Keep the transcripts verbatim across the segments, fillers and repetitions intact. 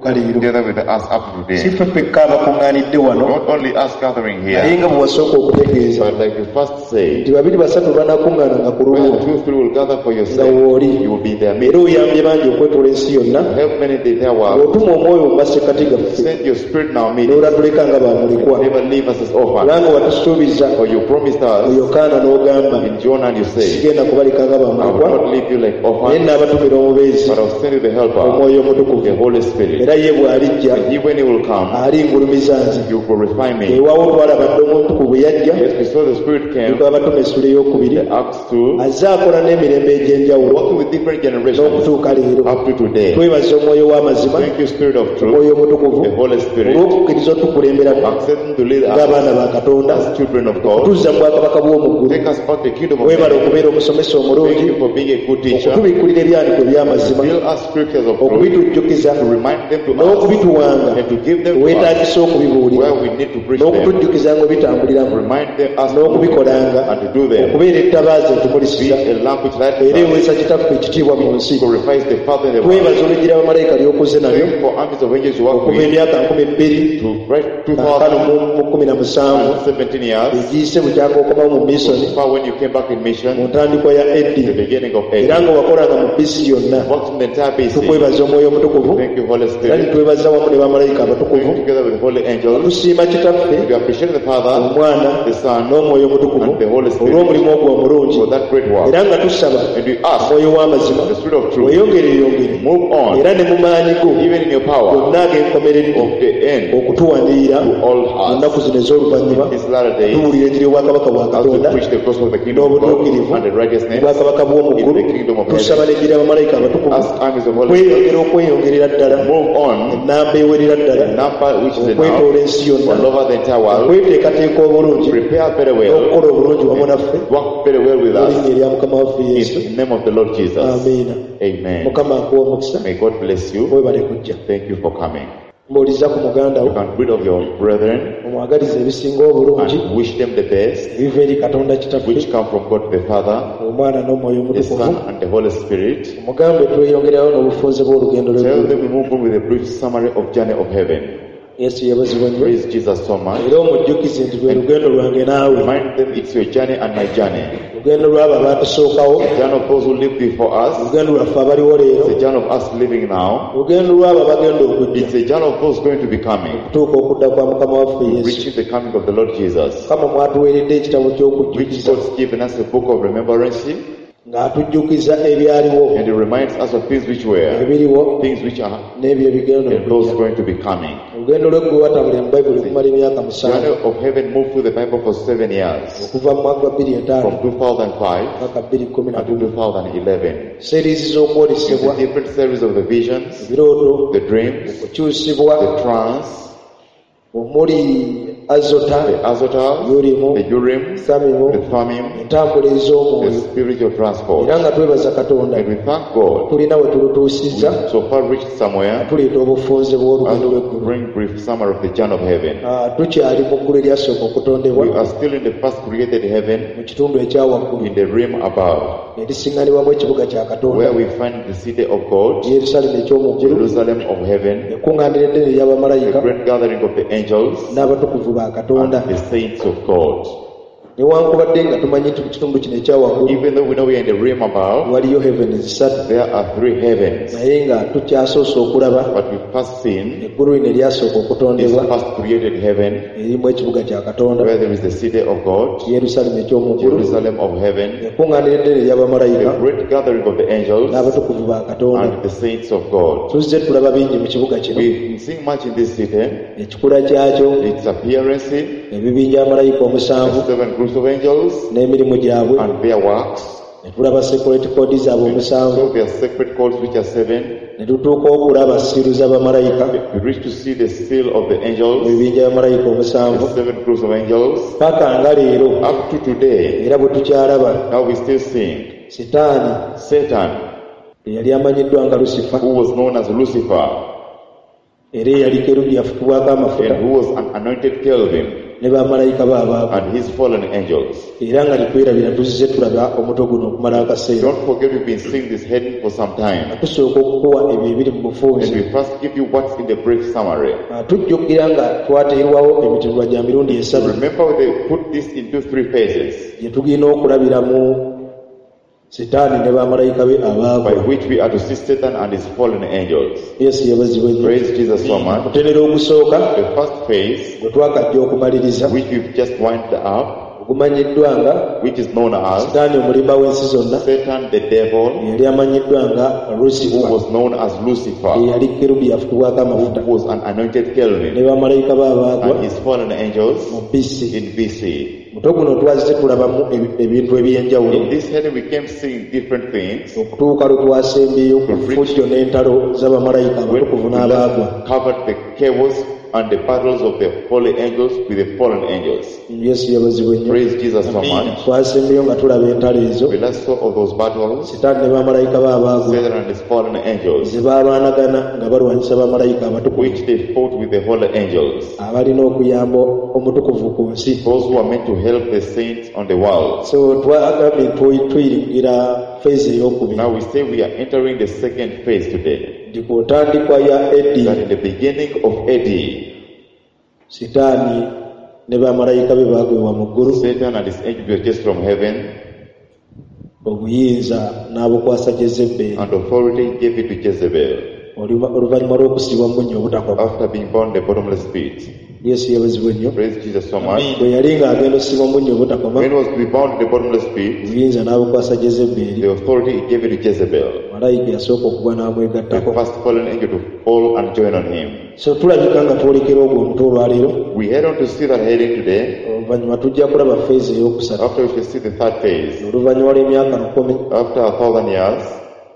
okutuuka leero. Together with us up to Si today. ffe ffekka abakuŋŋaanidde wano, Not only us gathering naye here, nga bwe wasooka okutegeeza but like you first nti said, babiri basatu banaakuŋŋaananga ku when lulwo two, three will gather for nga yourself, wooli. you will be in their Era midst. oyambye bangi okwetoola ensi yonna Help many in the entire world. ng'otuma omwoyo mu masekkati gaffe Send your spirit in our midst. n'olatuleka nga bamulekwa Never leave us as orphans. kubanga watusuubiza For you promised mu us Yokaana n'ogamba in John and you say, sigenda kubaleka nga I will bamulekwa not leave you like naye orphans, n'abatumira omubeezi but I'll send you the helper, omwoyo the omutukuvu Holy Spirit. era ye bw'alijja And he, when he will come, alingulumiza nze you glorify me. weewaawo twalaba dda omutukuvu bwe yajja Yes, we saw the Spirit came, Abato essula ey'okubiri the Acts two, azze akola n'emirembe egy'enjawulo working with different generations n'okutuuka leero up to today. twebaza omwoyo w'amazima Thank you, Spirit of truth, omwoyo omutukuvu the Holy Spirit, olw'okukkiriza otukulemberamu accepting to lead us ng'abaana ba Katonda as children of God. tuzza mu bwakabaka bw'omu ggulu Take us back to the kingdom of weebale heaven. okubeera omusomesa Thank omulungi you for being a good teacher. okutubikkulira ebyandiiko eby'amazima Fill us scriptures of truth okubitujjukiza to remind them to us n'okubituwanga and to give them to us weetaagisa okubibuulira where we need to preach them. n'okutujjukiza nga obitambuliramu Remind them us n'okubikolanga and to do them. okubeera ettabaaza Be etumulisiza a lamp which lights era us, eweesa kitaffe ekitiibwa mu nsi glorifies the Father in the world. twebaza olugira bamalayika ly'okuze nalyo Thank you for armies of angels you work okuva with emyaka nkumi bbiri to write two kaakano thousand mu mu kumi na musanvu and seventeen years. egiyise bukyanga okomawo mu misoni So far when you came back in mu mission, ntandikwa ya the eddi beginning of era April, nga wakolanga mu bisi yonna worked in the entire B C. tukwebaza omwoyo omutukuvu Thank you, Holy era Spirit. nitwebaza wamu ne bamalayika abatukuvu Thank you together with the Holy Angels. tusiima kitaffe We appreciate the Father, omwana the Son, n'omwoyo omutukuvu and the Holy Spirit olw'omulimu ogwo omulungi for that great work. era nga tusaba And we ask omwoyo w'amazima the Spirit of truth, weyongere yongere move on, era ne mu maanyi go even in your power gonna ag'enkomeredde of the end okutuwanirira to all mu us. nnaku zino ez'oluvannyuma These latter days, tuwulira enjiri y'obwakabaka bwa as we Katonda preach the gospel of the kingdom of God n'obutuukirivu and the righteousness obwakabaka bw'omu in ggulu the kingdom of tusaba heaven, n'enjiri y'abamalayika abatukuvu as armies of Holy Spirit, kweyongera okweyongerera ddala move on, ennamba ewerera ddala the number which is enough okwetoola ensi yonna all over the entire world, okweteekateeka obulungi prepare very well, n'okukola obulungi wamu naffe work very well with mu us linnya erya Mukama waffe Yesu in the name of the Lord Jesus. amiina Amen. Mukama akuwa omukisa May God bless you. webale kujja Thank you for coming. mbuuliza ku muganda You wo can rid of your brethren omwagaliza ebisinga obulungi and wish them the best, ebiva eri Katonda kitaffe which come from God the Father, omwana n'omwoyo the omutukuvu Son, and the Holy Spirit. omugambe tweyongerayo n'obufunze bw'olugendo Tell lw'eggulu them we move on with a brief summary of journey of heaven. Yesu yeebazibwe nnyo Praise Jesus so much. era omujjukize nti lwe lugendo lwange naawe Remind them it's your journey and my journey. lugendo lw'abo abaatusookawo The journey of those who lived before us, lugendo lwaffe abaliwo leero it's the journey of us living now. lugendo lw'abo abagenda okujja It's the journey of those going to be coming, okutuuka okudda kwa Mukama waffe Yesu reaching the coming of the Lord Jesus. Mukama mwatuweeredde ekitabo Which ky'okujjukiza God's given us a book of remembrance, ng'atujjukiza ebyaliwo and it reminds us of things which were, ebiriwo things which are, n'ebyo ebigenda and those okujja going to be coming. olugendo lw'eggulu watambulira mu Bayibuli okumala emyaka musanvu Journey of heaven moved through the Bible for seven years, okuva mu mwaka gwa bbiri etaano from two thousand five paka bbiri kkumi na until gumu two thousand eleven. series z'okwolesebwa The different series of the visions, ebirooto the dreams, okukyusibwa the trance, omuli Azota the Azotas, Urimu the Urims, Samimu the Thummim, entambula the ez'omwoyo spiritual transport. era nga twebaza Katonda And we thank God tulina we tulutuusizza we so far reached somewhere tuleeta obufunze bw'olugendo as we lw'eggulu bring brief summary of the journey of heaven. Ah, tukyali mu ggulu eryasooka okutondebwa We are still in the first created heaven, mu kitundu ekya waggulu in the realm above, erisiŋŋanibwamu ekibuga kya Katonda where we find the city of God, Yerusaalemu eky'omu ggulu Jerusalem of heaven, ekkuŋŋaaniro eddene the ery'abamalayika great gathering of the angels n'abatukuvu ba Katonda and the saints of God. newankubadde nga tumanyi nti mu kitundu kino ekya waggulu Even though we know we are in the realm above, waliyo heaven zisatu there are three heavens. naye nga tukyasoose okulaba But we first seen eggulu lino eryasooka this okutondebwa first created heaven, erimu ekibuga kya Katonda where there is the city of God, Yerusaalemu eky'omu ggulu Jerusalem of heaven, ekkuŋŋaaniro eddene ery'abamalayika the great gathering of the angels n'abatukuvu ba Katonda and the saints of God. tuzze tulaba bingi mu kibuga kino We've been seeing much in this city, ekikula kyakyo its appearance, ebibinja malayika omusanvu the seven groups of angels n'emirimu gyabwe and their works. ne tulaba secret code zaabwe omusanvu So their sacred codes, which are seven, ne tutuuka okulaba siiru z'abamalayika we reach to see the seal of the mu angels, bibinja by'amalayika omusanvu the seven groups of angels. paka nga leero Up to today, era bwe tukyalaba now we still seeing Sitaani Satan, eyali amanyiddwa nga Lusifa who was known as Lucifer era eyali kerubi yafukibwako amafuta and who was an anointed Kelvin, Ne bamalayika be abaagwa. And his fallen angels. Era nga tetwerabira tuzze tulaba omutwe guno okumala akaseera. Don't forget we've been seeing this heading for some time. Tusooka okukuwa ebyo ebiri mu bufunze. And we first give you what's in the brief summary. Tujjukira nga twateerwawo emitendera gya mirundi esatu. Remember they put this into three phases. Gye tugenda okulabiramu Sitaani ne bamalayika be abaagwa. By which we are to see Satan and his fallen angels. Yesu yeebazibwe nnyo. Praise Jesus so much. Omutendera ogusooka, The first phase, gwe twakajja okumaliriza, which we've just wound up, ogumanyiddwa nga which is known as Sitaani omulimba w'ensi zonna, Satan the devil, eyali amanyiddwa nga Lucifer, who was known as Lucifer, eyali kerubi yafukibwako amafuta, who was an anointed cherubim, ne bamalayika be abaagwa, and his fallen angels mu B C. in B C. Muto guno twazze tulabamu ebintu eby'enjawulo. In this heading we came seeing different things. Okutuuka lwe twasembyeyo ku fujjo n'entalo z'abamalayika abatukuvu n'abaagwa. Covered the chaos and the battles of the holy angels with the fallen angels. Yesu yeebazibwe nnyo. Praise Jesus so much. Twasembyeyo nga tulaba entalo ezo. We last saw all those battles. Sitaani ne bamalayika be abaagwa. Satan and his fallen angels. Ze baalwanagana nga balwanyisa bamalayika abatukuvu. Which they fought with the holy angels. Abalina okuyamba omutukuvu ku nsi. Those who are meant to help the saints on the world. So twagambye tuyingira phase ey'okubiri. Now we say we are entering the second phase today. Nti ku ntandikwa ya A D, That in the beginning of A D, Sitaani ne bamalayika be baagwibwa mu ggulu. Satan and his angels were chased from heaven. Obuyinza n'abukwasa Jezebel. And authority gave it to Jezebel. Oluvannyuma lw'okusibwa mu bunnya obutakoma. After being bound in the bottomless pit. Yesu yeebazibwe nnyo. Praise Jesus so much. Bwe yali ng'agenda okusibwa mu bunnya obutakoma, When he was to be bound in the bottomless pit, obuyinza n'abukwasa Jezebel. The authority he gave it to Jezebel. Malayika yasooka okugwa n'amwegattako. The first fallen angel to fall and join on him. So tulabika nga twolekera ogwo omutwe olwaleero. We head on to see that heading today. Oluvannyuma tujja kulaba phase ey'okusatu. After we shall see the third phase. Oluvannyuma lw'emyaka lukumi. After a thousand years,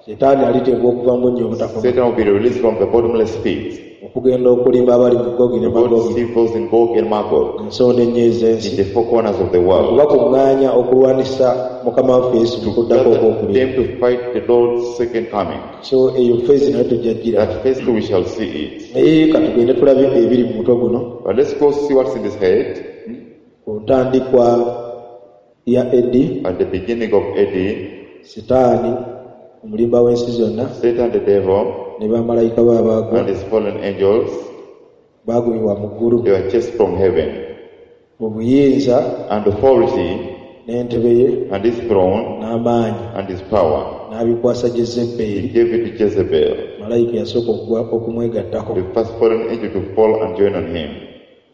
Setaani aliteekwa okuva mu bunnya obutakoma. Satan will be released from the bottomless pit. Okugenda okulimba abali mu Gogi ne God Magogi. see those in Gog and Magog. Ensonda ennyo ez'ensi. In the four corners of the world. Okubakuŋŋaanya okulwanisa Mukama waffe Yesu mu kuddako okwokubiri. Them to fight the Lord's second coming. So eyo phase nayo tujja gira. That phase two we shall see it. Naye ka tugende tulabe ebiri mu mutwe guno. But let's go see what's in this head. Ku ntandikwa ya A D. At the beginning of A D. Sitaani omulimba w'ensi zonna. Satan the devil. Ne bamalayika be abaagwa. And his fallen angels. Baagwibwa mu ggulu. They were chased from heaven. Obuyinza. And authority. N'entebe ye. And his throne. N'amaanyi. And his power. N'abikwasa Jezebel. He gave it to Jezebel. Malayika yasooka okugwa okumwegattako. The first fallen angel to fall and join on him.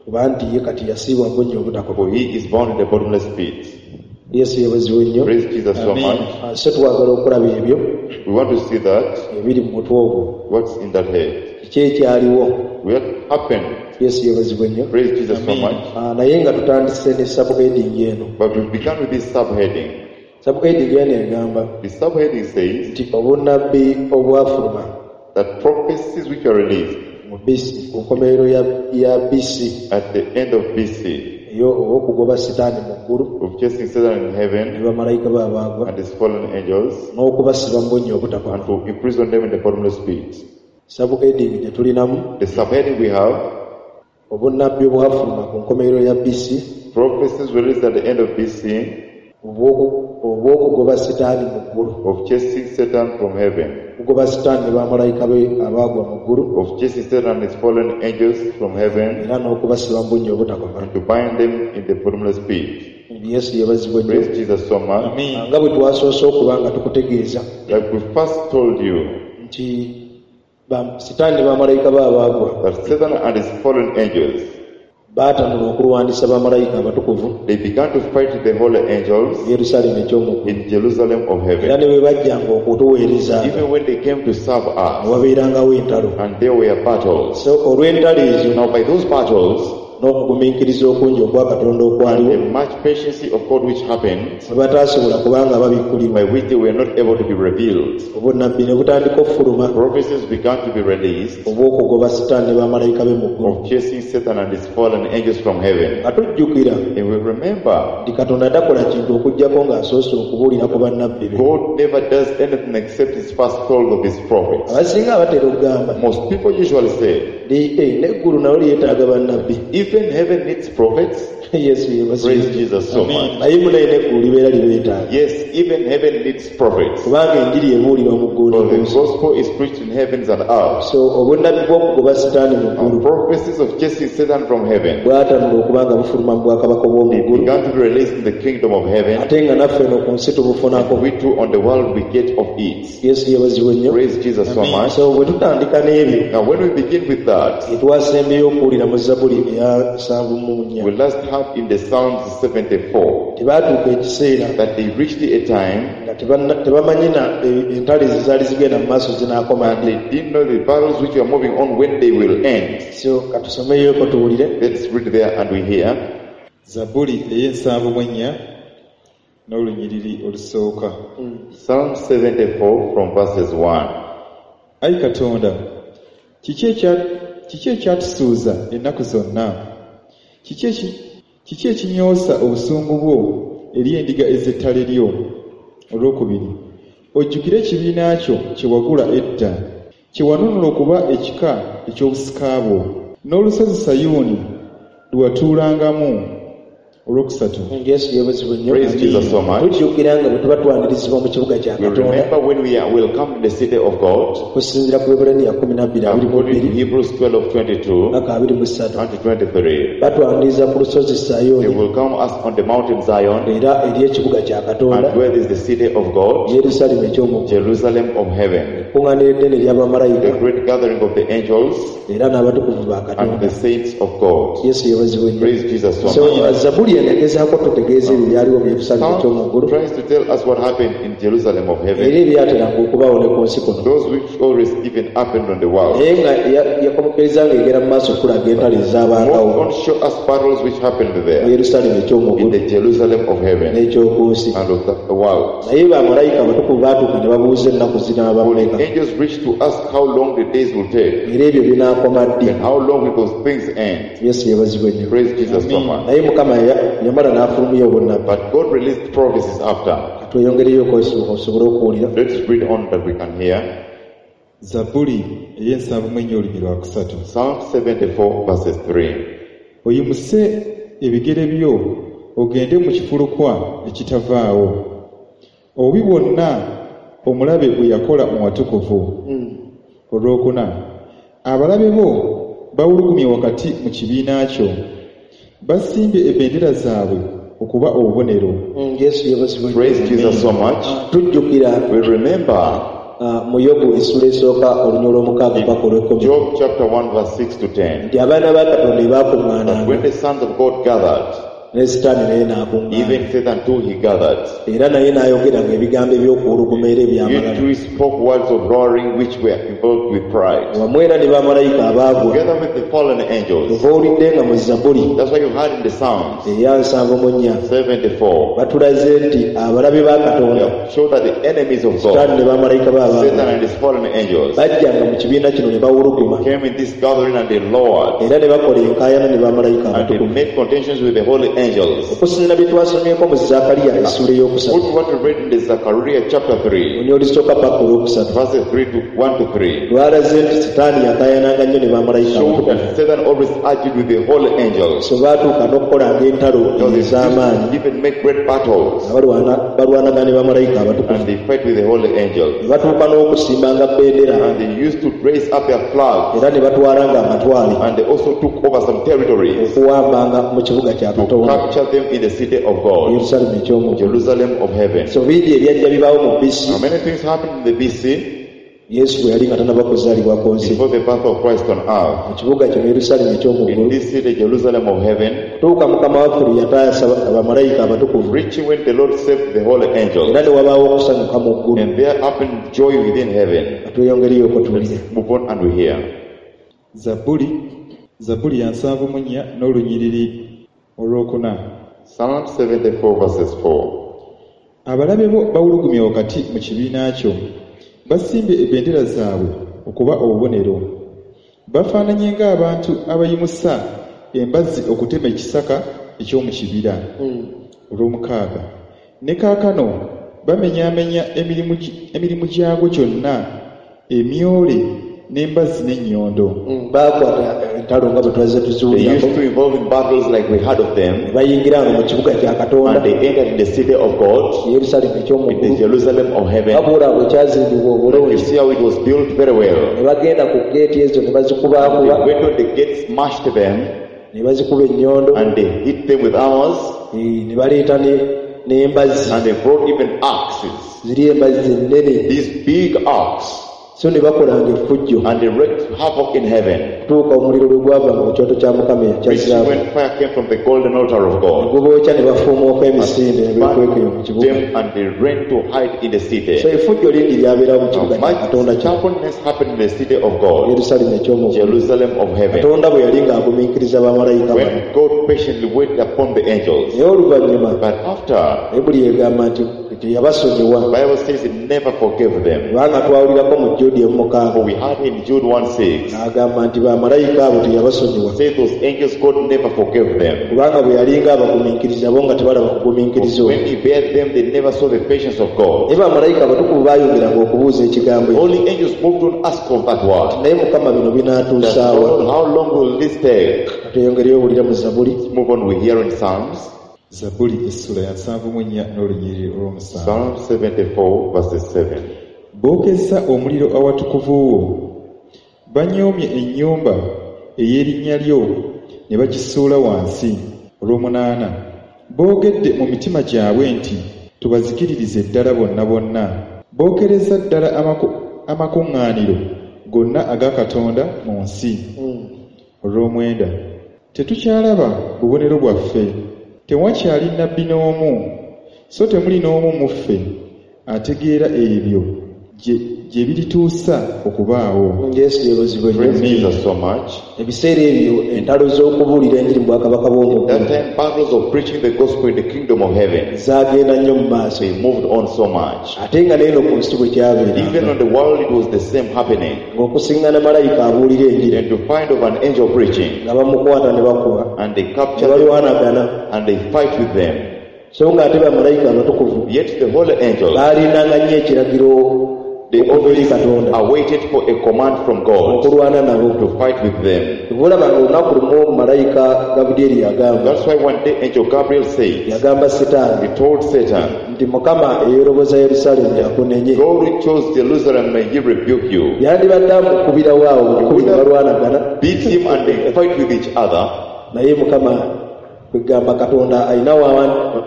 Kuba nti ye kati yasiibwa mu bunnya obutakoma. For he is bound in the bottomless pit. Yesu yeebazibwe nnyo. Praise Jesus so much. So twagala okulaba ebyo. We want to see that. Ebiri mu mutwe ogwo. What's in that head? Kiki ekyaliwo? What happened? Yesu yeebazibwe nnyo. Praise Jesus so much. Naye nga tutandise ne subheading eno. But we began with this subheading. Subheading eno egamba. The subheading says nti obunnabbi obwafuluma. That prophecies which are released mu B C, ku nkomerero ya, ya B C. At the end of B C. Eyo ow'okugoba Sitaani mu ggulu. Of chasing Satan in heaven. Ne bamalayika be abaagwa. And his fallen angels. N'okubasiba mu bunnya obutakoma. And to imprison them in the bottomless pit. Subheading gye tulinamu. The subheading we have. Obunnabbi obwafuluma ku nkomerero ya B C. Prophecies released at the end of B C. Obw'okugoba Sitaani mu ggulu. Of chasing Satan from heaven. Okugoba Sitaani ne bamalayika be abaagwa mu ggulu. Of chasing Satan and his fallen angels from heaven. Era n'okubasiba mu bunnya obutakoma. And to bind them in the bottomless pit. Yesu yeebazibwe nnyo. Praise Jesus so much. Nga bwe twasoose okuba nga tukutegeeza. Like we first told you. Nti Sitaani ne bamalayika be abaagwa. That Satan and his fallen angels. Baatanula okulwanyisa bamalayika abatukuvu. They began to fight the holy angels. Yerusaalemi eky'omu ggulu. In Jerusalem of heaven. Era ne bwe bajjanga okutuweereza. Even when they came to serve us. Wabeerangawo entalo. And there were battles. So olw'entalo ezo. Now by those battles. N'okugumiikiriza okungi okwa Katonda okwaliwo. The much patience of God which happened. Bwe bataasobola kubanga babikkulirwa. By which they were not able to be revealed. Obunnabbi ne butandika okufuluma. Prophecies began to be released. Obw'okugoba Sitaani ne bamalayika be mu ggulu. Of chasing Satan and his fallen angels from heaven. Atujjukira. And we remember. Nti Katonda takola kintu okuggyako ng'asoose okubuulira ku bannabbi be. God never does anything except his first told of his prophets. Abasinga abatera okugamba. Most people usually say. N'eggulu nalyo lyetaaga bannabbi. Even heaven needs prophets. Yesu yeebazibwe. Praise Jesus so much. Naye munaye n'eggulu libeera libeetaaga. Yes, even heaven needs prophets. Kubanga enjiri ebuulirwa mu ggulu For ne the ku nsi. gospel is preached in heavens and earth. So obunnabbi bw'okugoba sitaani mu And ggulu prophecies of chasing Satan from heaven bwatanula okuba nga bufuluma mu bwakabaka bw'omu they ggulu began to be released in the kingdom of heaven. Ate nga naffe eno ku nsi tubufunako. We too on the world we get of it. Yesu yeebazibwe nnyo. Praise Jesus so much. So bwe tutandika n'ebyo Now when we begin with that, etwasembyeyo okuwulira mu Zabuli eya nsanvu mu nnya we last heard in the Psalms seventy-four tebaatuuka ekiseera that they reached a time nga tebanna- tebamanyi na e- entalo ezo zaali zigenda mu maaso zinaakoma and ddi. they didn't know the battles which were moving on when they will end. So katusomeyoko tuwulire. Let's read there and we hear. Zabbuli ey'ensanvu mu ennya n'olunyiriri olusooka. Psalm seventy-four from verses one. Ayi Katonda, kiki ekya- kiki ekyatusuuza ennaku zonna? Kiki eki- kiki ekinyoosa obusungu bwo eri endiga ez'ettale lyo? Olwokubiri, ojjukire ekibiina kyo kye wagula edda, kye wanunula okuba ekika eky'obusika bwo, n'olusozi Sayuuni lwe watuulangamu. Olwokusatu. Yesu yeebazibwe nnyo. Praise Jesus so much. Tujjukira nga bwe tuba twanirizibwa mu kibuga kya We Katonda remember when we are welcomed in the city of God, okusinziira ku Bebbulaniya kumi na bbiri abiri mu according to bbiri Hebrews twelve twenty-two paka abiri mu ssatu and twenty-three. Batwaniriza ku lusozi They Sayuuni will come us on the mountain Zion, era eri ekibuga kya Katonda and where is the city of God, Yerusaalemi eky'omu ggulu. Jerusalem of heaven, Ekkuŋŋaaniro eddene ery'abamalayika the great gathering of the angels era n'abatukuvu ba and Katonda. the saints of God. Yesu yeebazibwe nnyo. Praise Jesus so So much. Zabuli eno egezaako tutegeeza ebyo byaliwo mu Yerusaalemi eky'omu ggulu Psalm tries to tell us what happened in Jerusalem of era heaven, ebyateranga okubaawo ne ku nsi kuno. those which always even happened on the world. Naye nga ya- yakomekereza ng'egera mu maaso okulaga entalo ezaabangawo More on show us battles which happened mu there Yerusaalemi eky'omu in ggulu the Jerusalem of heaven n'eky'oku nsi. and of the world. Naye bamalayika abatukuvu baatuuka ne babuuza ennaku zinaaba For the mmeka angels reached to ask how long the days will take era ebyo binaakoma ddi. and how long will those things end. Yesu yeebazibwe nnyo. Praise Jesus so much. Naye Mukama ya- yamala n'afulumya obunnabbi. But God released prophecies after. Tweyongereyo osobole okuwulira. Let's read on that we can hear. Zabbuli ey'ensanvu mu ennya olunyiriri lwa kusatu. Psalm seventy-four verses three. Oyimuse ebigere byo ogende mu kifulukwa ekitavaawo. Obubi bwonna omulabe bwe yakola mu watukuvu. Olwokuna, abalabe bo bawulugumye wakati mu kibiina kyo. Basimbye ebendera zaabwe okuba obubonero. Mm, Yesu yeebazibwe nnyo. Praise Jesus so much. Tujjukira We remember ah, mu Yobu essula esooka olunyiriri olw'omukaaga paka olw'ekkumi Job chapter one verse six to ten. nti abaana ba Katonda That when baakuŋŋaananga the sons of God gathered, ne Sitaani naye n'akuŋŋaana even Satan too he gathered. Era naye n'ayogeranga ebigambo eby'okuwuluguma era He ebyamalala too spoke words of roaring which were involved with pride. Wamu era ne bamalayika abaagwa Together with the fallen angels. Ova owulidde nga mu Zabuli That's why you heard in the Psalms eya nsanvu mu nnya seventy-four. Batulaze nti abalabe ba Katonda Yeah, show that the enemies of Sitaani God, ne bamalayika be Satan abaagwa and his fallen angels, bajjanga mu kibiina kino ne bawuluguma came in this gathering and they lowered era ne bakola enkaayana ne bamalayika and they abatukuvu made contentions with the holy angels. Okusinziira bye twasomyeko mu Zakariya essuula ey'okusatu Put what we read in the Zechariah chapter three, olunyiriri olusooka paka olwokusatu verses three to one to three, lwalaze nti Sitaani yakaayananga nnyo ne bamalayika showed abatukuvu. that Satan always argued with the holy angels. So baatuuka n'okukolanga entalo Now they used ez'amaanyi to even make great battles nga balwana- balwanagana ne bamalayika abatukuvu and they fight with the holy angels. ne batuuka n'okusimbanga bendera And they used to raise up their flags era ne batwalanga amatwale and they also took over some territories okuwambanga mu kibuga kya to Katonda capture them in the city of God, Yerusaalemi eky'omu ggulu. Jerusalem of heaven. So bingi ebyajja bibaawo mu B C Now many things happened in the B C Yesu bwe yali nga tannaba kuzaalibwa ku nsi before the birth of Christ on earth. Mu kibuga kino Yerusaalemi eky'omu In ggulu this city, Jerusalem of heaven, kutuuka Mukama waffe lwe yataasa abamalayika abatukuvu reaching when the Lord saved the holy angels, era ne wabaawo okusanyuka mu ggulu. And there happened joy within heaven. Tweyongereyo okutuulire. Move on and we hear. Zabbuli Zabbuli ya nsanvu mu nnya n'olunyiriri olwokuna. Psalm seventy-four verses four. Abalabe bo bawulugumye wakati mu kibiina kyo. Basimbye ebendera zaabwe okuba obubonero. Bafaananye ng'abantu abayimusa embazzi okutema ekisaka eky'omu kibira. Olw'omukaaga. Ne kaakano bamenyaamenya emirimu gi- emirimu gyagwo gyonna, emyole n'embazzi n'ennyondo. Mm, baakwata entalo nga bwe twazze They tuziwulirako used to involve in battles like we heard of them, ne bayingira wano mu kibuga kya katonda and they entered in the city of God, yerusaalemu in the eky'omuggulu Jerusalem of heaven. nga bw'olaba bwe kyazimbibwa You obulungi see how it was built very well. ne bagenda ku geeti ezo ne They bazikubaakuba went on the gates, smashed them, ne bazikuba ennyondo and they hit them with arrows, eh, ne baleeta ne- n'embazzi and they brought even axes. ziri embazzi ennene These big axes, so ne bakolanga effujjo and they wreaked havoc in heaven. okutuuka omuliro lwe gwavanga mu kyoto kya mukama ekya Which zaabu when fire came from the golden altar of ne God, gubookya ne bafuumuuka emisinde ne beekweka eyo mu burned kibuga them and they ran to hide in the city. so effujjo lingi lyabeerawo mu Now, kibuga kya much katonda kya stubbornness happened in the city of God, yerusaalemu eky'omuggulu Jerusalem of heaven. katonda bwe yali ng'agumiikiriza bamalayika bano When God patiently waited upon the angels, naye oluvannyuma but after, bayibuli egamba nti teyabasonyiwa the Bible says it never forgave them. kubanga twawulirako mu judi emukaaga For we heard in Jude one six, n'agamba nti bamalayika abo teyabasonyiwa say those angels God never forgave them. kubanga bwe yalinga abagumiikiriza bo nga tebalaba kugumiikiriza When okwo he bared them, they never saw the patience of God. naye bamalayika abatukuvu baayongeranga okubuuza ekigambo ekyo Holy angels moved on ask of that word. naye mukama bino That, binaatuusaawa Lord, how long will this take? tweyongereyo owulira mu zabuli Move on, we hear in Psalms. Zabbuli essula ya nsanvu mu nnya n'olunyiriri olw'omusanvu. Psalm seventy-four, verses seven. Bookezza omuliro awatukuvu wo. Banyoomye ennyumba ey'erinnya lyo ne bagisuula wansi. Olw'omunaana. Boogedde mu mitima gyabwe nti tubazikiririze ddala bonna bonna. Bookereza ddala amaku- amakuŋŋaaniro gonna aga Katonda mu nsi. Olw'omwenda. Tetukyalaba bubonero bwaffe. Tewakyali nnabbi n'omu, so temuli n'omu mu ffe ategeera ebyo gye gye birituusa okubaawo. yesu yeebazibwe nnyo Praise Jesus so much. ebiseera ebyo entalo z'okubuulira enjiri mu bwakabaka bw'omuggulu That time, battles of preaching the gospel in the kingdom of heaven, zaagenda nnyo mu maaso they moved on so much. ate nga n'eno ku nsi bwe Even kyabeeranga on the world, it was the same happening. ng'okusiŋŋana malayika abuulira enjiri And to find of an angel preaching, nga bamukwata ne bakuba and they ne capture them balwanagana and they fight with them. so ng'ate bamalayika abatukuvu Yet the holy angels, baalindanga nnyo ekiragiro they okuva eri always katonda awaited for a command from God okulwana nabo to fight with them. olaba nga olunaku lumu malayika gabulyeri yagamba That's why one day Angel Gabriel said, yagamba sitaani he told Satan, nti mukama eyeroboza yerusaalemi akunenye God who chose Jerusalem, may he rebuke you. yandibadde amukubirawo awo bukubi ne balwanagana Beat him and they fight with each other. naye mukama kwegamba katonda alina wa-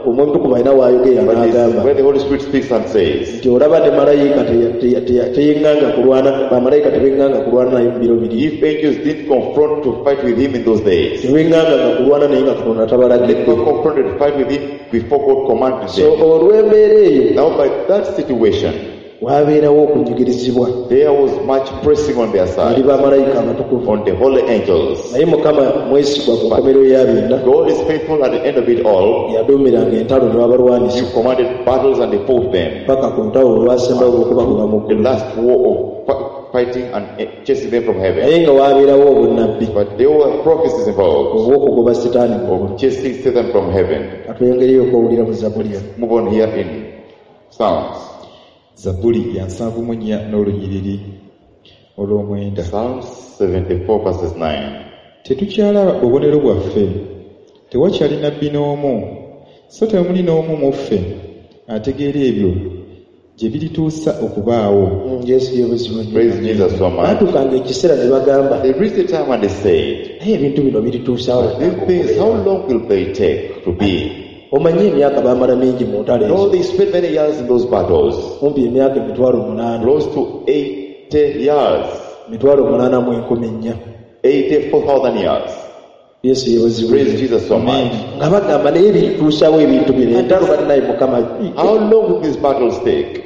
omwoyo omutukuvu alina waayogera But it's n'agamba where the Holy Spirit speaks and says, nti olaba ne malayika teya- teya- teya- teyeŋŋanga kulwana bamalayika tebeŋŋanga kulwana naye mu biro biri if angels didn't confront to fight with him in those days, tebeŋŋanganga kulwana naye nga katonda they tabalagidde never confronted to fight with him before God commanded so them. olw'embeera eyo Now, by that situation, waabeerawo okunyigirizibwa there was much pressing on their eri side, bamalayika abatukuvu on the holy angels. naye mukama mwesigwa ku nkomerero ya byonna God is faithful at the end of it all. yaduumiranga entalo ne babalwanisa He commanded battles and they fought them. paka ku ntalo olwasembayo olw'okubagoba mu The ggulu last war of fi- fighting and eh, chasing them from heaven. naye nga waabeerawo obunnabbi But there were prophecies involved obw'okugoba sitaani mu ggulu of chasing Satan from heaven. katweyongereyo okwowulira mu zabuli eno Move on here in Psalms. Zabbuli ya nsanvu mu nnya n'olunyiriri olw'omwenda. Psalms seventy-four verses nine. Tetukyalaba bubonero bwaffe. Tewakyali nnabbi n'omu, so temuli n'omu mu ffe ategeera ebyo gye birituusa okubaawo. Mm, yesu yeebazibwe nnyo Praise Jesus so much. baatuukanga ekiseera ne bagamba They reached a time and they said, naye ebintu bino birituusaawo these things, how long will they take to be? omanyi emyaka baamala mingi mu ntalo No, ezo they spent many years in those battles, kumpi emyaka emitwalo munaana close to eighty years, emitwalo munaana mu enkumi nnya eighty-four thousand years. yesu yeebazibwe Praise Jesus so much. nga bagamba naye birituusaawo ebintu bino entalo balinaye mukama How long will these battles take?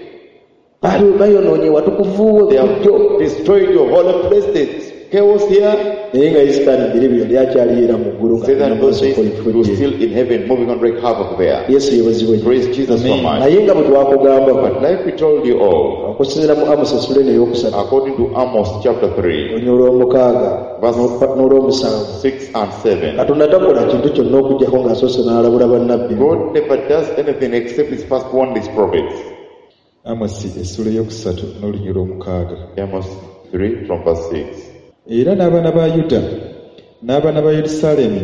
baali bayonoonye watukuvu They bulijjo have destroyed your holy place, there's chaos here. naye nga isitaani biri yali akyali era mu ggulu nga Satan, those days, alina he okukola was effujjo still in heaven, moving on wreak havoc there. yesu yeebazibwe nnyo Praise Jesus so much. naye nga bwe twakugambako But like we told you all, okusinziira mu amosi essula eno ey'okusatu according to Amos chapter three, olunya olw'omukaaga Verse- n'olw'omusanvu six and seven, katonda takola kintu kyonna okuggyako ng'asoose n'alabula bannabbi God never does anything except his first warned his prophets. Amosi essula ey'okusatu n'olunya olw'omukaaga. Amos three from verse six. Era n'abaana ba Yuda n'abaana ba Yerusaalemi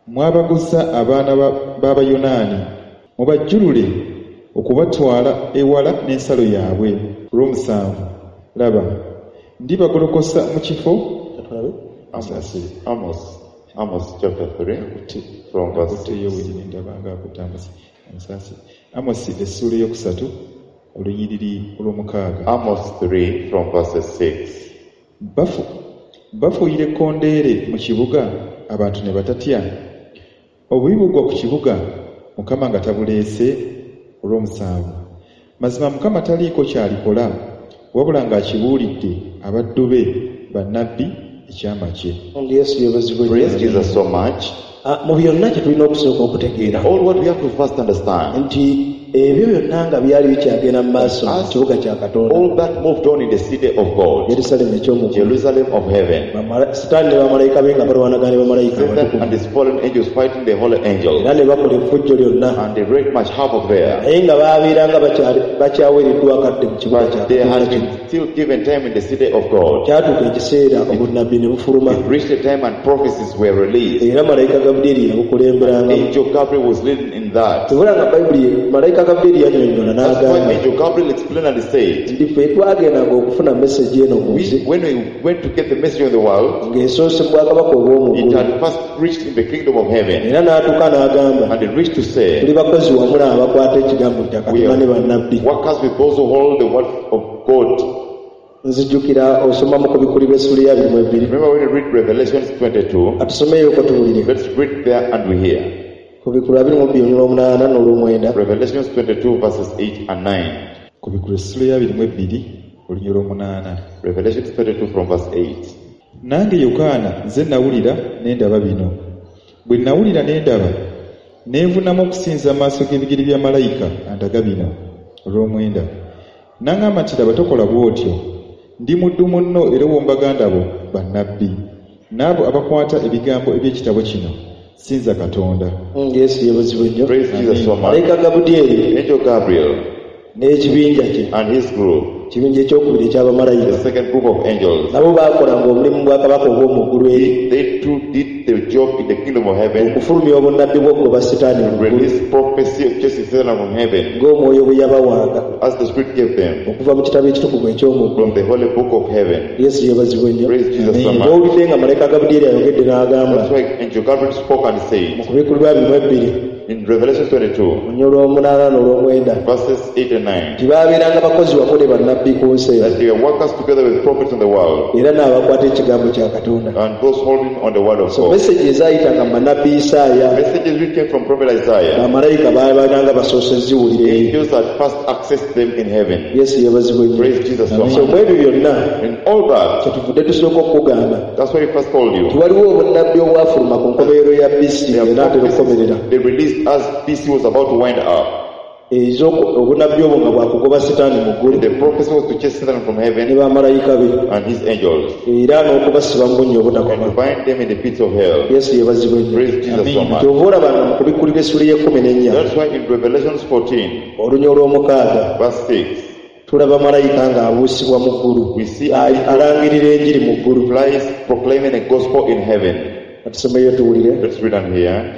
mwabaguza abaana b'Abayonaani mubajjulule okubatwala ewala n'ensalo yaabwe. Olw'omusanvu laba ndibagolokosa mu kifo. Amos, Amos, Amos chapter three from verse six. Amos essuula eyokusatu olunyiriri olw'omukaaga. Amos three from verse six. Bafu bafuuyira ekkondeere mu kibuga abantu ne batatya. Obubi bugwa ku kibuga Mukama nga tabuleese. Olw'omusanvu mazima Mukama taliiko ky'alikola wabula ng'akibuulidde abaddu be bannabbi ekyama kye. Yesu yeebazibwe. Praise Jesus so much. Mu byonna kye tulina okusooka okutegeera. All what we have to first understand. Nti ebyo byonna nga byali bikyagenda mu maaso mu kibuga kya Katonda. All that moved on in the city of God. Yerusalemu eky'omu ggulu. Jerusalem of heaven. Sitaani ne bamalayika be nga balwanagana ne bamalayika abatukuvu. And his fallen angels fighting the holy angels. Era ne bakola effujjo lyonna. And they wreaked much havoc there. Naye nga baabeeranga bakyaweereddwa akadde mu kibuga kya But they Katonda had kino. been still given time in the city of God. Kyatuuka ekiseera obunnabbi ne bufuluma. It reached a time and prophecies were released. Era malayika Gabulyeri yabukulemberangamu. Angel Gabriel was leading in that. Tebula nga Bayibuli malayika Gabulyeri yannyonnyola That's why n'agamba Angel Gabriel explained and said, nti ffe twagendanga okufuna message eno ku nsi we, when we went to get the message of the world, ng'esoose mu bwakabaka obw'omu it ggulu. had first reached in the kingdom of heaven. Era n'atuuka n'agamba And it reached to say, tuli bakozi wamu n'abakwata ekigambo kya we Katonda ne are bannabbi. workers with those who hold the word of God. Nzijjukira osoma mu Kubikkulirwa essuula ya abiri mu ebbiri. Remember when you read Revelations twenty-two, Atusomeeyoko tuwulire. let's read there and we hear. Kubikkulirwa abiri mu bbiri olw'omunaana n'olw'omwenda. Revelations twenty-two verses eight and nine. Kubikkulirwa essuula ya abiri mu ebbiri olunyiriri olw'omunaana. Revelations twenty-two from verse eight. Nange Yokaana nze nawulira ne ndaba bino. Bwe nawulira ne ndaba ne nvunamu okusinza amaaso g'ebigere bya malayika andaga bino. Olw'omwenda n'aŋŋamba nti laba tokola bw'otyo. Ndi muddu munno era ow'omu baganda bo bannabbi n'abo abakwata ebigambo eby'ekitabo kino. Sinza Katonda. Yesu yeebazibwe nnyo. Praise Jesus so much. Malayika Gabulyeri Angel Gabriel n'ekibinja kye and his group, ekibinja ekyokubiri eky'abamalayika, the second group of angels, nabo baakolanga omulimu bwakabaka obw'omu ggulu eri they too did the job in the kingdom of heaven, okufulumya obunnabbi bw'okugoba Sitaani mu ggulu release prophecy of chasing Satan from heaven, ng'omwoyo bwe yabawanga as the Spirit gave them okuva mu kitabo ekitukuvu eky'omu ggulu. from the holy book of heaven. Yesu yeebazibwe nnyo. Praise Jesus so much. Bw'owulidde nga malayika Gabulyeri ayogedde n'agamba That's why Angel Gabriel spoke and mu said Kubikkulirwa abiri mu ebbiri in Revelation twenty-two, olunyiriri olw'omunaana n'olw'omwenda verses eight and nine, nti baabeeranga bakozi wamu ne bannabbi ku nsi eno that they were workers together with prophets in the world era n'abakwata ekigambo kya Katonda. and those holding on the word of So God. message ezaayitanga mu bannabbi Isaaya Messages which came from prophet Isaiah, bamalayika baabeeranga basoose ziwulira eyo. angels had first accessed them in heaven. Yesu yeebazibwe nnyo. Praise Jesus so So much. mu ebyo byonna In all that, kyetuvudde tusooka okukugamba that's why we first told you. nti waliwo obunnabbi obwafuluma ku nkomerero ya B C There are enaatera okukomerera. prophecies they released as B C was about to wind up. Ez'oku- obunnabbi obwo nga bwakugoba Sitaani mu ggulu The prophecy was to chase Satan from ne heaven bamalayika be and his angels era n'okubasiba mu bunnya and obutakoma. to bind them in the pits of hell. Yesu yeebazibwe nnyo. Praise Jesus so much. Kyova olaba nga mu Kubikkulirwa essuula y'ekkumi n'ennya That's why in Revelations fourteen, olunya olw'omukaaga verse six, tulaba malayika ng'abuusibwa mu ggulu we see A- alangirira enjiri mu ggulu. flies proclaiming a gospel in heaven. Atusomeyo tuwulire. Let's read on here.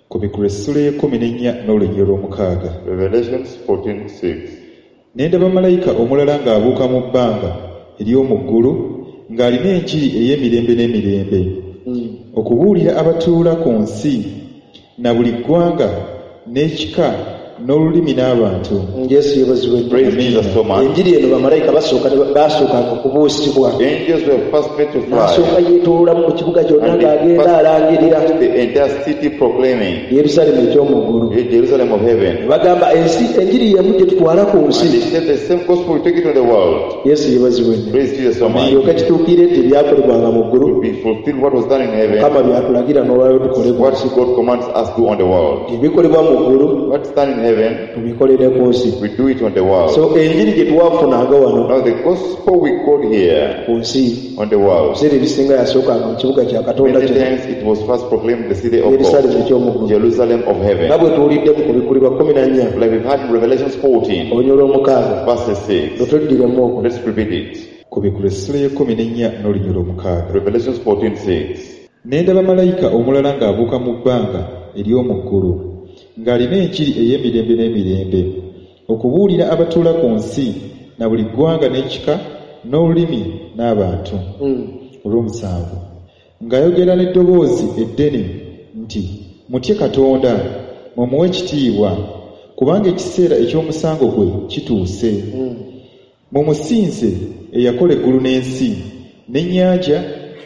Kubikkulirwa essuula y'ekkumi n'ennya n'olunyiriri olw'omukaaga. Revelations fourteen six. Ne ndaba malayika omulala ng'abuuka mu bbanga ery'omu ggulu ng'alina enjiri ey'emirembe n'emirembe okubuulira abatuula ku nsi na buli ggwanga n'ekika n'olulimi n'abantu. Yesu yeebazibwe nnyo. Praise Jesus so much. Enjiri eno bamalayika basooka ne ba- basookanga okubuusibwa. Angels were first made to fly N'asooka yeetooloolamu mu kibuga kyonna and they ng'agenda first alangirira moved the entire city proclaiming Yerusaalemu eky'omu ggulu. the Jerusalem of heaven. Bagamba ensi enjiri y'emu gye tutwala ku And nsi. they said the same gospel we take it to the world. Yesu yeebazibwe nnyo. Praise Jesus so much. Kiryoke kituukire nti ebyakolebwanga mu ggulu To be fulfilled what was done in heaven, Mukama by'atulagira n'olwaleero tukole ku what nsi. God commands us to do on the world. Ebikolebwa mu ggulu What's done in heaven, tubikolere ku nsi. we do it on the world. So enjiri gye twafunanga wano Now the gospel we got here ku nsi on the world, ebiseera ebisinga yasookanga mu kibuga kya Katonda many kino times it was first proclaimed in the city of Yerusaalemu God, eky'omu ggulu. Jerusalem of heaven. Nga bwe tuwulidde mu Kubikkulirwa kkumi na nnya Like we've had in Revelations fourteen, olunyiriri olw'omukaaga verses six. lutuddiremu okwo. Let's repeat it. Kubikkulirwa essuula y'ekkumi n'ennya n'olunyiriri olw'omukaaga. Revelations fourteen six. Ne ndaba malayika omulala ng'abuuka mu bbanga ery'omu ggulu, ng'alina enjiri ey'emirembe n'emirembe, okubuulira abatuula ku nsi na buli ggwanga n'ekika n'olulimi n'abantu. Olw'omusanvu, ng'ayogera n'eddoboozi eddene nti, mutye Katonda, mumuwe ekitiibwa, kubanga ekiseera eky'omusango gwe kituuse. Mumusinze eyakola eggulu n'ensi, n'ennyanja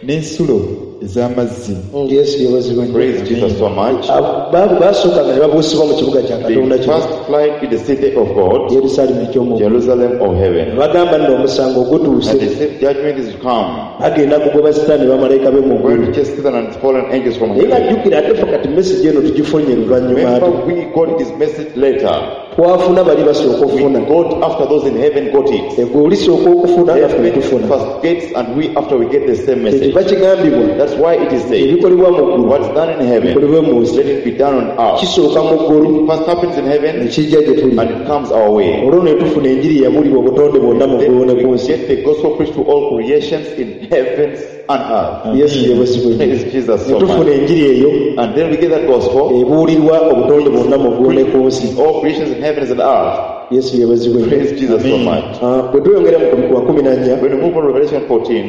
n'ensulo ez'amazzi. Yesu yeebazibwe nnyo. Praise Jesus so much. Abo- ba- baasooka nga ne babuusibwa mu kibuga kya Katonda They kino first flight in the city of God, Yerusaalemi eky'omu ggulu. Jerusalem of heaven. Ne bagamba nno omusango gutuuse, And they said judgment is come. bagenda kugoba Sitaani ne bamalayika be mu Going ggulu. to chase Satan and his fallen angels from Naye nga heaven. jjukira ate ffe kati message eno tugifunye luvannyuma ate. Remember, we got this message later. Twafuna bali basooka We okufuna. got after those in heaven got it. Egwe olisooka okufuna naffe ne Heaven tufuna. first gets and we after we get the same message. Kyekiva kigambibwa That's why it is said, ebikolebwa mu ggulu what's done in heaven, bikolebwe mu nsi. let it be done on earth. Kisooka mu ggulu First happens in heaven ne kijja gye tuli. and it comes our way. Olwo ne tufuna enjiri eyabuulibwa obutonde bwonna mu ggulu ne Then ku we nsi. get the gospel preached to all creations in heavens and earth. Yesu yeebazibwe nnyo. Praise Jesus Ne so tufuna much. enjiri eyo And then we get that gospel ebuulirwa obutonde bwonna mu ggulu ne ku nsi. all creations in heavens and earth. Yesu yeebazibwe nnyo. Praise Jesus so much. Ah, bwe tweyongera mu kubikkulwa kumi na nnya When we move on to Revelation fourteen,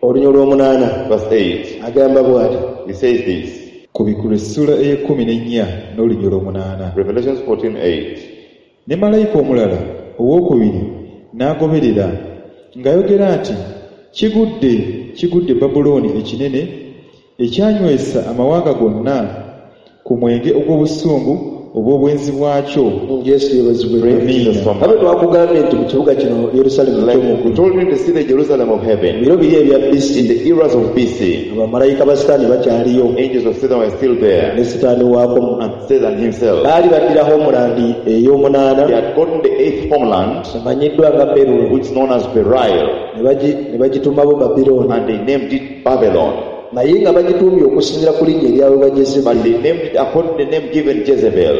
olunya olw'omunaana verse eight, agamba bw'ati. it says this. Kubikkulwa essula ey'ekkumi n'ennya n'olunya olw'omunaana. Revelation fourteen eight. Ne malayika omulala owookubiri n'agoberera ng'ayogera nti, kigudde, kigudde Babulooni ekinene, ekyanywesa amawanga gonna ku mwenge ogw'obusungu obw'obwenzi bwakyo. Yesu yeebazibwe nnyo. Praise Jesus so Abe much. twakugambye nti mu kibuga kino Yerusaalemi Like eky'omu we ggulu, told you to see the Jerusalem of heaven. biro biri ebya B C, In the eras of B C, abamalayika ba Sitaani bakyaliyo angels of Satan were still there, ne Sitaani waako. and Satan himself. Baali baddira homeland ey'omunaana They had gotten the eighth homeland, emanyiddwa nga Berulo, which is known as Beryl, ne bagi- ne bagituumabo Babilooni, and they named it Babylon. naye nga bagituumye okusinziira ku linnya eryaweebwa But Jezebeli. they named it according to the name given Jezebel,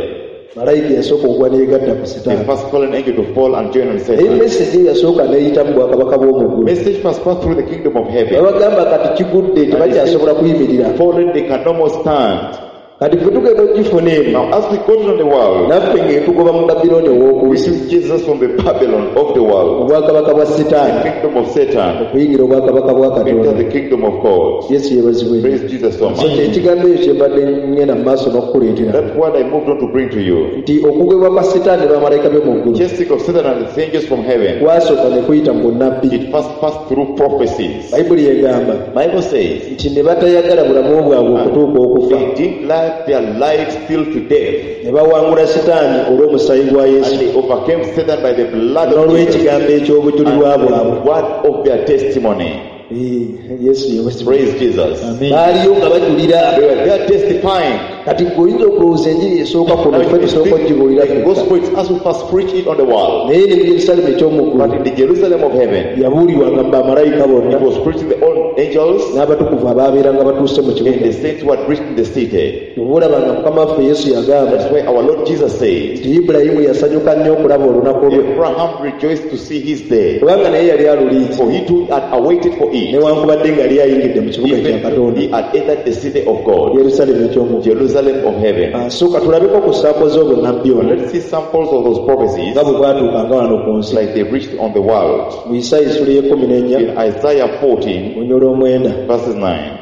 Malayika yasooka okugwa n'eyegatta ku the Sitaani. first fallen angel to fall and join on Naye Satan. message eyo yasooka n'eyita mu bwakabaka bw'omu ggulu. Message first passed through the kingdom of heaven. Babagamba kati kigudde tebakyasobola kuyimirira. Fallen, they can no more stand. Kati ffe tugenda okugifuna eno, Now, as we got on the world, naffe ng'etugoba mu Babilooni ow'oku we nsi, see Jesus from the Babylon of the world, obwakabaka bwa Sitaani, the kingdom of Satan, okuyingira obwakabaka bwa enter Katonda. the kingdom of God. Yesu yeebazibwe nnyo. Praise Jesus so So much. kye ekigambo ekyo kye mbadde ngenda mu maaso n'okukuleetera That word I moved on to bring to you. nti okugobwa kwa Sitaani ne bamalayika be mu ggulu Chasing of Satan and the angels from heaven. kwasooka ne kuyita mu bunnabbi. It first passed through prophecies. Bayibuli egamba Bible says nti ne batayagala bulamu bwabwe okutuuka okufa, they didn't like their lives till to death, ne bawangula Sitaani olw'omusaayi gwa Yesu and they overcame Satan by the blood of Jesus n'olw'ekigambo eky'obujulirwa and bwabwe. the word of their testimony. Eh, Yesu yeebazibwe. Praise Jesus. Amen. Baaliyo nga bajulira. They were there testifying. Kati gwe oyinza okulowooza enjiri esooka kuno Now, ffe if you tusooka think okugibuulira the ffekka. gospel is us who first preach it on the world. Naye ne mu Yerusaalemi eky'omu But ggulu in the Jerusalem of heaven, yabuulirwanga mu bamalayika bonna it was preached to the old angels n'abatukuvu abaabeeranga batuuse mu and kibuga. the saints who had reached in the city. Oba olaba nga Mukama waffe Yesu yagamba That's why our Lord Jesus said, nti Ibulayimu yasanyuka nnyo okulaba olunaku lwe, Abraham rejoiced to see his day, kubanga naye yali alulinze, for he too had awaited for it. newankubadde nga yali ayingidde mu kibuga kya Even Katonda, he had entered the city of God, Yerusaalemi eky'omu ggulu. Jerusalem of heaven. Ah, so katulabeko ku ssaako z'obunnabbi ono Let's see samples of those prophecies nga bwe bwatuukanga wano ku nsi. like they reached on the world. Mu Isaaya essula y'ekkumi n'ennya In Isaiah fourteen, olunya olw'omwenda verses nine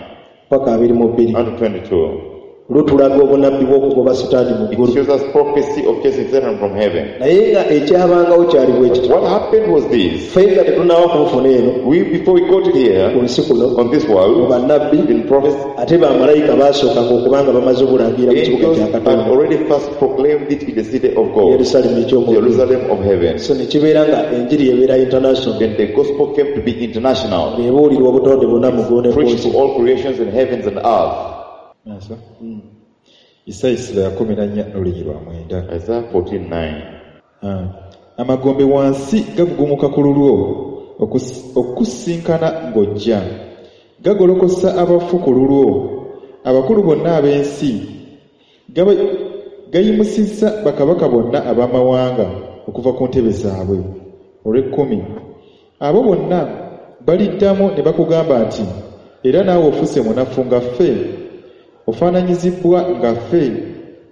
paka abiri mu bbiri and twenty-two, lutulaga obunnabbi bw'okugoba Sitaani mu it ggulu. shows us prophecy of chasing Satan from heaven. Naye nga ekyabangawo kyali bwe kityo. What happened was this. Ffe nga tetunnaba kubufuna eno We, before we got here, ku nsi kuno, on this mu world, bannabbi in prophecy, ate bamalayika baasookanga okuba nga bamaze obulangira mu kibuga angels kya had Katonda, already first proclaimed it in the city of God, Yerusaalemi eky'omu ggulu. Jerusalem of heaven. So ne kibeera nga enjiri ebeera international, Then the gospel came to be international, ng'ebuulirwa obutonde bwonna mu ggulu ne ku preached nsi. to all creations in heavens and earth. Maaso. Isaaya essula ya kkumi na nnya n'olunyiriri lwa mwenda. Isaiah fourteen nine. Ah. Amagombe wansi gagugumuka ku lulwo okus- okukusinkana ng'ojja, gagolokosa abafu ku lulwo, abakulu bonna ab'ensi, Gaba- gayimusizza bakabaka bonna ab'amawanga okuva ku ntebe zaabwe. Olw'ekkumi, abo bonna baliddamu ne bakugamba nti Era naawe ofuuse munafu nga ffe, ofaananyizibbwa nga ffe.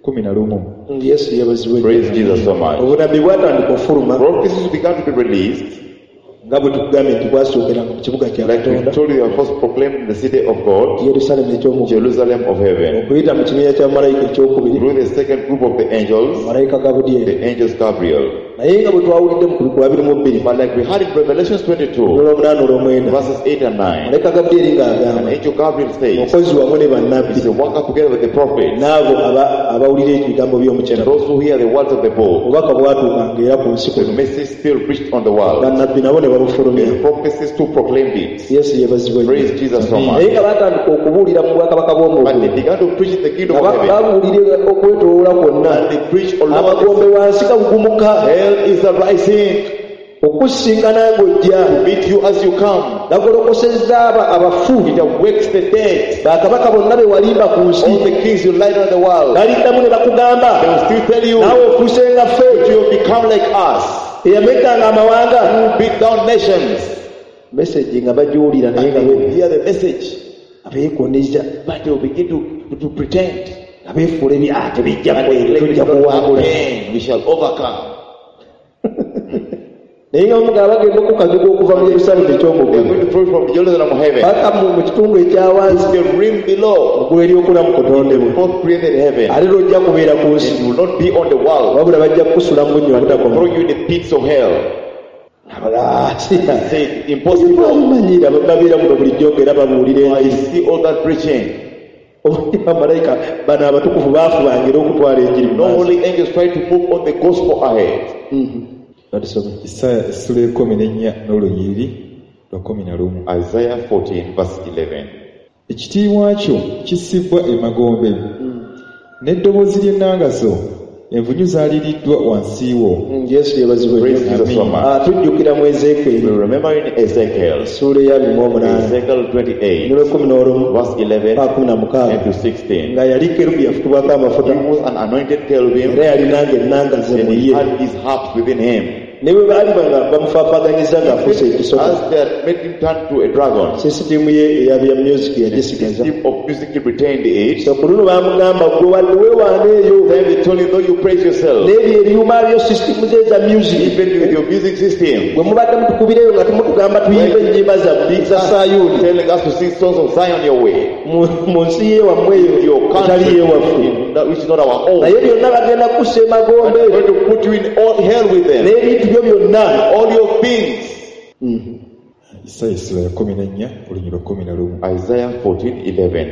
Kumi na lumu. Yesu yeebazibwe. Praise Jesus so much. Obunabbi bwatandika ofuluma Prophecies began to be released. nga bwe tukugambye nti bwasookeranga mu kibuga kya Like we Katonda told you, they were first proclaimed in the city of God, Yerusaalemi eky'omu Jerusalem of heaven. Okuyita mu kibiina kya malayika ekyokubiri Through the second group of the angels, malayika Gabudyeri the angels Gabriel. Naye nga bwe twawulidde mu kubikula abiri mu bbiri But like we had in Revelations twenty-two, olw'omunaana olw'omwenda verses eight and nine, malayika Gabudyeri an ng'agamba angel Gabriel says, omukozi wamu ne bannabbi he's a worker together with the prophets, n'abo aba- abawulira ebigambo by'omukyala those who hear the words of the book. Obubaka bwatuukanga era ku nsi The kuno message still reached on the world. Bannabbi nabo ne babufulumya The prophecies too proclaimed it. Yesu yeebazibwe nnyo. Praise Jesus so Naye much. nga batandika okubuulira mu bwakabaka But they bw'omuggulu began to preach in the kingdom nga of heaven. babuulira okwetooloola kwonna And they preached all over the amagombe wansi gagugumuka Hell is arising okusinkana ng'ojja to meet you as you come. Gagolokosezza aba abafu It awakes the dead. Bakabaka bonna be walimba ku nsi All the kings you lied on the world. Baliddamu ne bakugamba They will still tell you naawe ofuuse nga ffe you have become like us. Eyamegganga amawanga Who beat down nations. Message nga bagiwulira naye And nga they will be- hear the message. abeekoneza But they will begin to, to pretend. Nga beefuula ebi ah tebijja And kwere they claim it tujja will not kuwangula happen. We shall overcome. Naye nga bamugamba bagenda okukazuga okuva mu Yerusaalemi They are eky'omuggulu going to throw it from Jerusalem of heaven. paka mu mu kitundu ekya wansi The rim below. Muggulu eryokuna mu kutondebwa Fourth created heaven. Ate lojja kubeera ku nsi It will not be on the world. Wabula bajja kukusula mu bunnya obutakoma Throw you in the pits of hell. Abala- Say impossible. Bamanyira babeera muno bulijjo ng'era babuulira I enjiri see all that preaching. Omanyi bamalayika bano abatukuvu baafubanga era okutwala enjiri mu No maaso. holy angels try to move on the gospel ahead. Batusome. Isaaya essula ekkumi n'ennya n'olunyiriri lwa kkumi na lumu. Isaiah fourteen, verse eleven. Ekitiibwa kyo kissibwa emagombe n'eddoboozi ly'ennanga zo envunyu zaaliriddwa wansi wo. Mm, Yesu yeebazibwe Praise nnyo. Jesus so much. Ah, tujjukira mu Ezeekyeri We remember in Ezekiel, essuula ey'abiri mu omunaana Ezekiel twenty-eight, n'olwekumi n'olumu verse eleven paka kumi na mukaaga and to sixteen. Nga yali kerubi yafukibwako amafuta He was an anointed cherubim era yalinanga ennanga ze and mu he ye had his harps within him. Ne bwe baali nga bamufaafaganyiza ng'afuuse ekisoko As they had made him turn to a dragon, sisitimu ye eya bya music yagisigaza system of music he retained it. So ku luno baamugamba gwe wadde weewaana eyo Then they told him, though you praise yourself, n'ebyo ebyuma byo sisitimu ze eza music even with your music system, bwe mubadde mutukubireyo nga tumutugamba tuyimbe ennyimba zaffe za Sayuuni telling us to sing songs of Zion your way, mu mu nsi yewammwe eyo your etali country, yewaffe in that which is not our own. Naye byonna bagenda kukussa emagombe We're going to put you in all hell with them, n'ebintu byo byonna all your things. Isaaya essula ya kkumi n'ennya olunyiriri lwa kkumi na lumu. Isaiah fourteen eleven.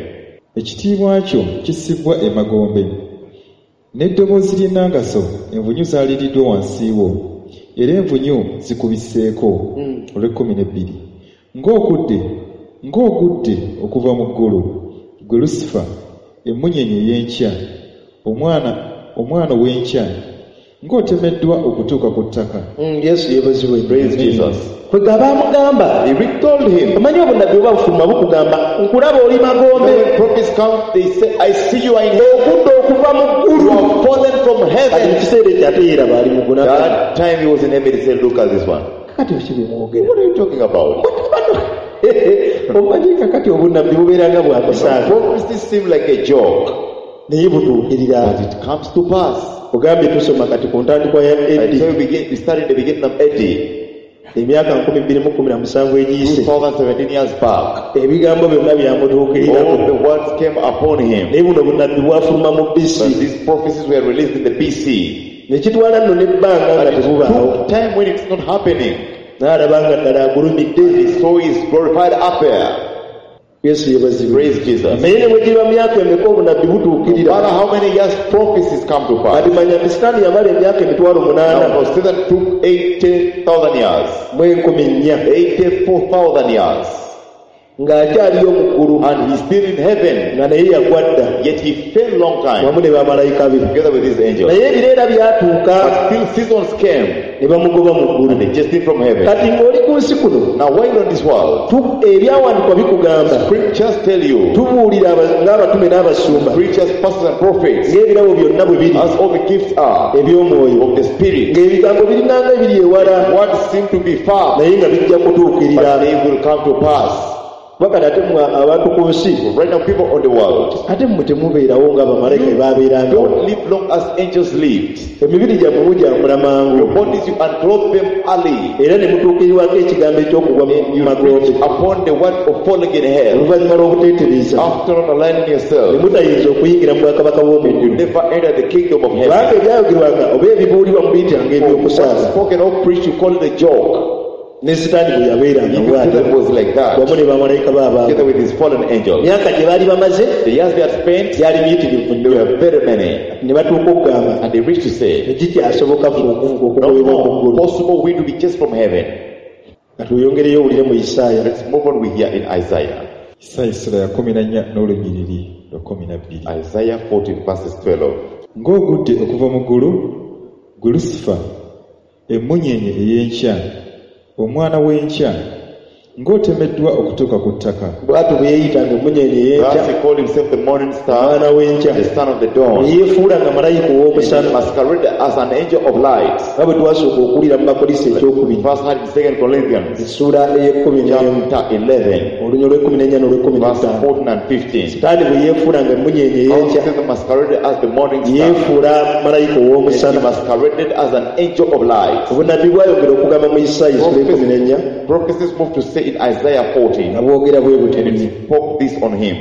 Ekitiibwa kyo kissibwa emagombe n'eddoboozi ly'ennanga zo envunyu zaaliriddwa wansi wo era envunyu zikubisseeko. Olw'ekkumi n'ebbiri ng'okudde ng'ogudde okuva mu ggulu gwe Lusifa emmunyeenye ey'enkya omwana omwana ow'enkya ng'otemeddwa okutuuka ku ttaka. Mm, Yesu yeebazibwe. Praise Jesus. Kwega baamugamba He told him, omanyi obunnabbi oba bufuluma bukugamba nkulaba oli magombe when prophets come, they say, I see you are in hell. Okudda okuva mu You ggulu have fallen from Kati mu heaven. Kiseera ekyo ate yeeraba ali mu ggulu That time he was in heaven, he said, look at this one. Kakati biki bye mwogera What are you talking about? Omanyi kakati obunnabbi bubeera nga bwakusaaga Prophecies seem like a joke, naye butuukirira but it comes to pass. Ogambye tusoma kati ku ntandikwa ya I A D tell you, begin, we started the beginning of A D, emyaka nkumi bbiri mu kkumi na musanvu egiyise two thousand seventeen years back. Ebigambo byonna byamutuukirirako All the words came upon him. Naye buno bunnabbi bwafuluma mu But B C these prophecies were released in the B C. Ne kitwala nno n'ebbanga nga But it tebubaawo took time when it's not happening. N'alaba nga ddala agulumidde He saw his glorified up there. Yesu yeebazibwe. Praise Jesus. Naye ne bwe giba myaka emeka obunnabbi No butuukirira matter how many years prophecies come to pass. Kati manya nti Sitaani yamala emyaka emitwalo munaana Now, for Satan took eighty thousand years, mu enkumi nnya eighty-four thousand years, ng'akyaliyo mu ggulu and he's still in heaven, nga naye yagwa dda yet he fell long time wamu ne bamalayika be together with his angels. Naye ebiro era byatuuka But still seasons came ne bamugoba mu ggulu and they chased him from heaven. Kati ng'oli ku nsi kuno Now, while on this world, tu- ebyawandiikwa bikugamba scriptures tell you, tubuulira aba- ng'abatume n'abasumba preachers, pastors, and prophets, ng'ebirabo byonna bwe biri as all the gifts are eby'omwoyo of the Spirit, ng'ebigambo biringanga ebiri ewala what seem to be far, naye nga bijja kutuukirira but they will come to pass. Kuba kati ate mmwe abantu ku nsi Right now, people on the world ate mmwe temubeerawo nga bamalayika bwe baabeerangawo. don't live long as angels lived. Emibiri gyammwe mugyambula mangu Your bodies, you unclothe them early. era ne mutuukirirwako ekigambo eky'okugwa mu You magombe reach upon the word of falling in hell. oluvannyuma lw'obuteetereza After not aligning ne yourself, mutayinza okuyingira mu bwakabaka you bw'omuggulu never enter the kingdom of kubanga heaven. ebyayogerwanga oba ebibuulirwa mubiyitanga For what eby'okusaaga spoken or preached, you call it a joke. ne sitaani bwe yabeeranga Even bw'atyo Satan was like that, wamu ne bamalayika be abaabo together with his fallen angels. emyaka gye baali bamaze The years they had spent, gyali miyitirivu they nnyo were very many. ne batuuka okugamba And they reached to say, tekikyasoboka ffe okuvuga no okugobebwa ku more ggulu possible way to be chased from heaven. nga tweyongereyo owulire mu Isaaya Let's move on. We hear in Isaiah. Isaaya essula ya kkumi na nnya n'olunyiriri lwa kkumi na bbiri. Isaiah fourteen verses twelve. Ng'ogudde okuva mu ggulu, gwe Lusifa, emmunyeenye ey'enkya, omwana w'enkya, ng'otemeddwa okutuuka ku ttaka. Bw'atyo bwe yeeyitanga emmunyeenye ey'enkya Thus he called himself the morning star, omwana w'enkya the son of the dawn. ne yeefuula nga malayika And he ow'omusana masqueraded as an angel of light. nga bwe twasooka okuwulira mu Bakolinso ekyokubiri First heard in Second Corinthians essuula ey'ekkumi n'emu chapter eleven, olunya olw'ekkumi n'ennya n'olw'ekkumi verse n'ettaano fourteen and fifteen. Sitaani bwe yeefuulanga emmunyeenye How ey'enkya Satan masqueraded as the morning star. yeefuula malayika And he ow'omusana masqueraded as an angel of light. obunnabbi bwayongera okugamba mu Isaaya essula ekkumi n'ennya Prophecies moved to say in Isaiah fourteen, nga bwogera bwe buti and it spoke this on him.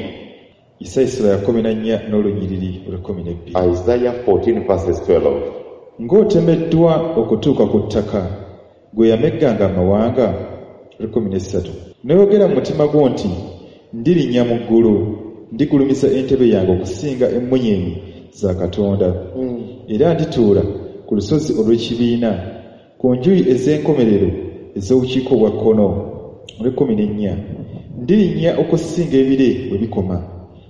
Isaaya essula ya kkumi na nnya n'olunyiriri olw'ekkumi n'ebbiri. Isaiah fourteen verses twelve. Ng'otemeddwa okutuuka ku ttaka, gwe yamegganga amawanga, olw'ekkumi n'essatu. N'oyogera mu mutima gwo nti, ndirinnya mu ggulu, ndigulumiza entebe yange okusinga emmunyeenye za Katonda. Era ndituula ku lusozi olw'ekibiina, ku njuyi ez'enkomerero ez'obukiika obwa kkono, olw'ekkumi n'ennya. Ndirinnya okusinga ebire we bikoma,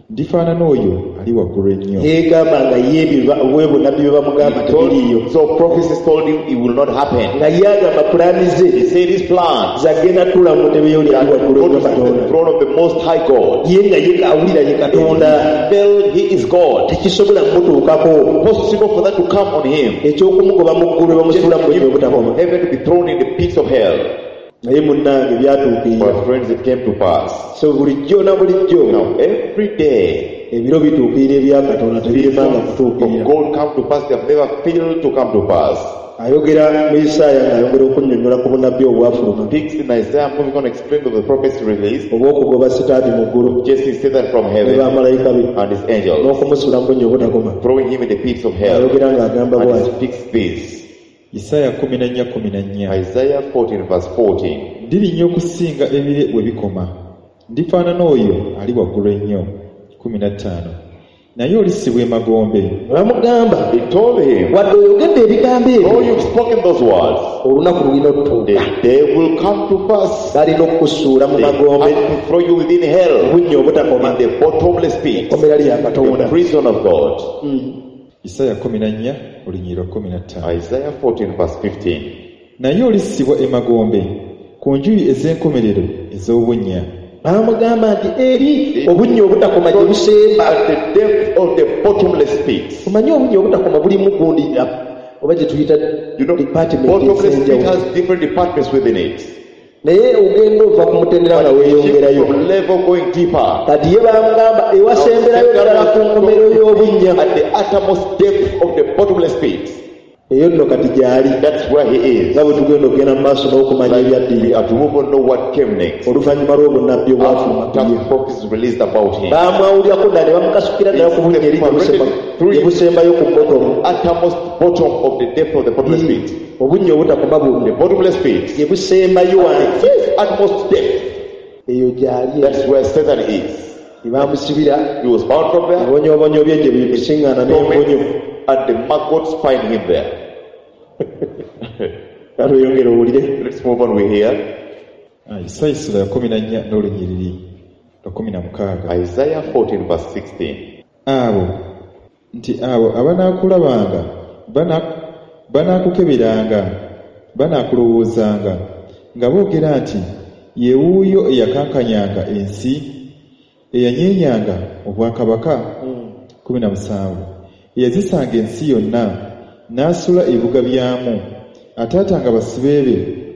ndifaanana oyo ali waggulu ennyo. Yeegamba nga ye ebyo bwe bunnabbi bwe bamugamba tebiriiyo. So prophecies told him it will not happen. Nga ye agamba pulaani ze He said his plan zagenda tuula mu ntebe y'oli ali waggulu go ennyo to the Katonda. throne of the Most High God. Ye nga ye awulira ye Katonda Felt he is God. tekisobola kumutuukako. Possible for that to come on him. Eky'okumugoba mu ggulu bamusuula mu bunnya obutakoma. Heaven to be thrown in the pits of hell. Naye munnange byatuukirira. But friends, it came to pass. So bulijjo na bulijjo Now every day ebiro bituukirira ebya Katonda tebiremanga of kutuukirira. God come to pass, they have never failed to come to pass. Ayogera mu Isaaya ng'ayongera okunnyonnyola ku bunnabbi obwafuluma Speaks in Isaiah, moving on, explained of the prophecy released, obw'okugoba Sitaani mu ggulu chasing Satan from ne heaven bamalayika be and his angels, n'okumusuula mu bunnya obutakoma. throwing him in the pits of hell. Ayogera ng'agamba And bw'ati. he speaks this. Isaaya kkumi na nnya kkumi na nnya. Isaiah fourteen verse fourteen. Ndirinnya okusinga ebire we bikoma, ndifaanana oyo ali waggulu ennyo. Kkumi na ttaano. Naye olissibwa emagombe. Ne bamugamba He told him, wadde oyogedde ebigambo though ebyo you've spoken those words, olunaku lulina otutuuka. the day will come to pass. Balina okukusuula mu They magombe have to throw you within hell, bunnya obutakoma in the bottomless pit, kkomera lya Katonda. the prison of God. Isaaya kkumi na nnya olunyiriri kkumi na ttaano. Isaiah fourteen verse fifteen. Naye olissibwa emagombe ku njuyi ez'enkomerero ez'obunnya. Baamugamba nti eri obunnya obutakoma gye busemba. At the depth of the bottomless pit. Omanyi obunnya obutakoma bulimu gundi oba gye tuyita You know, department bottomless pit ez'enjawulo. has different departments within it. Naye ogenda ova ku mutendera nga weeyongerayo. From level going deeper. Kati ye baamugamba ewasemberayo ddala ku nkomerero y'obunnya. At the uttermost depth of the bottomless pit. Eyo nno kati gy'ali. That's where he is. Nga bwe tugenda okugenda mu maaso n'okumanya We ebyaddirira are to move on, know what came next. oluvannyuma lw'obunnabbi obwafuluma ku ye. After prophecies released about him. Baamwawulirako ddala ne bamukasukira ddala ku bunnya eri gye busemba- gye busembayo ku bottom. Uttermost bottom of the depth of the bottomless pit. Obunnya obutakoma buno The bottomless pit. gye busembayo wansi Utmost depth. eyo gy'ali. That's where Satan is. Ne bamusibira He was bound from there. ebonyoobonyo bye gye bisiŋŋaana n'envunyu. And the maggots find him there. Tweyongere owulire. Let's move on. We hear Ah, Isaaya essula ya kkumi na nnya n'olunyiriri lwa kkumi na mukaaga. Isaiah fourteen verse sixteen. Abo nti abo abanaakulabanga bana- banaakukeberanga banaakulowoozanga nga boogera nti ye wuuyo eyakankanyanga ensi eyanyeenyanga obwakabaka. Kkumi na musanvu. Eyazisanga ensi yonna n'asula ebibuga byamu ataatanga basibe be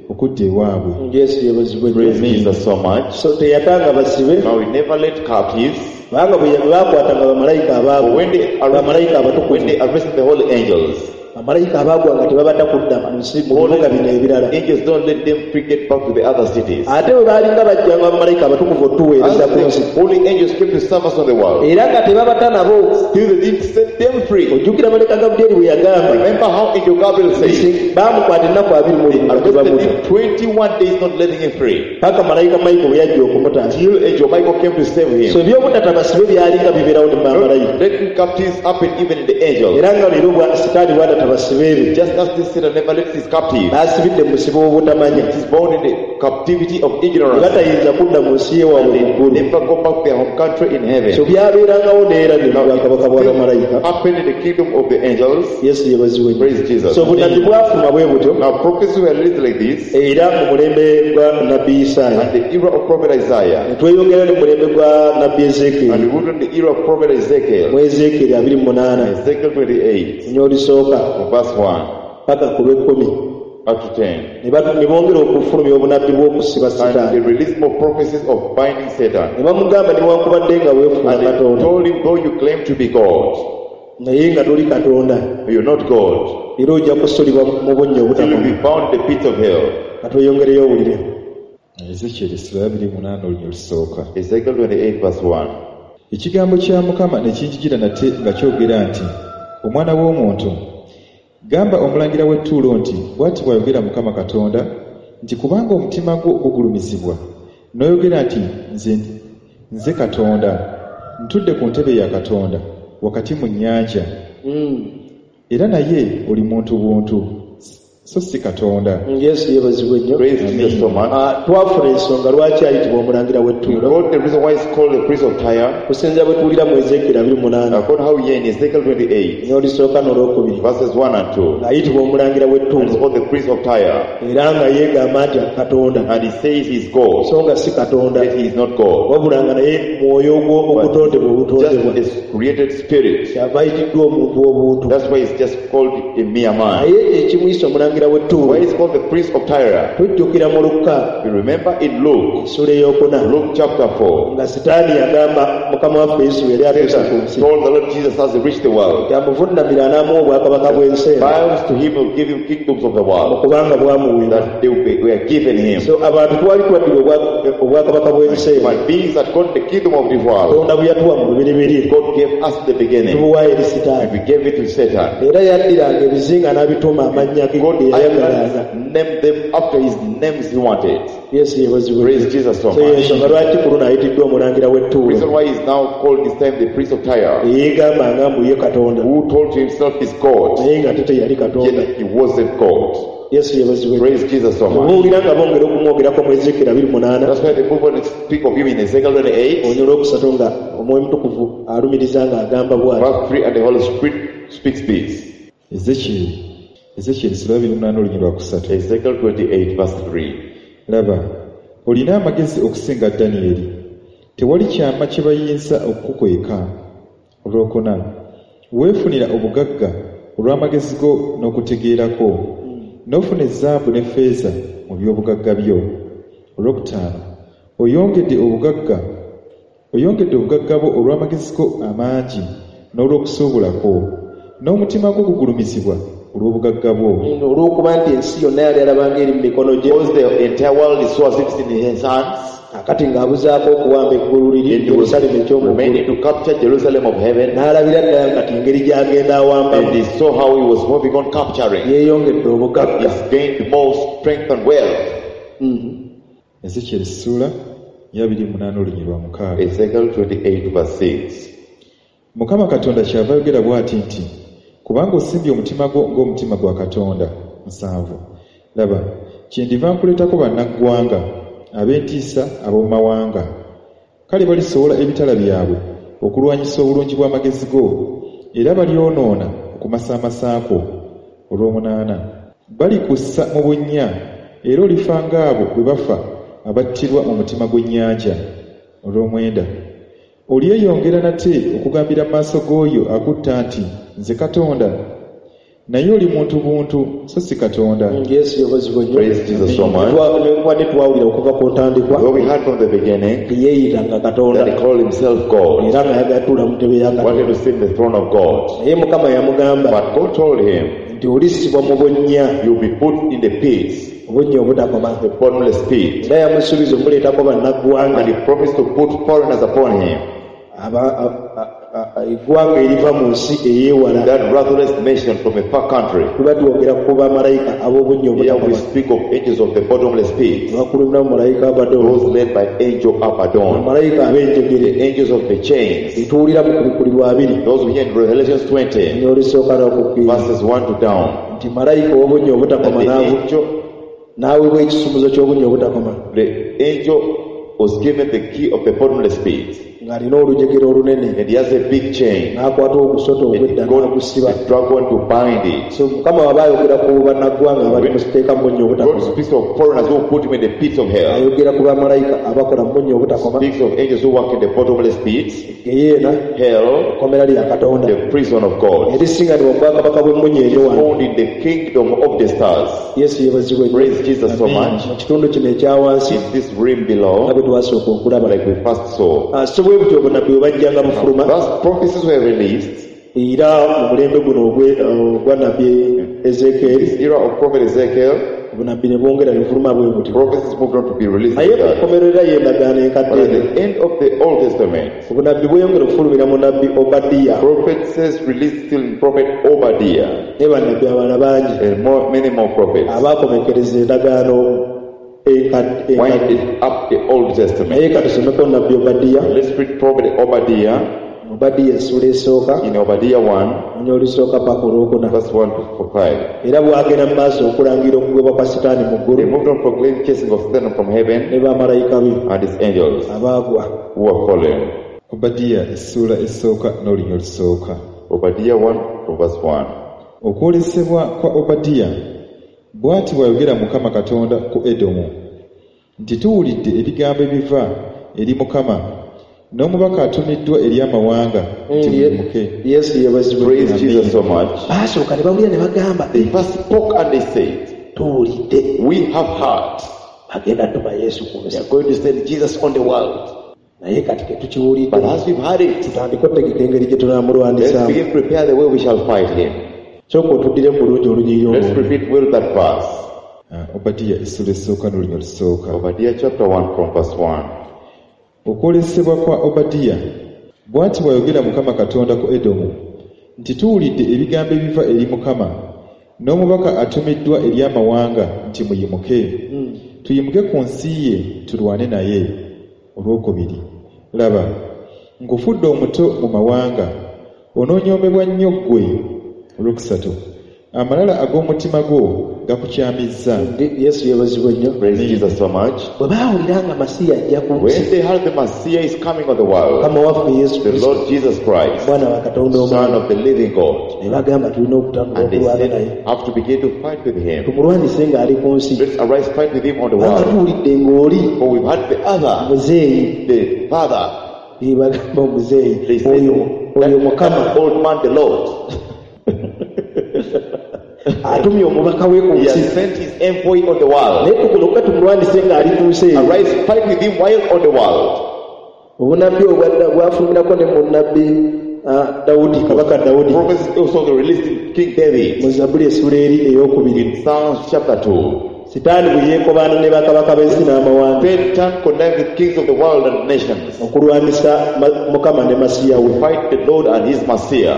okudda ewaabwe. Yesu yeebazibwe nnyo. Praise Jesus so much. So teyatanga basibe Now he never let captives. Kubanga bwe baakwatanga bamalayika But abaabwe when they bamalayika arrested, abatukuvu when they arrested the holy angels, bamalayika abaagwanga tebabadda kudda mu nsi mu bibuga bino ebirala. Angels don't let them free get back to the other cities. Ate bwe baalinga bajjanga bamalayika abatukuvu otuweereza As ku nsi the holy angels came to serve us on the world, era nga tebabata nabo. Still they didn't set them free. Ojjukira malayika Gabulyeri bwe yagamba Remember how Angel Gabriel said, nti baamukwata ennaku abiri mu lumu nga arrested tebamuta him twenty-one days, not letting him free. Paka malayika Michael bwe yajja okumutaasa. Till Angel Michael came to save So him. ebyobutata basibe byalinga bibeerawo ne bamalayika. Not letting captives happen even in the angels. Era nga leero bwa sitaani bwatata basibe be Just as this Satan never lets his captive. N'asibidde mu musibe w'obutamanya. It is born in the captivity of ignorance. Batayinza kudda mu nsi yewaabwe mu ggulu. Never go back to their home country in heaven. So byabeerangawo neera ne mu bwakabaka bwa bamalayika. Happened in the kingdom of the angels. Yesu yeebazibwe nnyo. Praise Jesus. So obunabbi bwafuma bwe butyo. Now prophecies were released like this, era mu mulembe gwa nabbi Isaaya and the era of prophet Isaiah, ne tweyongera ne mu mulembe gwa nabbi and Ezeekyeri we moved on the era of prophet Ezekiel, mu Ezeekyeri abiri mu munaana Ezekiel twenty-eight, nnyo olisooka from verse one paka ku lw'ekkumi up to ten. Ne batu- ne bongera okufulumya obunabbi bw'okusiba And they Sitaani. released more prophecies of binding Satan. Ne bamugamba newankubadde nga weefuula And they Katonda told him, though you claim to be God, naye nga toli Katonda you're not God, era ojja kusulibwa mu bunnya till you obutakoma. be bound in the pit of hell. Katweyongereyo owulire. Ezekyeri essula abiri mu munaana olunya olusooka. Ezekiel twenty-eight verse one. Ekigambo kya Mukama ne kinjijira nate nga kyogera nti omwana w'omuntu gamba omulangira w'ettuulo nti bw'ati bw'ayogera Mukama Katonda nti kubanga omutima gwo gugulumizibwa n'oyogera nti nze, nze Katonda ntudde ku ntebe ya Katonda wakati mu nnyanja Mm. era naye oli muntu buntu so si Katonda. Yesu yeebazibwe nnyo. Praise Jesus so much. Ah, twafuna ensonga lwaki ayitibwa omulangira w'ettuulo. God, the reason why it's called the priest of Tyre, kusinziira bwe tuwulira mu Ezeekyeri abiri mu munaana according how we are in Ezekiel twenty-eight, n'olisooka n'olwokubiri verses one and two, ng'ayitibwa omulangira and it's w'ettuulo called the priest of Tyre, era nga yeegamba nti Katonda and he says he's God, so nga si Katonda yet he is not God, wabula nga naye mwoyo ogwo ogutondebwa obutondebwa just a created spirit. Kyava ayitiddwa omuntu obuntu. That's why he's just called a mere man. Naye ekimuyisa omulangira w'ettuulo Why is called the priest of Tyre? tujjukira mu Lukka We remember in Luke, essula ey'okuna Luke chapter four, nga Sitaani yagamba Mukama waffe Yesu yali atuuse ku Satan nsi told the Lord Jesus as he reached the world, yamuvunnamira n'amuwa obwakabaka bw'ensi eno bows to him will give him kingdoms of the world kubanga bwamuweebwa. That they were given him. So abantu twali twaddira obwa- obwakabaka bw'ensi eno Human beings that got the kingdom of this world, Katonda bwe yatuwa mu lubereberye God gave us the beginning, tubuwaayo eri and Sitaani. we gave it to Satan. Era yaddiranga ebizinga n'abituuma amannya ge God ge yayagalanga. named them after his names he wanted. Yesu yeebazibwe. Praise Jesus so So much. yensonga lwaki ku luno ayitiddwa omulangira w'ettuulo Reason why he's now called this time the priest of Tyre, eyeegamba nga mbu ye Katonda who told himself he's God, naye nga ate teyali Katonda. Yet he wasn't God. Yesu yeebazibwe. Praise Jesus so much. Obuwulira nga bongera okumwogerako mu Ezeekyeri abiri munaana That's why the book when it speak of him in Ezekiel twenty-eight, olunya olwokusatu nga Omwoyo Mutukuvu alumiriza ng'agamba bw'ati. Verse three, and the Holy Spirit speaks this. Ezekyeri Ezekyeri essula abiri mu munaana olunya lwa kusatu. Ezekiel twenty-eight verse three. Laba olina amagezi okusinga Danyeri tewali kyama kye bayinza okukukweka. Olwokuna weefunira obugagga olw'amagezi go n'okutegeerako n'ofuna ezaabu ne ffeeza mu by'obugagga byo. Olwokutaano oyongedde obugagga oyongedde obugagga bwo olw'amagezi go amangi n'olw'okusuubulako n'omutima gwo gugulumizibwa olw'obugagga bwo. Olw'okuba nti ensi yonna yali alabanga eri mu mikono gye Because the entire world is so as if it's in his hands, akati ng'abuzaako okuwamba eggulu liri and he was Yerusaalemi eky'omu ggulu remaining to capture Jerusalem of heaven, n'alabira ddala kati engeri gy'agenda awambamu and he saw how he was moving on capturing. yeeyongedde obugagga. He's gained more strength and wealth. Ezekyeri essula ya abiri mu munaana olunya lwa mukaaga. Ezekiel twenty-eight verse six. Mukama Katonda kyava ayogera bw'ati nti kubanga osimbye omutima gwo ng'omutima gwa Katonda musanvu laba kyendiva nkuleetako bannaggwanga ab'entiisa ab'omu mawanga kale balisowola ebitala byabwe okulwanyisa obulungi bw'amagezi go era balyonoona okumasaamasa kwo. Olw'omunaana balikussa mu bunnya era olifa ng'abo bwe bafa abattirwa mu mutima gw'ennyanja. Olw'omwenda olyeyongera nate okugambira mu maaso g'oyo akutta nti nze Katonda Naye oli muntu buntu so si Katonda. Yesu yebazibwe nnyo. Praise Jesus so much. Twa- twawulira okuva ku ntandikwa Though we heard from the beginning yeeyitanga Katonda that he called himself God, era nga ayagala tuula mu ntebe ya wanted Katonda. to sit in the throne of God. Naye Mukama yamugamba But God told him, nti olissibwa mu bunnya, you'll be put in the pits, obunnya obutakoma. the bottomless pit. Era yamusuubiza omuleetako bannaggwanga And he promised to put foreigners upon him, aba- a- a- a- eggwanga eriva mu nsi eyeewala. that ruthless nation from a far country. Tuba twogera ku bamalayika ab'obunnya Here we obutakoma. speak of angels of the bottomless pit, Bakulemberamu malayika Abaddon, those led by angel Abaddon, bamalayika ab'enjegere the angels of the chains, etuwulira mu kubikulirwa abiri those we hear in Revelations twenty, n'olusooka n'okukkiriza verses one to down. nti malayika ow'obunnya That obutakoma the n'avu- angel, n'aweebwa ekisumuzo ky'obunnya obutakoma the angel was given the key of the bottomless pit, ng'alina olujegere olunene and he has a big chain, n'akwata ogusota and he ogw'edda got n'agusiba. the dragon to bind it. So Mukama waba ayogera ku bannaggwanga abali mu siteeka mu bunnya God obutakoma, speaks of foreigners who put him in the pits of hell. ayogera ku bamalayika abakola mu bunnya obutakoma, Speaks of angels who work in the bottomless pit, geyeena hell, ekkomera lya Katonda the prison of God, erisinganibwa mu bwakabaka bw'emmunyeenye wano. found in the kingdom of the stars. Yesu yeebazibwe nnyo. Praise Jesus so much. Mu kitundu kino ekya wansi In this realm nga below, bwe twasooka okulaba. like we first saw. Ah, so bwe butyo obunnabbi bwe bajjanga bufuluma Thus prophecies were released. era mu mulembe guno ogwe- ogwa nabbi Ezeekyeri This era of prophet Ezekiel, obunnabbi ne bwongera ne bufuluma bwe butyo. prophecies moved on to be released. Naye Like ku that. nkomerero y'endagaano enkadde But at the end of the Old Testament, obunnabbi bweyongera okufulumira mu nabbi Obadiya prophecies released still in prophet Obadiah ne bannabbi abalala bangi and more, many more prophets abaakomekereza endagaano enkadde enkadde. winded up the Old Testament. Naye katusomeko nabbi Obadiya. Let's read prophet Obadiah Obadiya essuula esooka in Obadiah one, onya olusooka paka olwokuna. verse one to five. Era bw'agenda mu maaso okulangira okugobwa kwa Sitaani mu They ggulu moved on proclaiming chasing of Satan from heaven ne bamalayika be and his angels abaagwa. who were fallen. Obadiya essuula esooka n'olunya olusooka. Obadiah one from verse one. Okwolesebwa kwa Obadiya bw'ati bw'ayogera Mukama Katonda ku Edomu nti tuwulidde ebigambo ebiva eri Mukama n'omubaka atumiddwa eri amawanga nti muyimuke. Yesu yeebazibwe. Praise Jesus so much. Baasooka ne bawulira ne bagamba They first spoke and they said, tuwulidde We have heard. bagenda tuma Yesu ku They nsi are going to send Jesus on the world. naye kati tetukiwulidde But as we've heard it, tutandike otegeka engeri gye let's tunaamulwanisaamu. begin to prepare the way we shall fight him. Sooka otuddire mu bulungi olunyiriri Let's olwo. repeat well that verse. Ah, Obadiya essuula esooka n'olunya olusooka. Obadiah chapter one from verse one. Okwolesebwa kwa Obadiya bw'ati bw'ayogera Mukama Katonda ku Edomu nti tuwulidde ebigambo ebiva eri Mukama n'omubaka atumiddwa eri amawanga nti muyimuke tuyimuke ku nsi ye tulwane naye. Olwokubiri laba nkufudde omuto mu mawanga onoonyoomebwa nnyo ggwe. Olwokusatu amalala ag'omutima gwo gakukyamizza. Ndi- Yesu yeebazibwe nnyo. Praise Jesus so much. Bwe baawulira nga Masiya ajja ku nsi When they heard the Messiah is coming on the world, Mukama waffe Yesu the Kristo Lord Jesus Christ, mwana wa Katonda Son omwana of the living God, ne bagamba tulina okutandika and they okulwana naye said, have to begin to fight with him. tumulwanise ng'ali ku nsi Let's arise, fight with him on the kubanga world. tuwulidde ng'oli For we've had the other, muzeeyi the father, Ee, bagamba omuzeeyi they said, oyo oyo that, Mukama that old man, the Lord, atumye omubaka we ku he nsi has sent his envoy on the world. naye tugoloka tumulwanise ng'ali ku nsi eyo. Arise, fight with him while on the world. Obunnabbi obwadda bwafulumirako ne mu nnabbi ah, Dawudi kabaka Dawudi Prophecies also were released in King David mu Zabbuli essuula eri ey'okubiri in Psalms chapter two. Sitaani bwe yeekobaana ne bakabaka b'ensi n'amawanga Satan connived with kings of the world and nations okulwanisa Ma- Mukama ne Masiya we to fight the Lord and his Messiah,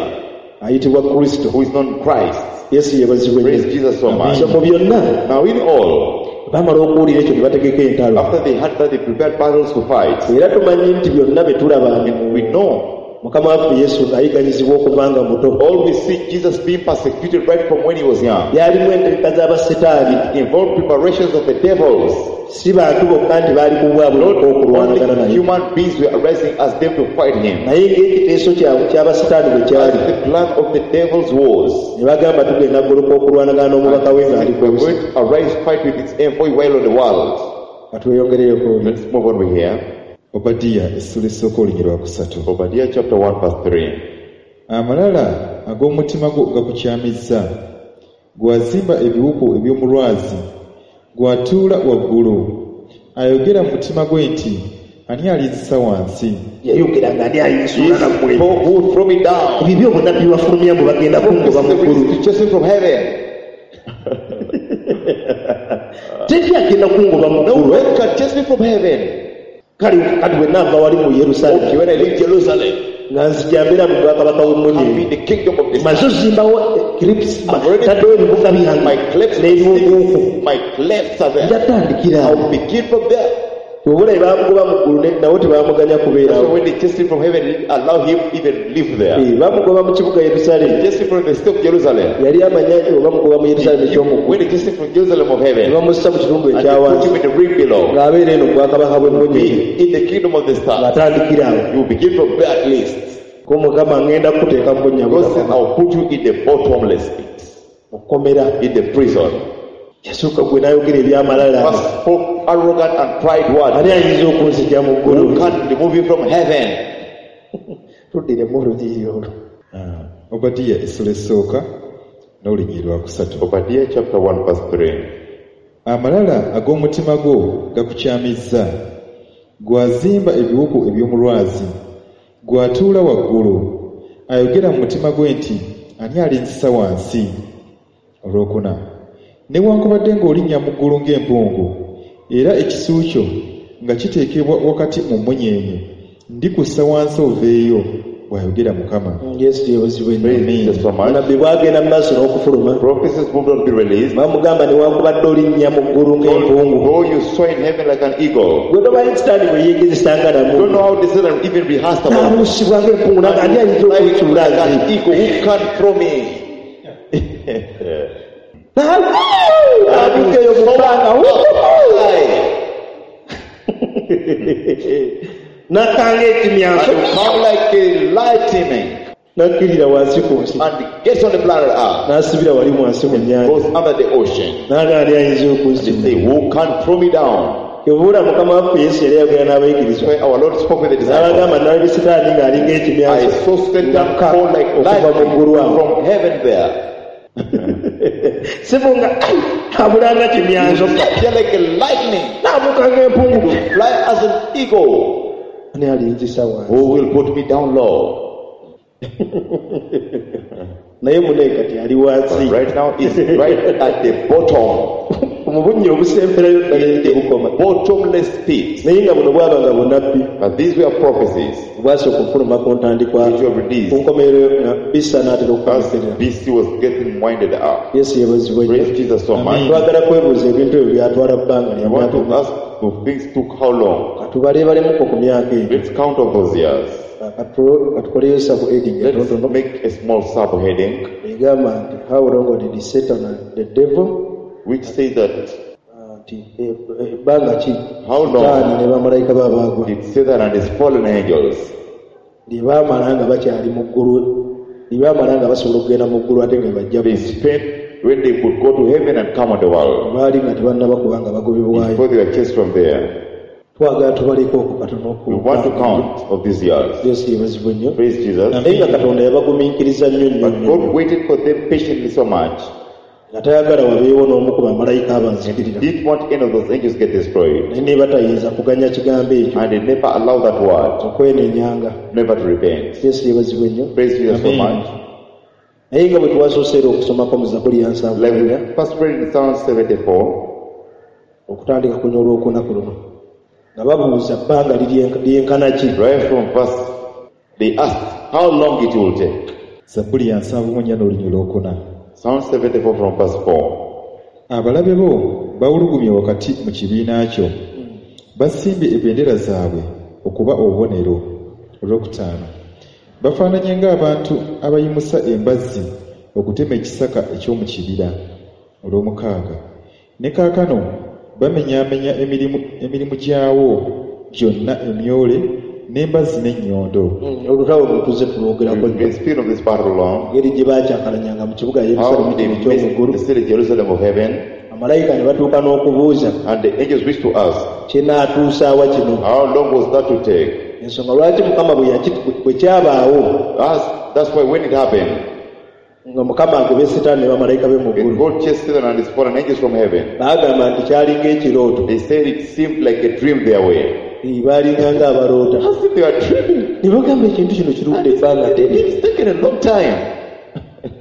ayitibwa Kristo. who is known Christ. Yesu yeebazibwe Praise nnyo. Jesus so much. So mu byonna Now in all, bamala okuwulira ekyo ne bategeka entalo after they had that, they prepared battles to fight. era tumanyi nti byonna bye tulaba We know Mukama waffe Yesu ng'ayigganyizibwa okuva nga muto all we see Jesus being persecuted right from when he was young. byalimu entegeka z'abasitaani It involved preparations of the devils. si bantu bokka nti baali ku bwabwe Not bokka okulwanagana only naye human beings were arising as them to fight him. naye ng'ekiteeso kyabwe ky'abasitaani bwe As kyali the plan of the devil's was. ne bagamba tugenda goloka okulwanagana n'omubaka we ng'ali ku We're nsi going to arise, fight with its envoy while on the world. katweyongereyo ku Let's move on with here. Obadiya essuula esooka olunya lwa kusatu. Obadiah chapter one verse three. Amalala ag'omutima gwo gakukyamizza Gwazimba ebiwuku eby'omu lwazi, gw'atuula waggulu, ayogera mu mutima gwe nti ani alinzisa wansi? Yayogera nga ani alinsuula nammwe. Who who throw me down? Ebyo obunnabbi bwafulumya mbu bagenda kungoba mu ggulu. To chase me from heaven. Teri agenda kungoba mu No ggulu. one can chase me from heaven. Kale kati bwe naava wali mu Okay, Yerusaalemi when I leave Jerusalem, nga nzija mbeera mu bwakabaka I'll be bw'emmunyeenye. in the kingdom of the Maze sun. ozimbawo clips I've already taddewo ebibuga byange My clefts, n'ebiwuuku. my clefts are there. Njatandikira awo. I'll begin from there. Obulayi baamugoba mu ggulu ne- nabo tebaamuganya That's why kubeerawo. when they chased him from heaven, they didn't allow him even live there. Eh, bamugoba mu kibuga Yerusaalemi. They chased him from the city of Jerusalem. Yali amanya oba bamugoba mu Yerusaalemi eky'omu ggulu. When they chased him from Jerusalem of Ne heaven, bamussa mu kitundu and they put ekyawansi him in the ring below, ng'abeera eno mu bwakabaka bw'emmunyeenye be in the kingdom of the stars. ng'atandikira awo. You begin from there at least. Ko Mukama ngenda kukuteeka mu bunnya God says, butaka I'll put you in the bottomless pit, mu kkomera. in the prison. Yasooka gwe n'ayogera ebyamalala. First spoke arrogant and pride words. Ani ayinza okunzija mu ggulu? Who can remove you from heaven? Tuddiremu olunyiriri olwo. Ah, Obadiya essula esooka n'olunyiriri lwa kusatu. Obadiah chapter one verse three. Amalala ag'omutima gwo gakukyamizza, gw'azimba ebiwuku eby'omu lwazi, gw'atuula waggulu, ayogera mu mutima gwe nti ani alinzisa wansi? Olwokuna, newankubadde ng'olinnya mu ggulu ng'empungu, era ekisu kyo nga kiteekebwa wakati mu mmunyeenye, ndikussa wansi oveeyo, bw'ayogera Mukama. Yesu yeebazibwe nnyo. Praise Jesus so much. Nabbi bw'agenda mu maaso n'okufuluma Prophecies moved on to be released. bamugamba newankubadde olinnya mu ggulu ng'empungu. Though you soar in heaven like an eagle, Gwe tomanyi sitaani bwe yeegezesanga don't namu. know how the Satan even rehearsed about it. N'abuusibwa ng'empungu n'agamba ani ayinza Like okunsuula an nze? eagle, who can throw me? N'abuuka eyo mu bbanga. Fly. N'akanga ekimyanso. And you come like a lightning N'akkirira wansi ku nsi. and gets on the planet Earth, N'asibira wali wansi mu nnyanja. goes under the ocean. N'agamba ani ayinza They okunzima? say, who can throw me down? Kyova Mukama waffe Yesu yali ayogera n'abayigirizwa. When our Lord spoke with the disciples, N'abagamba nalabye Sitaani ng'alinga I ekimyanso saw Satan ng'akka fall like okuva mu ggulu lightning awo. from heaven there. Sibunga abulanga kimyanso Appear like a lightning, n'abuuka ng'empungu. fly as an eagle. Ani alinzisa wansi? Who will put me down low? Naye mune kati ali wansi. But right now is right at the bottom, Mu bunnya obusemberayo ddala eri tebukoma. bottomless pit. Naye nga buno bwaba nga bunnabbi But these were prophecies bwasooka okufuluma ku ntandikwa which were released ku nkomerero nga bisa n'atera as okukomekerera. B C was getting winded up. Yesu yeebazibwe nnyo. Praise Jesus so much. Twagala kwebuuza ebintu ebyo byatwala bbanga lya I want myaka to ask if things took how long? Katubaleebalemuko ku myaka egyo. Let's count of those years. Katu- Katukoleyo subheading Let's entonotono make a small subheading egamba nti how long did Satan and the devil which says that uh, nti e- ebbanga ki How long? Sitaani ne bamalayika be abaagwa did Satan and his fallen angels lye baamala nga bakyali mu ggulu lye baamala nga basobola okugenda mu ggulu ate nga bajja they spent when they could go to heaven and come on the world baali nga tebannaba kubanga bagobebwayo. before they were chased from there. Twagala tubaleko okwo katono We want to count of these years. Yesu yeebazibwe nnyo. Praise Jesus. Naye nga Katonda yabagumiikiriza nnyo nnyo But nnyo God waited for them patiently so much. nga tayagala wabeewo n'omu ku bamalayika abanzikirira. Didn't want any of those angels get destroyed. Naye ne batayinza kuganya kigambo ekyo And they never allowed that word, okwenenyanga. never to repent. Yesu yeebazibwe nnyo. Praise Jesus so Amen. much. Naye nga bwe twasoose era okusomako mu Zabbuli ya nsanvu Like mwenda, we first read in Psalm seventy-four, okutandika kunya olwokuna ku luno nga babuuza bbanga lirye- lyenkana ki. right from verse, they asked how long it will take. Zabbuli ya nsanvu mu nnya n'olunyiriri olwokuna. Psalm seventy-four from verse four. Abalabe bo bawulugumye wakati mu kibiina kyo, basimbye ebendera zaabwe okuba obubonero. Olwokutaano, bafaananye ng'abantu abayimusa embazzi okutema ekisaka eky'omu kibira. Olwomukaaga, ne kaakano bamenyaamenya emirimu, emirimu gyawo gyonna emyole n'embazzi n'ennyondo. Mm, olutalo luno tuzze tulwogerako We've nnyo. been speaking of this battle long. Engeri gye baakyakalanyanga mu kibuga Yerusaalemi How they kino eky'omu missed ggulu. the city Jerusalem of heaven, Amalayika ne batuuka n'okubuuza and the angels wished to ask, kinaatuusaawa kino. how long was that to take? Ensonga lwaki Mukama bwe yaki- bwe kyabaawo That's, that's why when it happened, Nga Mukama agobye Sitaani ne bamalayika be mu When ggulu. God chased Satan and his fallen angels from heaven, Baagamba nti kyalinga ekirooto. they said it seemed like a dream their way. Eh, baalinga ng'abaloota. As if they were dreaming. Ne bagamba ekintu kino kirudde ebbanga ddene. It's taken a long time.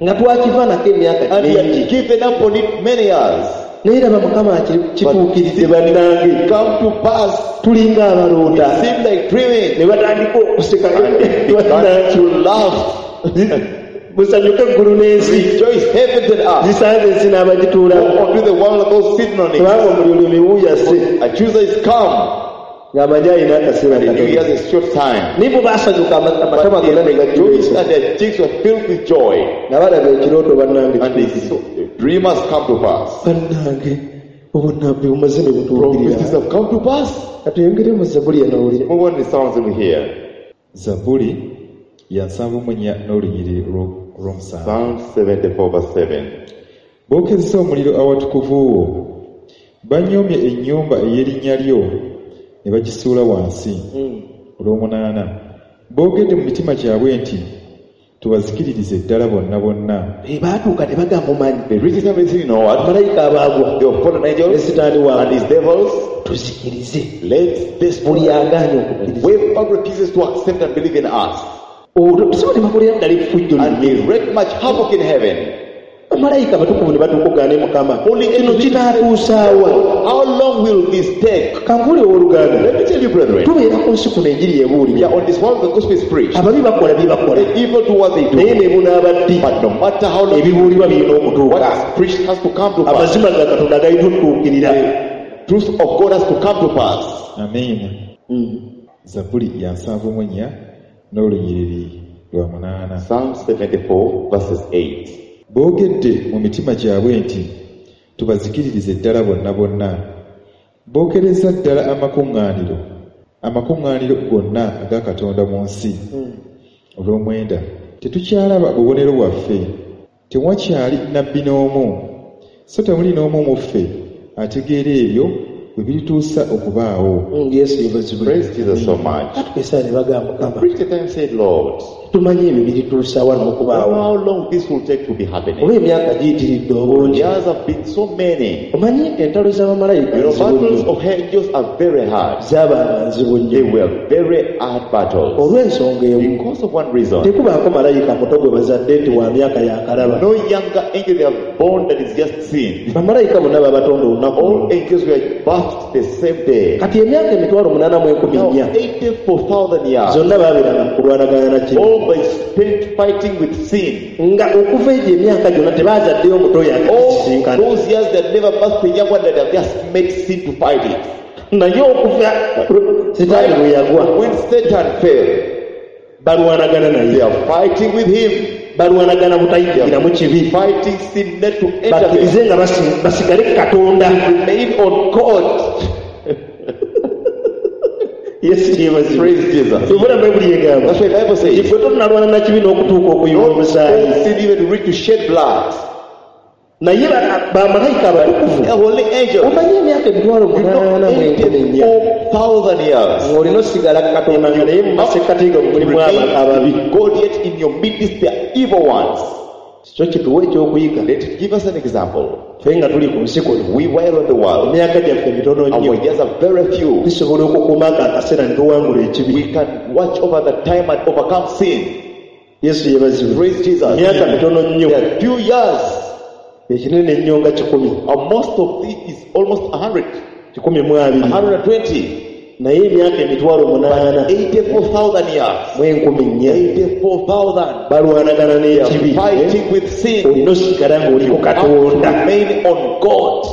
Nga twakivaanako emyaka And we mingi. had given up on it many years. Naye laba Mukama kituukiridde bannange. Come to pass. Tulinga abaloota. It seemed like dreaming. Ne batandika okuseka. And they began to laugh. Musanyuke eggulu n'ensi. Rejoice heavens and earth. Zisanze ensi n'abagituulamu. Woe unto the world of those sitting on it. Kubanga omulyolyoomi wuuyase. Accuser is come. Ng'amanyi alina akaseera And the new katono. year is short time. Naye bo baasanyuka ama- amatama But gonna they ne rejoiced gajjuza. and their cheeks were filled with joy. Nga balaba ekirooto bannange And they kituukiridde. saw the dream has come to pass. Bannange obunnabbi bumaze ne Prophecies butuukirira. have come to pass. Katuyongere mu Zabbuli eno owulire. Move on the sounds in here. Zabbuli ya nsanvu mu nnya n'olunyiriri olwo- olw'omusanvu. Psalm seventy-four verse seven. Bookezza omuliro awatukuvu wo. Banyoomye ennyumba ey'erinnya lyo ne bagisuula wansi. Olw'omunaana. Boogedde mu mitima gyabwe nti tubazikiririze ddala bonna bonna. Eh, baatuuka ne bagamba omanyi. They reached time and said, you know what? Malayika abaagwa. They were fallen Ne angels Sitaani and waabwe. his devils. Tuzikirize. Let this Buli agaanye okukkiriza. whoever refuses to accept and believe in us. Olwo si bo ne bakolera ddala effujjo And linnya. they wreak much havoc in heaven. Bamalayika abatukuvu ne batuuka okugaana Mukama. Kino kinaatuusaawa. How long will this take? Kankuule owooluganda. Let me tell you, brethren, Tubeera ku nsi kuno enjiri we ebuulirwa. are on this world the gospel is preached. Ababi bakola bye bakola. The evil do what they Naye do. ne bunaaba ddi. But no matter how long, Ebibuulirwa birina okutuuka. what is preached has to come to pass. Amazima ga Katonda galina okutuukirira. Truth of God has to come to pass. Amiina. Zabbuli ya nsanvu mu nnya n'olunyiriri lwa munaana. Psalm seventy-four verses eight. Boogedde mu mitima gyabwe nti tubazikiririze ddala bonna bonna. Bookereza ddala amakuŋŋaaniro, amakuŋŋaaniro gonna aga Katonda mu nsi. Olw'omwenda, tetukyalaba bubonero bwaffe, tewakyali nnabbi n'omu, so temuli n'omu mu ffe ategeera ebyo bwe birituusa okubaawo. Mm, Yesu yeebazibwe. Praise Jesus so much. Batuuka essaawa ne bagamba Mukama, Preach the time said, Lord, tumanyi ebyo birituusa wano okubaawo. how long this will take to be happening. Oba emyaka giyitiridde obungi. Years have been so many. Omanyi entalo z'abamalayika You know, nzibu battles nnyo. of angels are very hard. Zaabanga nzibu They nnyo. were very hard battles. Olw'ensonga emu, Because of one reason. tekubaako malayika muto gwe bazadde nti wa myaka yakalaba. No younger angel they have born that is just sin. Bamalayika bonna babatonda olunaku All lumu. angels were birthed the same day. Kati emyaka emitwalo munaana mu enkumi Now, nnya eighty-four thousand years, zonna baabeeranga mu kulwanagana na kibi. all by spent fighting with sin. Nga okuva egyo emyaka gyonna tebaazaddeyo omuto oyo All akakisisinkana. those years that never birthed a young one that have just made sin to fight it. Naye okuva Sitaani bwe yagwa, When Satan fell, balwanagana they naye. are fighting with him. Balwanagana butayingiramu kibi. Fighting sin not to enter them. Bakkirize nga basi- basigale ku Katonda. Remain on God. Yesu yeebazibwe. Praise Jesus. Ebula Bayibuli egamba. That's why the Bible says, Ffe tonalwana na kibi n'okutuuka okuyiwa don't omusaayi. sin even to reach to shed blood. Naye ba- bamalayika abatukuvu The holy angels, omanyi emyaka emitwalo you know, munaana mu enkumi nnya eighty-four thousand years. ng'olina osigala ku Katonda nga naye mu masekkati ga mulimu aba- ababi. God yet in your midst there are evil ones. Kyo kituwa ekyokuyiga. Let it give us an example. Ffe nga tuli ku nsi kuno, We while on the world, emyaka gyaffe mitono nnyo. our years are very few. Tusobola okukuuma ako akaseera ne tuwangula ekibi. We can watch over the time and overcome sin. Yesu yeebazibwe. Praise Jesus. Emyaka mitono nnyo. There are few years. Ekinene ennyo nga kikumi. And most of it is almost a hundred, Kikumi mu abiri. a hundred and twenty. Naye emyaka emitwalo munaana eighty-four thousand years. mu enkumi nnya eighty-four thousand. balwanagana They are n'ekibi. fighting with sin. Olina osigala ng'oli ku Have to Katonda. remain on God.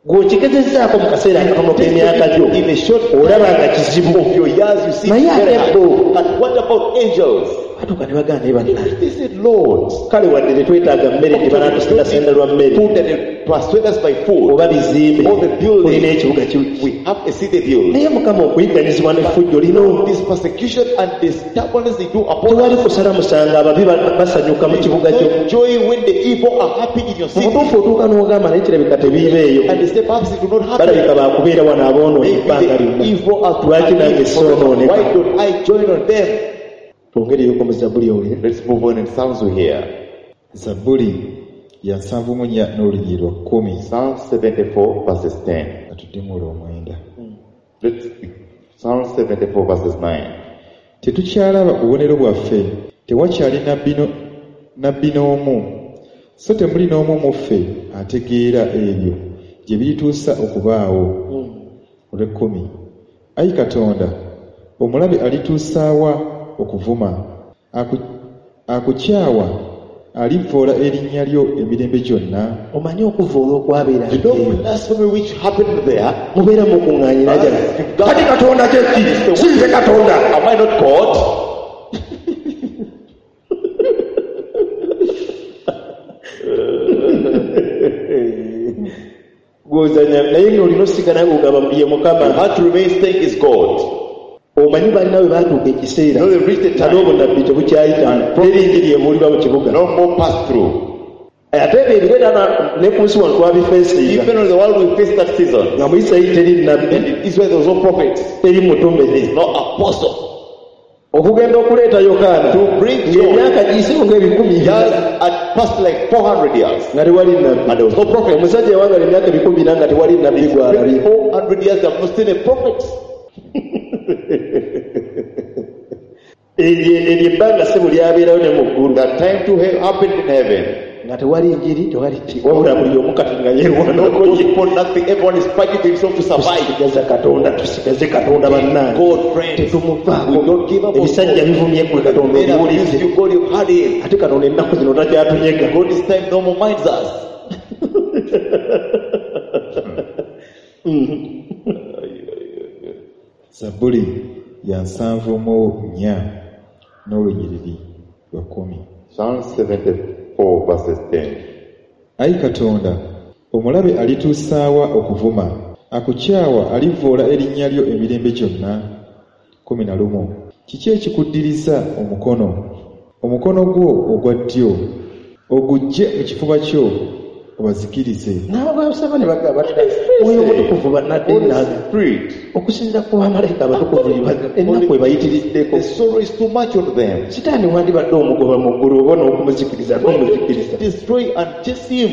Gw'okigezezzaako mu kaseera akatono k'emyaka gyo In a short olaba nga kizibu. of your years, you see Naye it's very ate hard. bo But what about angels? batuuka ne bagamba naye bannange. They said, Lord, Kale wadde tetwetaaga mmere tebanatusendasenda lwa mmere food that they persuade us by food. oba bizimbe All the buildings. tulina ekibuga ki- We have a city built. naye Mukama okuyigganyizibwa n'effujjo lino This persecution and this stubbornness they do upon tewali us. kusala musango ababi ba- basanyuka mu kibuga kyo. No joy when the evil are happy in your Mu city. butuufu otuuka n'ogamba naye kirabika tebiibeeyo. And they say, perhaps it will not happen. Balabika baakubeera wano aboonoonyi Maybe ebbanga the lyonna. evil are to Lwaki nange happy. soonooneka? Why don't I join on them? Twongereyoko mu Zabbuli owulire. Let's move on in Psalms we hear. Zabbuli ya nsanvu mu nnya n'olunyiriri lwa kkumi. Psalm seventy-four verses ten. Katuddemu olw'omwenda. Let's Psalm seventy-four verses nine. Tetukyalaba bubonero bwaffe, tewakyali nabbi no-, nabbi n'omu, so temuli n'omu mu ffe ategeera ebyo gye birituusa okubaawo. Olw'ekkumi. Ayi Katonda, omulabe alituusaawa okuvuma, aku-, akukyawa alivvoola erinnya lyo emirembe gyonna. Omanyi okuvvoola okwabeera You know eyo. blasphemy which happened there? Mubeera mukuŋŋaanyira gyali. As God Kati Katonda kye ki? is the Si nze Katonda. Am I not God? Gw'ozannya naye ng'olina osigala ng'ogamba ye Mukama. You have to remain staying is God. Omanyi balina bwe baatuuka ekiseera, You know, they reached the time. n'obunnabbi tebukyayita. And Teri njiri ebuulirwa mu kibuga. No more pass through. Ate ebyo ebireeta na-, ne ku nsi wano twabifeesinga. Even on the world we face that season. Nga mu Isirayiri teri nnabbi. And in Israel there was no prophet. Teri mutume. There is no apostle. Okugenda okuleeta Yokaana. To bring John. Ng'emyaka giyiseewo ng'ebikumi bina. Years had passed like four hundred years. Nga tewali nnabbi. And there was no prophet. Omusajja yawangala emyaka ebikumi bina nga tewali nnabbi gw'alabye. four hundred years they have not seen a prophet. Eryo, eryo ebbanga ssebo lyabeerawo ne mu ggulu. That time to he-, happened in heaven. Nga tewali njiri, tewali ki. Wabula buli omu kati nga yeerwanako No ye. gospel, nothing. Everyone is fighting himself to survive. Tusigaze Katonda, tusigaze Katonda bannange. God, friends, Tetumuvaako. we don't give up on Ebisajja God. bivumye ggwe Katonda, Men abuse obiwulidde. you, God, you've had him. Ate Katonda ennaku zino takyatunyega. God, this time no more minds us. Zabbuli ya nsanvu mu nnya n'olunyiriri lwa kkumi. Psalm seventy-four verses ten. Ayi Katonda, omulabe alituusaawa okuvuma, akukyawa alivvoola erinnya lyo emirembe gyonna. Kkumi na lumu. Kiki ekikuddiriza omukono? Omukono gwo ogwa ddyo oguggye mu kifuba kyo obazikirize. Nabo basaba ne bagamba bati, Omwoyo Omutukuvu bannadde Holy nnaga. Spirit. Okusinziira ku bamalayika abatukuvu ennaku ebayitiriddeko. The sorrow is too much on them. Sitaani wandibadde omugoba mu ggulu oba n'okumuzikiriza, n'omuzikiriza. Destroy and chase him.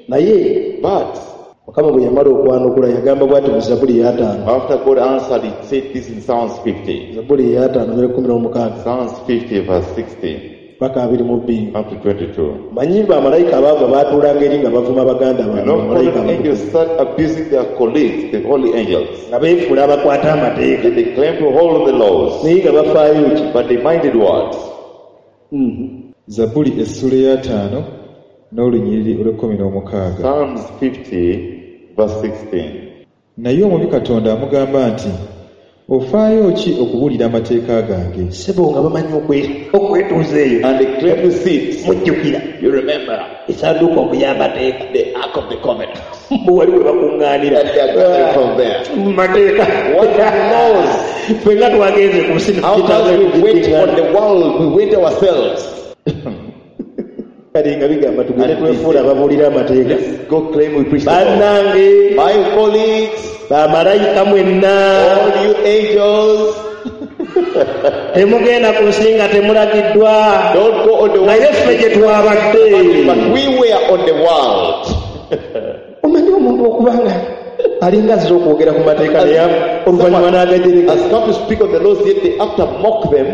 Naye, But Mukama bwe yamala okwanukula yagamba bw'ati mu Zabbuli ey'ataano. After God answered, he said this in Psalms fifty. Zabbuli ey'ataano, ne kkumi n'omukaaga. Psalms fifty verse sixteen. Paka abiri mu bbiri. Up to twenty-two. Manyi bamalayika abaava baatuulanga eri nga bavuma baganda baabwe, You know, bamalayika fallen abatukuvu. angels start abusing their colleagues, the holy angels. Nga beefuula abakwata amateeka. They claim to hold the laws. Naye nga bafaayo ki? But they minded what? Mm-hmm. Zabbuli essula ey'ataano n'olunyiriri olw'ekkumi n'omukaaga. Psalms fifty verse sixteen. Naye omubi Katonda amugamba nti, ofaayo ki okubuulira amateeka gange? Ssebo nga bamanyi okwe-, okwetuuza eyo. And they claim to sit. Mujjukira. You remember. Essanduuko mbu y'amateeka. The Ark of the Covenant. Mbu wali we bakuŋŋaanira. And they are gathering from there. Mu mateeka. What are the laws? Ffe nga twagenze ku nsi ne How tukitanga come we went tugiŋŋaana? on the world? We went ourselves. Kale nga bigamba tugende And twefuula ababuulira amateeka. Let's go claim we preach the law. Bannange. My colleagues. Bamalayika mwenna. All you angels. Temugenda ku nsi nga temulagiddwa. Don't go on the world. Naye ffe gye twabadde. But we were on the world. Omanyi omuntu okuba nga alinga azze okwogera ku mateeka naye oluvannyuma n'agajereka. Has come to speak of the laws, yet they after mock them.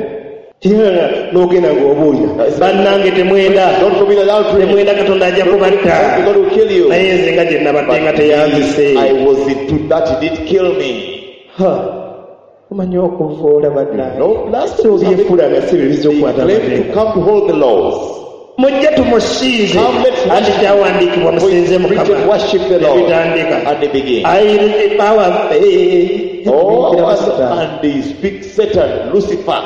Tinga n'ogenda ng'obuulira. Bannange temwenda. Don't commit adultery. Temwenda, Katonda ajja kubatta. God will kill you. Naye nze nga gye nabadde nga teyanzise. I was into that, he did kill me. Ha. Omanyi okuvoola bannange. No, last So byefuula nga si bye bizza okukwata They claim to amateeka. come to hold the laws. Mujje tumusinze. Come, let's Anti worship. kyawandiikibwa musinze Preach Mukama. and worship the Lord. Ebitandika. And they begin. Ayi, power, eh, Oh, eh, eh, and they speak Satan, Lucifer.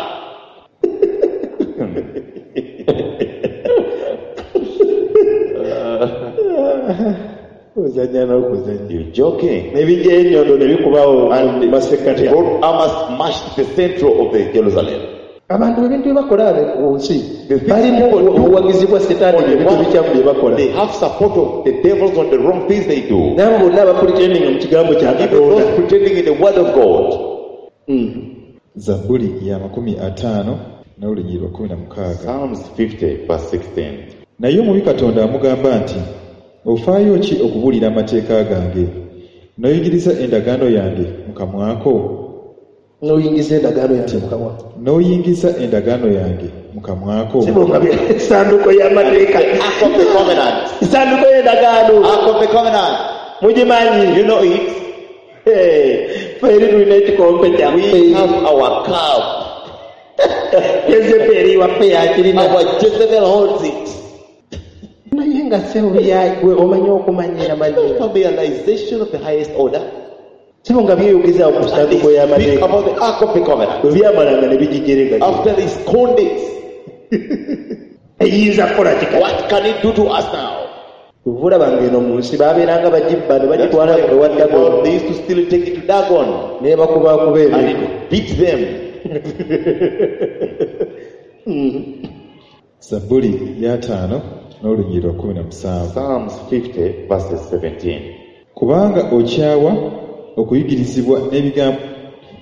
Ozannya n'okuzannya. You're joking. Ne bijja ennyondo ne bikubawo And mu masekkati. God armor smashed the central of the Jerusalem. Abantu ebintu bye bakola ku nsi, The things balimu people do obuwagizi bwa Setaani on the ebintu wrong ebikyamu bye bakola. They have support of the devils on the wrong things they do. N'abo bonna abapretending mu kigambo kya Even Katonda. those pretending in the word of God. Mm. Zabbuli ya makumi ataano n'olunyiriri lwa kkumi na mukaaga. Psalms fifty verse sixteen. Naye omubi Katonda amugamba nti ofaayo ki okubuulira amateeka gange n'oyigiriza endagaano yange mu kamwa ko N'oyingiza endagaano yange mu kamwa. N'oyingiza endagaano yange mu kamwa ko. Sibonga essanduuko y'amateeka. Ark of the Covenant. Essanduuko y'endagaano. Ark of the Covenant. Mugimanyi. You know it. Eh, ffe eri tulina ekikompe We kyaffe. have our cup. Yezeberi waffe yakirina. Our Jezebel holds it. Naye nga ssebo gwe omanyi okumanyira manyira. Familiarization of the highest order. Sebo nga byeyogeza ku And they ssanduuko speak y'amateeka. about the Ark of the Covenant. Bwe byamalanga ne bigijerega. After they scorned it, Eyinza kukola kika. what can it do to us now? Kyova olaba ng'eno mu nsi baabeeranga bagibba ne That's bagitwala why ewa the Dagon world, they used to steal it, take it to Dagon, ne bakubakuba and emiggo. it beat them. Zabbuli y'ataano n'olunyiriri lwa kkumi na musanvu. Psalms fifty, verses seventeen. Kubanga okyawa okuyigirizibwa n'ebigambo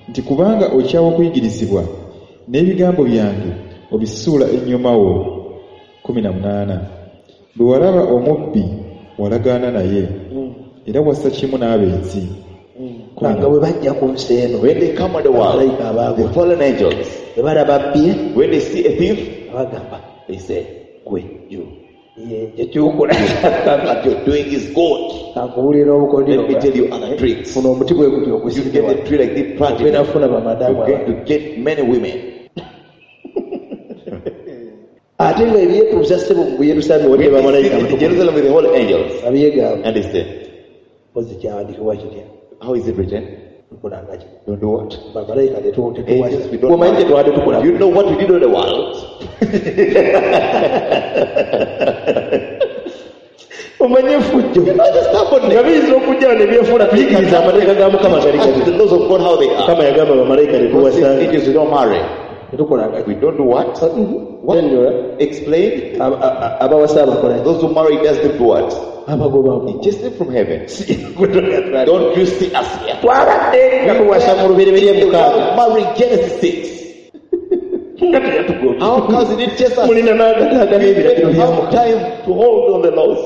nti kubanga okyawa okuyigirizibwa n'ebigambo byange obisuula ennyuma wo. Kkumi na munaana. Bwe walaba omubbi walagaana naye era wassa kimu n'abenzi. Kubanga bwe bajja ku nsi eno When they come on the world, bamalayika abaagwa the fallen angels, bwe balaba abbye when they see a thief, bagamba they say, Gwe, you. ye ekyokola What you're doing is good. kankubuulira obukodyo Let me tell you other tricks. funa omuti bwe gutyo You ogusimbe get wano a tree like this planted, ogenda kufuna bamadamu you're going to get many women. ate nga ebyetuusa ssebo mu Yerusaalemi When wadde they bamalayika sit in Jerusalem with the holy angels, abyegamba and they say, mpozi kyawandiikibwa kitya How is it written? tukolanga ki Don't do what? bamalayika Angels, we don't omanyi kye twabadde tukola You know what we did on the world? omanyi effujjo You know the stubbornness. nga biyinza okujja ne byefuula tuyigiriza amateeka ga Mukama gali Ask gali the laws of God how they are. Mukama yagamba bamalayika God says, tetuwasanga angels, we don't marry. tetukolanga ki We don't do what? What? Nnyonnyola. Explain. Aba- a- abawasa abakola ki? Those who marry does them do what? abagoba He chased them from heaven. Don't you see us here? twabadde nga tuwasa mu lubereberye The mukaaga world marrying Genesis six. nga teyatugobye How comes he didn't chase us? mulina n'agataaga We n'ebiragiro didn't bya have Mukama time to hold on the laws.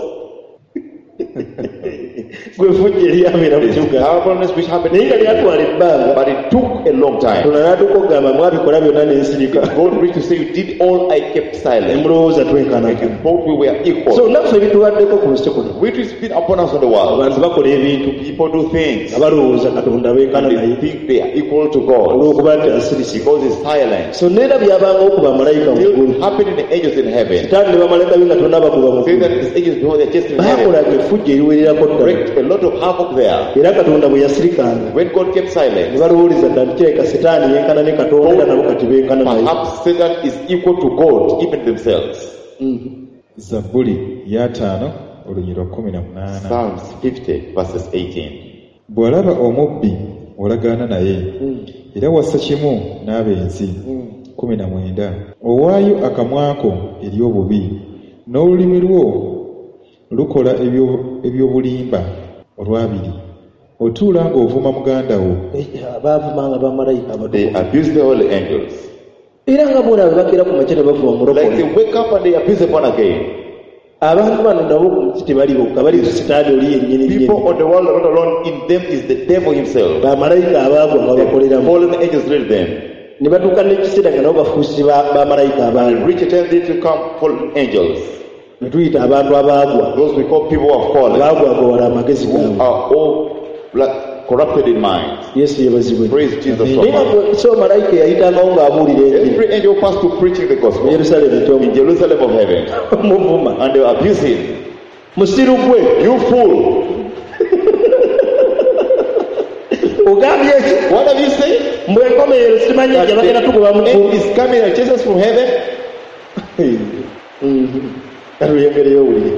gwe fujjo eryabeera mu kibuga Stubbornness which happened, naye nga lyatwala ebbanga but it took a long time. Katonda n'atuuka okugamba mwabikola byonna ne nsirika God reached to say, You did all, I kept ne silent. mulowooza And twenkanankana you thought we were so equal. naffe ebitubaddeko ku nsi kuno Which is been upon us on the world. abantu bakola ebintu People do things nga balowooza Katonda benkana and they naye think they are equal to God olw'okuba nti asirise because He's silent. so neera byabangawo ku bamalayika mu Still ggulu happened in the angels in heaven. Sitaani ne bamalayika be nga tonna bakuba mu Say ggulu that these angels before they are chased in heaven. baakolanga effujjo eriwererako ddala Wreaked a lot of havoc there. era Katonda bwe yasirikanga When God kept ne silent, balowooleza ddala nti kirabika Sitaani yenkana ne Katonda era nabo kati benkana naye perhaps Satan is equal to God, even themselves. Zabbuli y'ataano olunyiriri lwa kkumi na munaana. Psalms fifty, verses eighteen. Bw'olaba omubbi olagaana naye era wassa kimu n'abenzi. Kkumi na mwenda. Owaayo akamwa ko eri obubi n'olulimi lwo lukola ebyo- ebyobulimba. Olwabiri. Otuula ng'ovuma muganda wo. Eh, baavumanga bamalayika They abatukuvu abuse the holy angels. era nga bona bwe bakeera ku makya ne bavuma Like omulokole they wake up and they abuse the born again. abantu bano nabo ku nsi tebali bokka bali ku Sitaani oli yennyini nnyini People on the world are not alone. In them is the devil himself. bamalayika abaagwa nga The bakoleramu fallen angels lead them. ne batuuka n'ekiseera nga nabo bafuusi ba- bamalayika They abaagwa reach a time they become fallen angels. ne tuyita abantu abaagwa Those we call people who have fallen, abaagwagawala amagezi who gaabwe are all like, corrupted in mind. Yesu yebazibwe Praise Jesus so naye nga much. gwe- so malayika eyayitangawo ng'abuulira enjiri Every angel passed to preaching the mu gospel Yerusaalemi in ekyomu Jerusalem of heaven, muvuma and they abuse him. musiru gwe You fool! ogambye ki What have you said? mbwe enkomerero simanyi That gye bagenda tugoba mu the ggulu end is coming and chase us from heaven. katulyengereyo owulire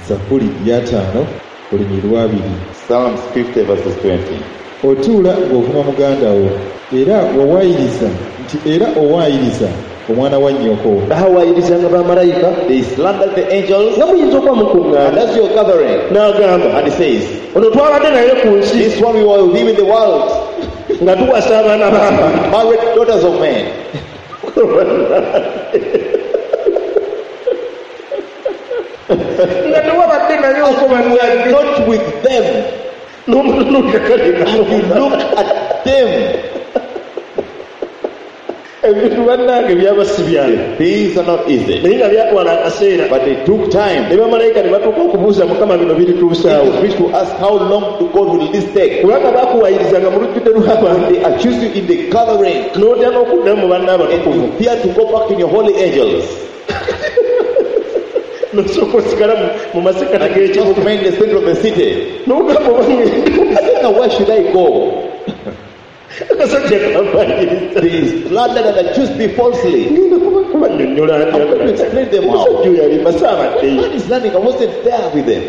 Zabbuli y'ataano olunyiriri lw'abiri. Psalms fifty verses twenty. Otuula ng'ovuma muganda wo era wawaayiriza nti era owaayiriza omwana wa nnyoko. Baawayirizanga bamalayika They slandered the angels, nga muyinza okuba and mukuŋŋaana as you're gathering, n'agamba and he says, ono twabadde naye ku nsi This one we were with him in the world, nga tuwasa abaana b'abantu married daughters of men. Nga tewabadde naye We are not with them. N'omutunuulira kale And you look at them. Ebintu bannange byaba si byangu. Things are not easy. Naye nga byatwala akaseera. But they took time. Ne bamalayika ne batuuka okubuuza Mukama bino birituusaawo. Angels reached to ask how long to God will this take. Kubanga baakuwayirizanga mu lujjudde lw'abantu. They accuse you in the gathering. N'otya n'okuddamu mu banna And abatukuvu. you fear to go back in your holy angels. N'osooka osigala mu- mu masekkati And you just g'ekibuga. remain in the center of the city. N'ogamba oba ngenda. You say, now where should I go? Akasajja kampayiriza. They slandered and accused me falsely. Ngenda kuba- kubannyonnyola I'm going to explain them how. Omusajja oyo alimba saabaddeyo. Man is learning. I wasn't there with them.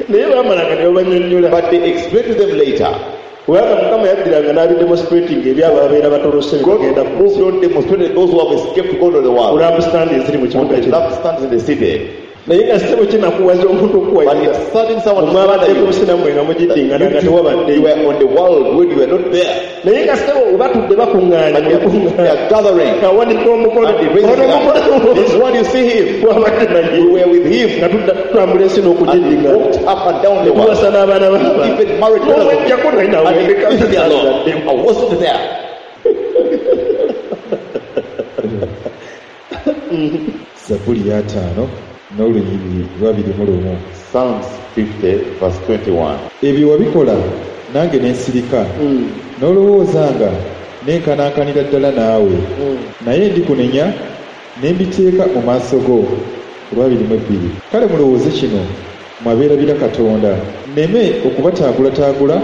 Naye baamalanga ne babannyonnyola. But they explained to them later. Kubanga Mukama yaddiranga n'abidemonstrating eri abo ababeera batolose ne God bagenda ku moved on, demonstrated those who have escaped to go to the world. lampstand eziri mu On kibuga the kino. lampstands in the city. Naye nga ssebo kinakuwaza omuntu But okuwayiriza. it's certain someone Mwabadde to ku nsi nammwe nga mugiddingana nga you tewabaddeyo. were on the world when you were not there. Naye nga ssebo batudde bakuŋŋaanya But they are, they are gathering. Awanika omukono. And they raise Ono it up. omukono. This one you see him. Wabadde naye. You were with him. Nga tudda tutambula ensi And he n'okugiddingana. walked up and down the world. Tuwasa n'abaana b'abantu. Even married others. N'omwejjako naye nawe And he ndeka leave me alone. I wasn't there. Zabbuli y'ataano n'olunyiriri lwabiri mu lumu. Psalms fifty verse twenty-one. Ebyo wabikola nange ne nsirika n'olowooza nga nenkanankanira ddala naawe naye ndikunenya ne mbiteeka mu maaso go. Olwabiri mu ebbiri. Kale mulowooze kino mwabeerabira Katonda nneme okubataagulataagula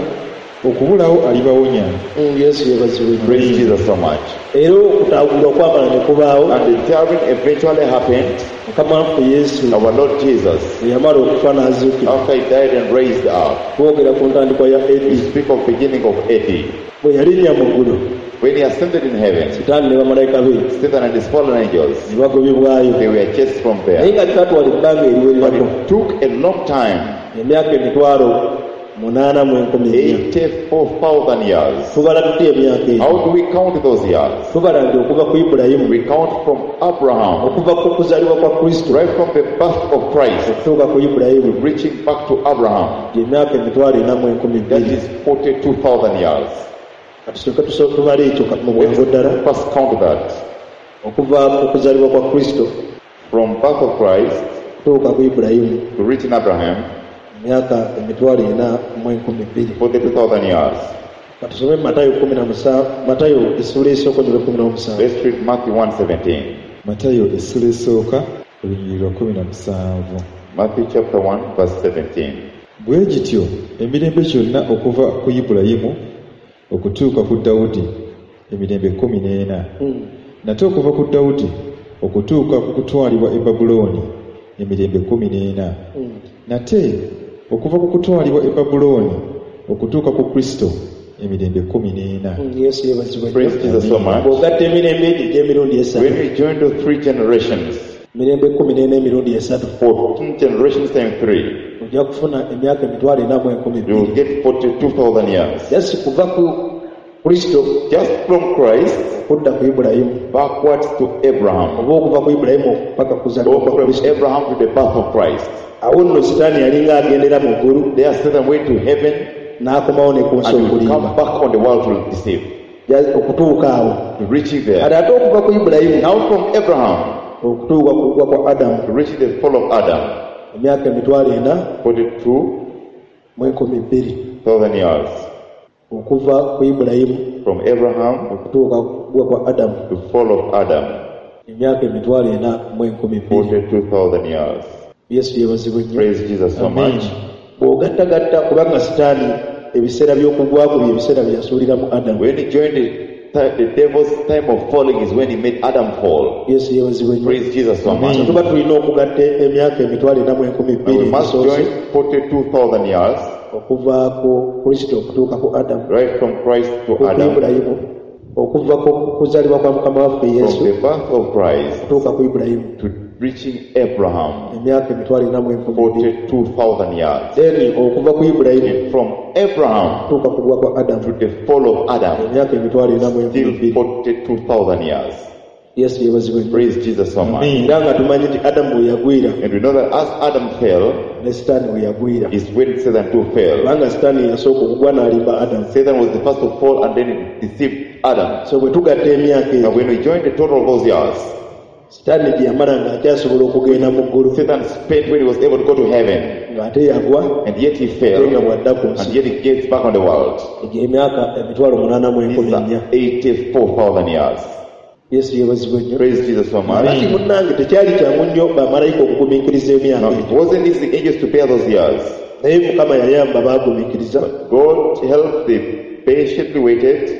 okubulawo alibawonya. Mm, Yesu yeebazibwe. Praise Jesus so much. Era okutaagulwa kwamala ne kubaawo. And the tearing eventually happened. Mukama waffe Yesu Our Lord Jesus, bwe yamala okufa n'azuukira. after he died and raised up, Twogera ku ntandikwa ya we A D. speak of beginning of A D. Bwe yalinnya mu ggulu, When he ascended in heaven, Sitaani ne bamalayika be Satan and his fallen angels, ne bagobebwayo. they were chased from Naye there. nga kyatwala ebbanga But eriwererako it took a long time, emyaka emitwalo munaana mu enkumi nnya. eighty-four thousand years. Tubala tutya emyaka egyo? How do we count those years? Tubala nti okuva ku Ibulayimu, We count from Abraham, okuva ku kuzaalibwa kwa Kristo right from the birth of Christ, okutuuka ku Ibulayimu, reaching back to Abraham. gy'emyaka emitwalo ena mu enkumi That bbiri. is forty-two thousand years. Katusooke tuso- tubale ekyo ka- mu bwangu ddala. First count that. Okuva ku kuzaalibwa kwa Kristo From birth of Christ okutuuka ku Ibulayimu, to reaching Abraham, emyaka emitwalo ena mu enkumi bbiri. forty-two thousand years. Katusome Matayo kumi na musanvu, Matayo essuula esooka olunyiriri kumi n'omusanvu. Let's read Matthew one seventeen. Matayo essuula esooka olunyiriri lwa kumi na musanvu. Matthew chapter one verse seventeen. Bwe gityo emirembe gyonna okuva ku Ibulayimu okutuuka ku Dawudi emirembe kkumi n'ena. Nate okuva ku Dawudi okutuuka ku kutwalibwa e Babulooni emirembe kkumi n'ena. Nate okuva ku kutwalibwa e Babulooni okutuuka ku Kristo emirembe kkumi n'ena. Yesu yeebazibwe. Praise Jesus so much. Bw'ogatta emirembe egyo egy'emirundi esatu, When we join the three generations, emirembe kkumi n'ena emirundi esatu, fourteen generations times three, ojja kufuna emyaka emitwalo ena mu enkumi you will bbiri. get forty-two thousand years. Just kuva ku Kristo Just from Christ okudda ku Ibulayimu, backwards to Abraham. oba okuva ku Ibulayimu paka kuzaalibwa Or kwa from Kristo. Abraham to the birth of Christ. Awo nno Sitaani yalinga agendera mu ggulu There Satan went to heaven n'akomawo ne ku nsi and will come okulimba. back on the world to deceive. Ja- okutuuka awo. To reaching there. Kati ate okuva ku Ibulayimu Now from Abraham okutuuka ku kugwa kwa Adamu, to reaching the fall of Adam, emyaka emitwalo ena forty-two mu enkumi bbiri. thousand years. Okuva ku Ibulayimu From Abraham okutuuka ku kugwa kwa Adamu, to fall of Adam, emyaka emitwalo ena mu enkumi bbiri. forty-two thousand years. Yesu yeebazibwe nnyo. Praise Jesus so Amen. much. Bw'ogattagatta kubanga Sitaani ebiseera by'okugwa kwe bye biseera bye yasuuliramu Adamu. When he joined the, the devil's time of falling is when he made Adam fall. Yesu yeebazibwe nnyo. Praise Jesus so much. So tuba tulina okugatta emyaka emitwalo ena mu enkumi And bbiri we must egisoose join forty-two thousand years okuva ku Kristo okutuuka ku Adamu, right from Christ to ku Adam, Ibulayimu, okuva ku kuzaalibwa kwa Mukama waffe Yesu from the birth of Christ okutuuka ku Ibulayimu, to reaching Abraham, emyaka emitwalo ena mu enkumi bbiri. forty-two thousand years. Then okuva ku Ibulayimu And from Abraham okutuuka ku kugwa kwa Adamu, to the fall of Adam, emyaka emitwalo ena mu enkumi still bbiri. forty-two thousand years. Yesu yeebazibwe nnyo. Praise Jesus so much. Era nga tumanyi nti Adamu we yagwira And we know that as Adam fell, ne Sitaani we yagwira. is when Satan too fell. Kubanga Sitaani yasooka okugwa n'alimba Adamu. Satan was the first to fall and then he deceived Adam. So bwe tugatta emyaka Now egyo when we join the total of those years, Sitaani gye yamala ng'akyasobola okugenda mu ggulu Satan spent when he was able to go to heaven, ng'ate yagwa and yet he ate fell, nga bw'adda ku and nsi yet he gets back on the world. egyo emyaka emitwalo munaana mu These enkumi nnya. are eighty-four thousand years. Yesu yeebazibwe nnyo. Praise Jesus so much. Kati munnange tekyali kyangu nnyo bamalayika okugumiikiriza emyaka Now, it egyo. wasn't easy angels to bear those years. Naye Mukama yayamba baagumiikiriza God helped, they patiently waited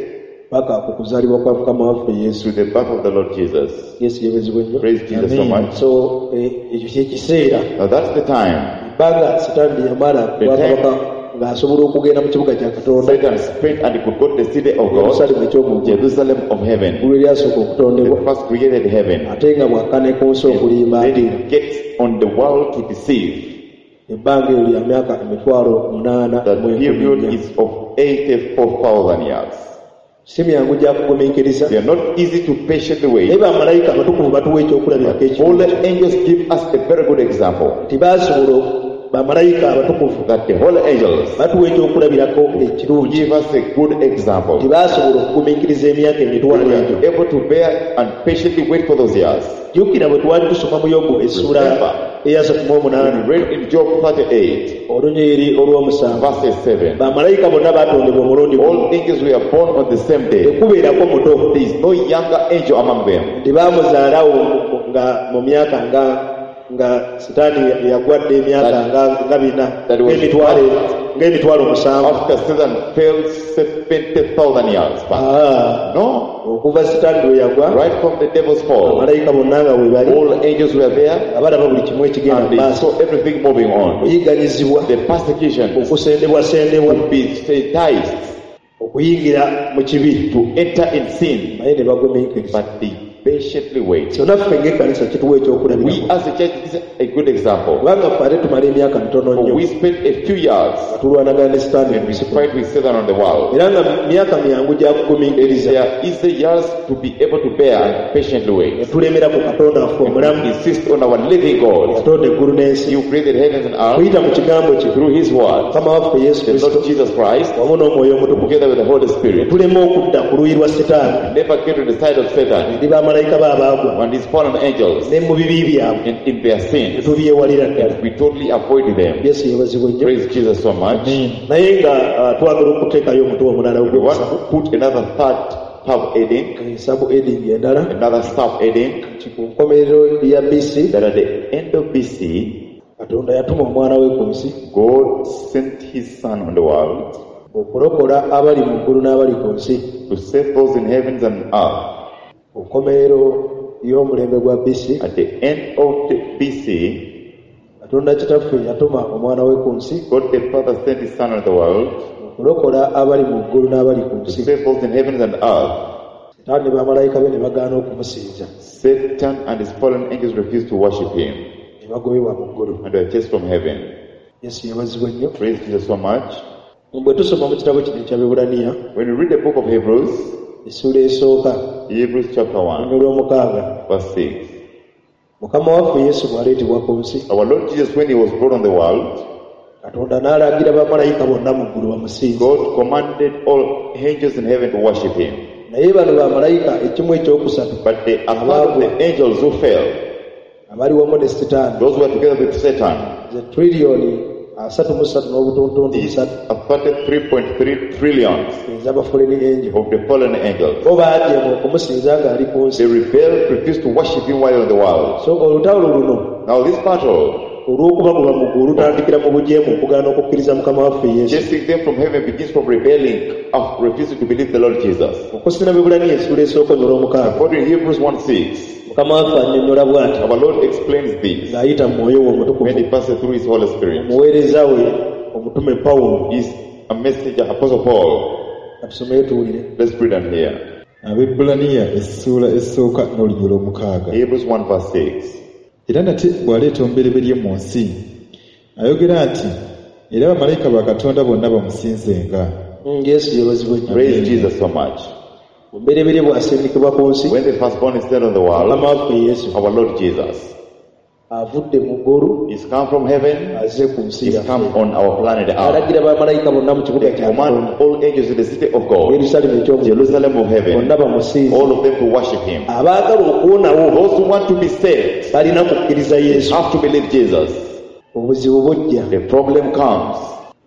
paka ku kuzaalibwa kwa Mukama waffe Yesu. to the birth of the Lord Jesus. Yesu yeebazibwe nnyo. Praise Jesus so Amen. much. So eh, ekyo kyekiseera Now that's the time. ebbanga Sitaani lye yamala ku bwakabaka ng'asobola okugenda mu kibuga kya Katonda Satan spent and he could go to the city of God, Yerusaalemu eky'omu ggulu, Jerusalem of heaven, eggulu eryasooka okutondebwa, the first created heaven. ate nga bw'akka ne ku nsi okulimba Then ate he gets on the world to deceive. ebbanga eryo lya myaka emitwalo munaana That mu enkumi period nnya. is of eighty-four thousand years. Si myangu gya kugumiikiriza. They are not easy to patiently Naye wait. bamalayika abatukuvu batuwa ekyokulabirako Holy ekirungi angels give us a very good example. nti baasobola bamalayika abatukuvu That the holy angels batuwa ekyokulabirako ekirungi give us a good example. nti baasobola okugumiikiriza emyaka We emitwalo egyo. were able to bear and patiently wait for those years. Jjukira bwe twali tusoma mu Yobu essuula Remember. eyasatu mu omunaana We read in Job thirty-eight, olunyiriri olw'omusanvu verses seven. bamalayika bonna baatondebwa omulundi gumu All angels were born on the same day. tekubeerako muto There is no younger angel among them. nti baamuzaalawo nga mu myaka nga nga Sitaani yagwadde emyaka nga nga bina That was- ng'emitwalo ng'emitwalo musanvu After Satan fell seventy thousand years back. Ah, No, okuva Sitaani lwe yagwa right from the devil's fall, bamalayika bonna nga bwe bali all angels were there nga balaba buli kimu ekigenda and mu they maaso saw everything moving on. okuyigganyizibwa The persecution okusendebwasendebwa to be satirized, okuyingira mu kibi to enter in sin, naye ne bagumiikiriza. but they patiently wait. So naffe ng'ekkanisa kituwa We ekyokulabirako as a church, this is a good example. kubanga ffe ate tumala emyaka mitono For nnyo we spent a few years nga tulwanagana ne Sitaani and we mu nsi fight with Satan on the world. era nga myaka myangu gya kugumiikiriza There are easy years to be able to bear and patiently ne wait. tulemera ku Katonda waffe omulamu Insist on our living God. yatonda eggulu n'ensi Who created heavens and earth kuyita mu kigambo kye through His word, Mukama waffe Yesu the Kristo Lord Jesus Christ, wamu n'Omwoyo Omutukuvu together with the Holy Spirit. tuleme okudda ku luuyi lwa Sitaani Never get to the side of Satan eri bamalayika be abaagwa and his fallen angels ne mu bibi byabwe and in their ne sins. tubyewalira ddala. We totally avoid them. Yesu yeebazibwe nnyo. Praise Jesus so much. Naye nga ah, twagala okuteekayo omutwe omulala We want ogwokusatu to put another third sub heading, sabu heading endala another sub heading, nti ku nkomerero ya B C that at the end of B C, Katonda yatuma omwana we ku nsi God sent His Son on the world okulokola abali mu ggulu n'abali ku nsi. to save those in heavens and earth. Ku nkomerero y'omulembe gwa B C, At the end of the B C, Katonda Kitaffe yatuma omwana we ku nsi God the Father sent His Son on the world okulokola abali mu ggulu n'abali ku to nsi. save those in heavens and earth. Sitaani ne bamalayika be ne bagaana okumusinza. Satan and his fallen angels refused to worship him Ne bagobebwa mu ggulu. and were chased from heaven. Yesu yeebazibwe nnyo. Praise Jesus so much. Bwe tusoma mu kitabo kino eky'Abebbulaniya, When we read the book of Hebrews, essuula esooka, Hebrews chapter one, olw'omukaaga, verse six. Mukama waffe Yesu bw'aleetebwa ku nsi, Our Lord Jesus, when he was brought on the world, Katonda n'alagira bamalayika bonna mu ggulu bamusinze. God commanded all angels in heaven to worship him. Naye bano bamalayika ekimu ekyokusatu But the, a part of the angels who fell, abali wamu ne Sitaani, those who were together with Satan, ze triliyoni asatu mu ssatu n'obutuntuntu these busatu are thirty-three point three trillions ez'aba fallen angel. of the fallen angels. Bo baajeema okumusinza ng'ali ku nsi. They rebelled, refused to worship him while in the world. So olutalo luno Now this battle, olw'okubagoba mu ggulu lutandikira mu bujeemu okugaana okukkiriza Mukama waffe Yesu. chasing them from heaven, begins from rebelling, of refusing to believe the Lord Jesus. Okusina Abebbulaniya essuula esooka olw'omukaaga, According to Hebrews one six, Mukama waffe annyonnyola bw'ati our Lord explains this ng'ayita mu mwoyo we omutukuvu when he passes through his Holy Spirit. omuweereza we omutume Pawulo. He's a messenger, Apostle Paul. Katusomeyo tuwulire. Let's read on here. Abebbulaniya essuula esooka n'olunyiriri olw'omukaaga. Hebrews one verse six. Era nate bw'aleeta omubereberye mu nsi, ayogera nti era bamalayika ba Katonda bonna bamusinzenga. Mm, Yesu yeebazibwe nnyo. Praise Jesus so much. Omubereberye bw'asindikibwa ku nsi, When the firstborn is sent on the world, Mukama waffe Yesu our Lord Jesus, avudde mu ggulu he's come from heaven, azze ku nsi he's come yaffe. on our planet Earth. Alagira bamalayika bonna mu kibuga They kya command Katonda, all angels in the city of God, Yerusaalemi eky'omu Jerusalem of heaven, bonna bamusinze. all of them to worship him. Abaagala okuwonawo Those who want to be saved balina kukkiriza Yesu. have to believe Jesus. Obuzibu bujja, The problem comes.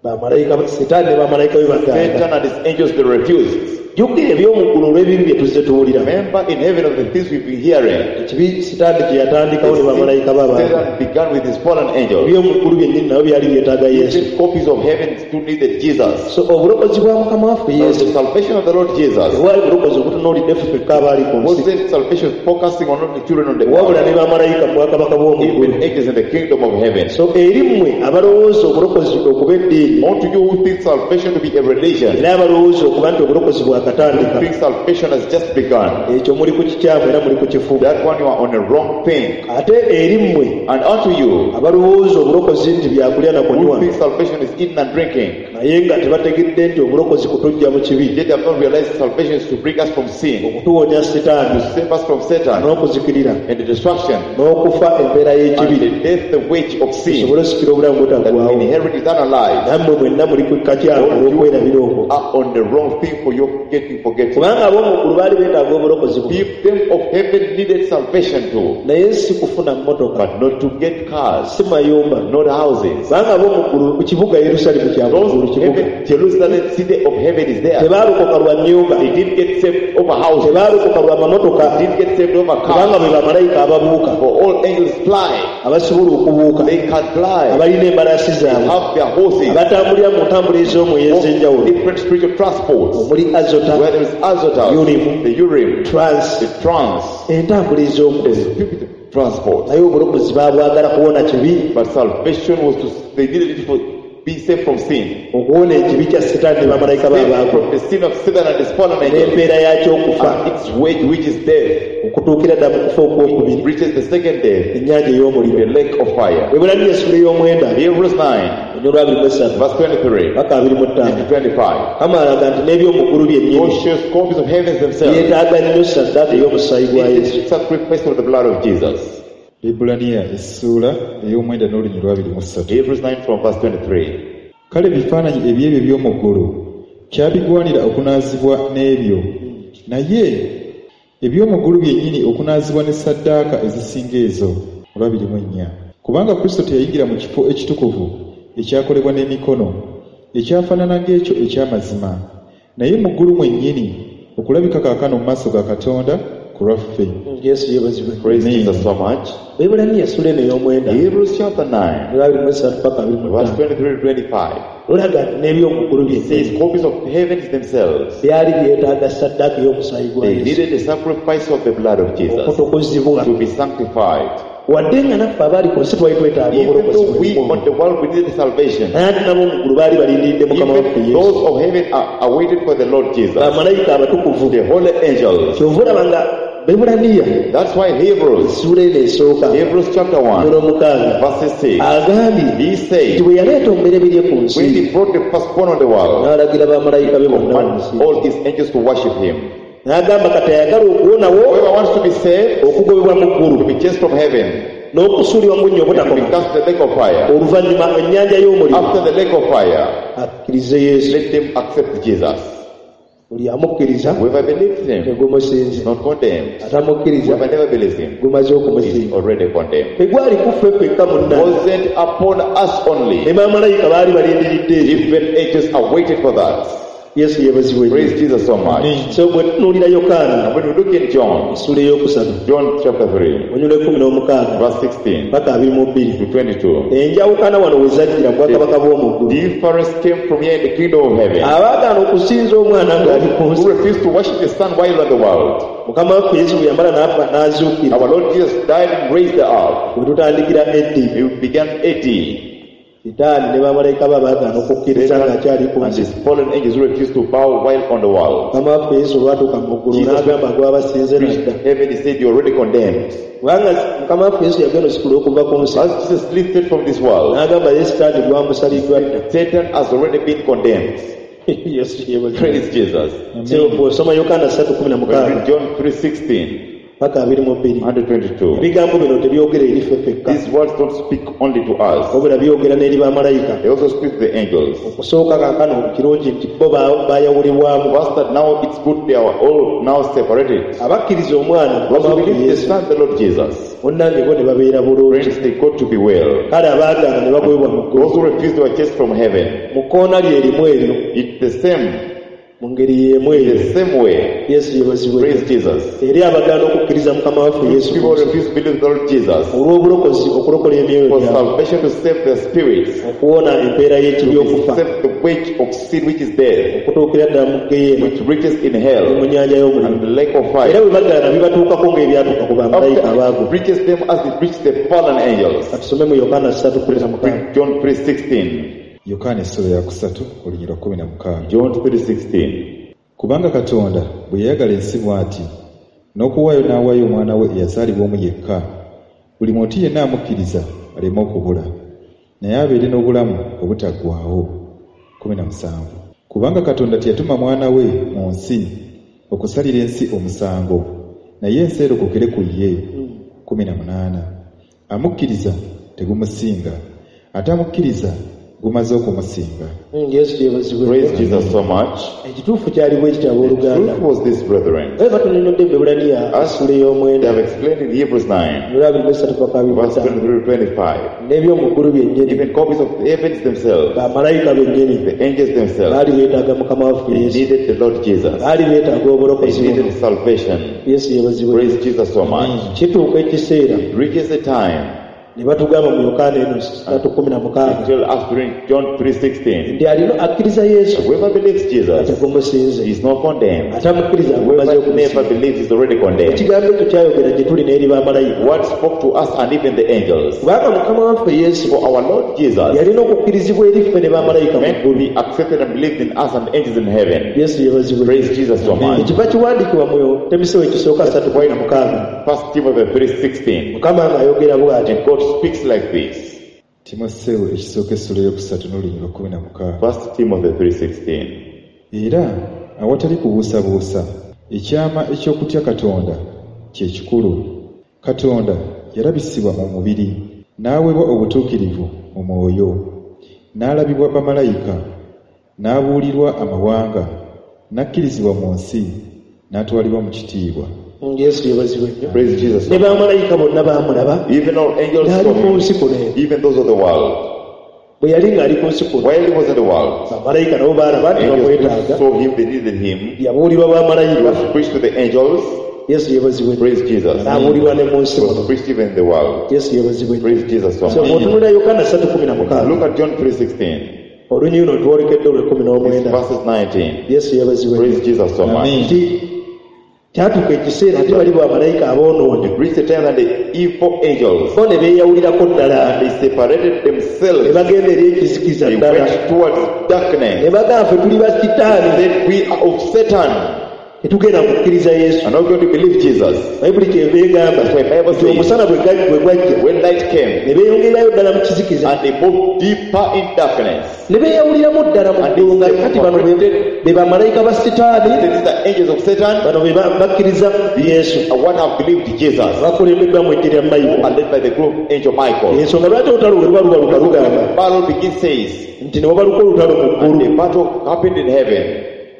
bamalayika Setaani ne bamalayika be bagamba. Satan and his angels, they refused. Jjukira eby'omu ggulu olw'ebibi bye tuzze tuwulira. Remember in heaven of the things we've been hearing. Ekibi Setaani kye yatandikawo ne bamalayika be abantu. Satan began with his fallen angels. Eby'omu ggulu byennyini nabo byali byetaaga Yesu. Even copies of heaven still needed Jesus. So obulokozi bwa Mukama waffe So Yesu the salvation of the Lord Jesus tewali bulokozi obutunuulidde ffe ffekka abaali ku nsi, wasn't salvation focusing on only children on the wabula world, ne bamalayika mu bwakabaka bw'omu ggulu. even angels in the kingdom of heaven. So eri mmwe abalowooza obulokozi okuba eddiini, Unto you who think salvation to be a religion, era abalowooza okuba nti obulokozi who bwakatandika, think salvation has just begun, ekyo muli ku kikyamu era muli ku kifu. that one you are on a wrong thing. Ate eri mmwe And unto you abalowooza obulokozi nti byakulya na who kunywa, think salvation is eating and drinking, naye nga tebategedde nti obulokozi kutuggya mu kibi, yet have not realized salvation is to bring us from sin, okutuwonya Setaani to save us from Satan n'okuzikirira and the destruction n'okufa empeera and y'ekibi, the death, the wage of sin, tusobole osikira obulamu that we butaggwaawo. inherit eternal life. Nammwe mwenna muli ku kakyamu All you olw'okwerabira okwo, are on the wrong thing for your getting forgetting. kubanga ab'omu ggulu baali beetaaga obulokozi buno, People of heaven needed salvation too, naye si kufuna mmotoka, but not to get cars, si mayumba, not houses. kubanga ab'omu ggulu ku kibuga Yerusaalemi kya mu ggulu Those kibuga heaven, Jerusalem, city of heaven is there. tebaalokoka lwa nnyumba, They didn't get saved over houses. tebaalokoka lwa mamotoka, They didn't get saved over kubanga cars. bwe bamalayika ababuuka, For all angels fly. abasobola okubuuka, They can fly. abalina embalaasi zaabwe, Have their horses. abatambulira mu ntambula ez'omwoyo ez'enjawulo, Different spiritual transports. omuli azota, Where there is Azotus, Urim. the Urim, trans, the trance, entambula the ez'omwoyo. spiritual transport. Naye obulokozi baabwagala kuwona kibi, But salvation was to, they needed it for be saved from sin. okuwona ekibi kya Setaani ne bamalayika Saved baabaako, from the sin of Satan and his fallen angels. n'empeera yakyo okufa, And its wage, which is death, okutuukira ddala mu kufa okwokubiri, reaches the second death, ennyanja ey'omuliro. the lake of fire. Ebbulaniya essula ey'omwenda, Hebrews nine, olunyiriri lwa abiri mu esatu verse twenty-three paka abiri mu ttaano, to twenty-five. Mukama alaga nti n'eby'omu ggulu byennyini God shows copies of heavens themselves. byetaaga nnyo ssaddaaka ey'omusaayi gwa It Yesu. is sacrifice of the blood of Jesus. Ebbulaniya essuula ey'omwenda n'olunyiriri lwa abiri mu ssatu. Hebrews nine from verse twenty-three. Kale ebifaananyi eby'ebyo eby'omu ggulu kyabigwanira okunaazibwa n'ebyo, naye eby'omu ggulu byennyini okunaazibwa ne ssaddaaka ezisinga ezo. Olwabiri mu ennya. Kubanga Kristo teyayingira mu kifo ekitukuvu ekyakolebwa n'emikono, ekyafaanana ng'ekyo eky'amazima, naye mu ggulu mwennyini okulabika kaakano mu maaso ga Katonda ku lwaffe. Yesu yeebazibwe. Praise Amen. Jesus so much. Ebbulaniya essula eno ey'omwenda, Hebrews chapter nine, olwa abiri mu esatu paka abiri mu verse ttaano, twenty-three to twenty-five. lulaga nti n'eby'omu ggulu It says byennyini copies of heavens themselves. byali byetaaga ssaddaaka ey'omusaayi gwa They Yesu needed the sacrifice of the blood of Jesus okutukuzibwa. to be sanctified. Wadde nga naffe abaali ku nsi twali twetaaga Even obulokozi though we bwe on the world we needed salvation, naye ate nabo mu ggulu baali balindiridde Mukama waffe even Yesu. those of heaven are awaited for the Lord Jesus, Bamalayika abatukuvu. the holy angels. Kyova olaba nga Bebbulaniya That's why Hebrews, essuula eno esooka Hebrews chapter one, olw'omukaaga verse six, agambye he nti says, bwe yaleeta omubereberye ku when nsi he brought the firstborn on the world, n'alagira bamalayika be bonna command bamusinze. all his angels to worship him. N'agamba kati ayagala okuwonawo Whoever wants to be saved, okugobebwa mu ggulu to be chased from heaven, n'okusuulibwa mu bunnya to be obutakoma, cast to the lake of fire. oluvannyuma ennyanja y'omuliro, After the lake of fire, akkirize Yesu. let them accept Jesus. Buli amukkiriza Whoever believes him tegumusinze, is not condemned. atamukkiriza Whoever never believes him gumaze is okumusinga. already condemned. Tegwali kuffe ffekka munnange, Wasn't upon us ne only. bamalayika baali balindiridde ekyo. Even angels awaited for that. Yesu yeebazibwe nnyo. Praise Jesus so much. So bwe tunuulira Yokaana And when we look in John, essula ey'okusatu John chapter three, olunyiriri lw'ekkumi n'omukaaga verse sixteen paka abiri mu bbiri, to twenty-two, enjawukana wano we zajjira mu bwakabaka bw'omu ggulu. difference came from here in the kingdom of heaven. Abaagaana okusinza omwana ng'ali ku nsi, Who refused to worship the Son while on the world. Mukama waffe Yesu bwe yamala n'afa n'azuukira, Our Lord Jesus died and raised up. bwe tutandikira eddi, He began A D. Sitaani ne bamalayika be abaagaana okukkiriza ng'akyali ku And nsi. his fallen angels who refused to bow while on the world. Mukama waffe Yesu olwatuuka mu ggulu Jesus n'agamba gw'abasinze Reached nadda. heaven, he said, You're already condemned. Kubanga Mukama waffe Yesu yagenda osikula okuva ku nsi, As Jesus lifted from this world, n'agamba ye Sitaani gwamusaliddwa dda. Satan has already been condemned. Yesu yeebazibwe. Praise Jesus. So, bw'osoma Yokaana ssatu kumi na When we mukaaga read John three sixteen paka abiri mu bbiri and twenty-two, ebigambo bino tebyogera eri ffe ffekka these words don't speak only to us, wabula byogera n'eri bamalayika. they also speak to the angels. Okusooka kaakano kirungi nti bo ba- baayawulibwamu. First, that now it's good they are all now separated. Abakkiriza omwana Those who Mukama waffe believe the Yesu Son, the Lord Jesus, munnange bo ne babeera bulungi. friends, they got to be well. Kale abaagaana ne bagobebwa mu ggulu. Those who refuse, they were chased from heaven. Mu kkoona lye erimu eryo It's the same, mu ngeri y'emu eyo. the same way. Yesu yeebazibwe. Praise Jesus. Eri abagaana okukkiriza Mukama waffe Yesu People Kristo refuse to believe the Lord Jesus olw'obulokozi okulokola emyoyo for gyabwe salvation to save their spirits, okuwona empeera y'ekibi to okufa save the wage of sin which is death, okutuukira ddala mu ggeyeena which reaches in ne hell mu nnyanja y'omuliro. and the lake of Era fire. bwe bagaana bibatuukako ng'ebyatuuka ku bamalayika After abaagwa. it reaches them as it reached the fallen angels. Katusome mu Yokaana ssatu kumi na mukaaga. Read John three sixteen. Yokaana essula ya kusatu olunyiriri lwa kkumi na mukaaga. John three sixteen. Kubanga Katonda bwe yayagala ensi bw'ati n'okuwaayo n'awaayo omwana we eyazaalibwa omu yekka, buli muntu yenna amukkiriza aleme okubula, naye abeere n'obulamu obutaggwaawo. Kkumi na musanvu. Kubanga Katonda teyatuma mwana we mu nsi okusalira ensi omusango, naye ensi erokokere ku ye. Kkumi na munaana. Amukkiriza tegumusinga, ate amukkiriza gumaze okumusinga. Mm, Yesu yeebazibwe. Praise Jesus so much. Ekituufu kyali bwe kityo The abooluganda. truth was this, brethren. Naye batunyonnyodde mu Ebbulaniya essula ey'omwenda They have explained in Hebrews nine, olwa abiri mu essatu paka abiri mu verse ttaano. twenty-three to twenty-five. N'eby'omu ggulu byennyini, Even copies of the heavens themselves, bamalayika bennyini the angels themselves, baali beetaaga Mukama waffe they Yesu, needed the Lord Jesus. baali beetaaga They obulokozi buno. needed salvation. Yesu yeebazibwe. Praise Jesus so much. Kituuka ekiseera It reaches the time ne batugamba mu Yokaana eno ssatu kumi na mukaaga Tell us during John three sixteen. nti alina akkiriza Yesu Whoever believes Jesus tegumusinze, is not condemned. ate amukkiriza agumaze Whoever okumusinza. never believes is already condemned. Ekigambo ekyo kyayogera gye tuli n'eri bamalayika. What spoke to us and even the angels. Kubanga Mukama waffe Yesu For our Lord Jesus yalina okukkirizibwa eri ffe ne bamalayika mu meant to ggulu. be accepted and believed in us and angels in heaven. Yesu yeebazibwe. Praise Jesus so much. Ekiva kiwandiikibwa mu Timoseewo ekisooka ssatu kumi na mukaaga. First Timothy three sixteen. Mukama ng'ayogera bw'ati. And God speaks like this. Timoseewo ekisooka essula ey'okusatu n'olunyiriri lwa kkumi na mukaaga. First Timothy three sixteen. Era awatali kubuusabuusa ekyama eky'okutya Katonda kye kikulu. Katonda yalabisibwa mu mubiri, n'aweebwa obutuukirivu mu mwoyo, n'alabibwa bamalayika, n'abuulirwa amawanga, n'akkirizibwa mu nsi, n'atwalibwa mu kitiibwa. Yesu yeebazibwe nnyo. Praise Jesus. Ne bamalayika bonna baamulaba Even all angels n'ali saw ku him, nsi kuno eno. even those of the world. Bwe yali ng'ali ku nsi kuno, While he was in the world, bamalayika nabo baalaba nti angels bamwetaaga. saw him, they needed him. Yabuulirwa He bamalayika. was preached to the angels. Yesu yeebazibwe. Praise Jesus. N'abuulirwa ne mu nsi He was muno. preached even in the world. Yesu yeebazibwe. Praise Jesus so So much. bw'otunula Yokaana ssatu kumi na mukaaga, Look at John three sixteen. olunyiriri luno twolekedde olw'ekkumi It's n'omwenda. verses nineteen. Yesu yeebazibwe. Praise Jesus so much. Amen. Nti kyatuuka ekiseera ate bali bamalayika aboonoonyi It reached the time that the evil angels, bo ne beeyawulirako ddala they separated ne themselves. bagenda eri ekizikiza They ddala went towards ne darkness. bagamba ffe tuli ba sitaani They said, we are of Satan tetugenda kukkiriza Yesu. and not going to believe Jesus. Bayibuli kyeva egamba That's why Bible nti says omusana bwe gwa- bwe gwajja when light came ne beeyongerayo ddala mu kizikiza and they moved deeper in darkness. ne beeyawuliramu ddala mu And ggulu nga they kati bano be- separated. be bamalayika ba sitaani This is the angels of Satan bano be ba- bakkiriza Yesu and one have believed Jesus bakulembeddwa mu eggye lya Mayiko. and led by the group angel Michael. Ensonga lwaki olutalo bwe luba lubaluka lugamba The battle begins says nti ne wabaluka olutalo mu and ggulu the battle happened in heaven.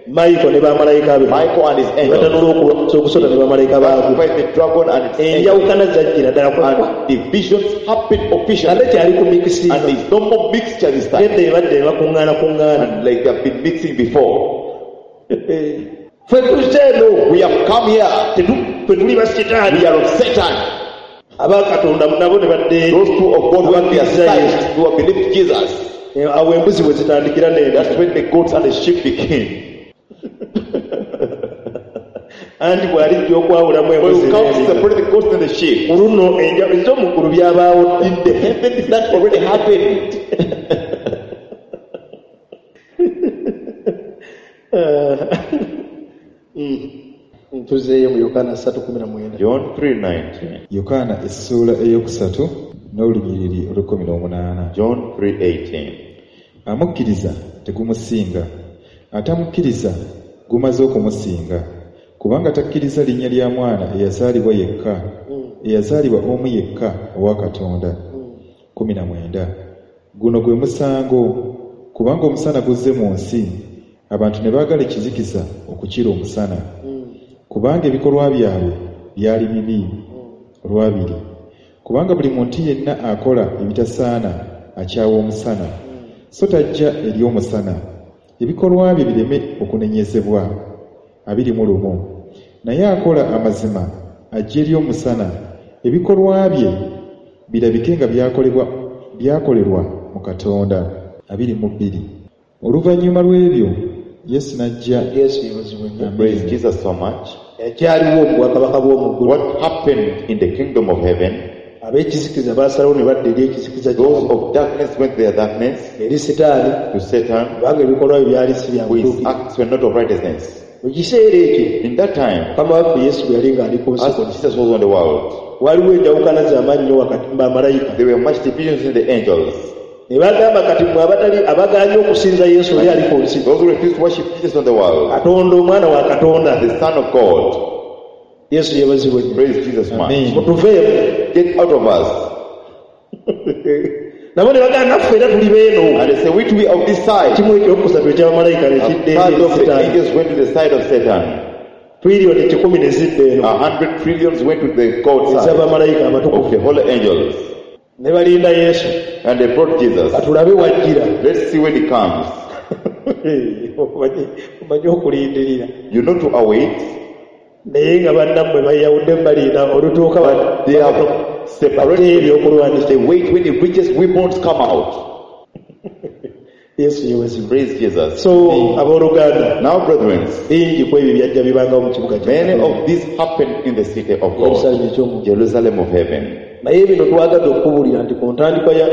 Mayiko ne bamalayika be Michael and his angels batanula okulwanyisa ogusota ne bamalayika baagwo. fight the dragon and its angels. Enjawukana zajjira ddala And divisions happened officially. ate kyali ku And mikisinga there's no more mixture this time. gedda ebadde ne bakuŋŋaana kuŋŋaana. And like they have been mixing before. Ffe tuzze eno We have come here. tetu- ffe tuli ba sitaani We are of Satan. aba Katonda nabo ne badda eri. Those two of God went their Abakkiriza side Yesu. who have believed Jesus. Awo embuzi bwe zitandikira n'enda. That's when the goats and the sheep begin. Anti bw'alijja okwawulamu When embuzi you come to n'endiga. separate the goats and the sheep, Ku luno enja- ez'omu ggulu byabaawo in the heavens that already happened. Tuzeeyo mu Yokaana ssatu kumi na mwenda. John three nineteen. Yokaana essuula ey'okusatu n'olunyiriri olw'ekkumi n'omunaana. John three eighteen. Amukkiriza tegumusinga, Atamukkiriza gumaze okumusinga, kubanga takkiriza linnya lya mwana eyazaalibwa yekka, eyazaalibwa omu yekka owa Katonda. Kumi na mwenda. Guno gwe musango, kubanga omusana guzze mu nsi, abantu ne baagala ekizikiza okukira omusana, kubanga ebikolwa byabwe byali bibi. Olwabiri, kubanga buli muntu yenna akola ebitasaana akyawa omusana, so tajja eri omusana, ebikolwa bye bireme okunenyezebwa. Abiri mu lumu. Naye akola amazima ajja eri omusana, ebikolwa bye birabike nga byakolebwa byakolerwa mu Katonda. Abiri mu bbiri. Oluvannyuma lw'ebyo Yesu n'ajja. Yesu yeebazibwe nnyo. Praise Jesus so much. Ekyaliwo mu bwakabaka bw'omu ggulu. What happened in the kingdom of heaven? Ab'ekizikiza baasalawo ne badda eri ekizikiza Those kyabwe. of darkness went to their darkness, Eri Sitaani, to Satan, kubanga ebikolwa bye byali si bya whose butuukirivu. acts were not of righteousness. Mu kiseera ekyo, In that time, Mukama waffe Yesu bwe yali ng'ali ku nsi as kuno, Jesus was on the world, waliwo enjawukana z'amaanyi nnyo wakati mu bamalayika. there were much divisions in the angels. Ne bagamba kati mmwe abatali abagaanye okusinza Yesu oli ali ku nsi. Those who refused to worship Jesus on the world, Katonda omwana wa Katonda. the Son of God. Yesu yeebazibwe nnyo. Praise Jesus much. Amen. Mutuveemu. Get out of us. Nabo ne bagamba naffe era tuli beeno. And they say, we to be of this side. Kimu ekyokusatu eky'abamalayika ne A kidda third eri of the Sitaani. angels went to the side of Satan. Triliyoni kikumi ne zidda eno. A hundred trillions went to the God side Ez'abamalayika of abatukuvu. the holy angels. Ne balinda Yesu. And they brought Jesus. Katulabe wajjira. Let's see when he comes. Omanyi omanyi okulindirira. You know to await. Naye nga bannammwe bayawudde balinda olutuuka But they have separated. ebyokulwanisa. They wait when the richest weapons come out. Yesu yeebazibwe. Praise Jesus. So abooluganda, Now, brethren, bingi ku ebyo byajja bibangawo mu kibuga kya many Katonda. of these happened in the city of God, Yerusaalemi eky'omu. Jerusalem of heaven. Naye bino twagadde okukubuulira nti ku ntandikwa ya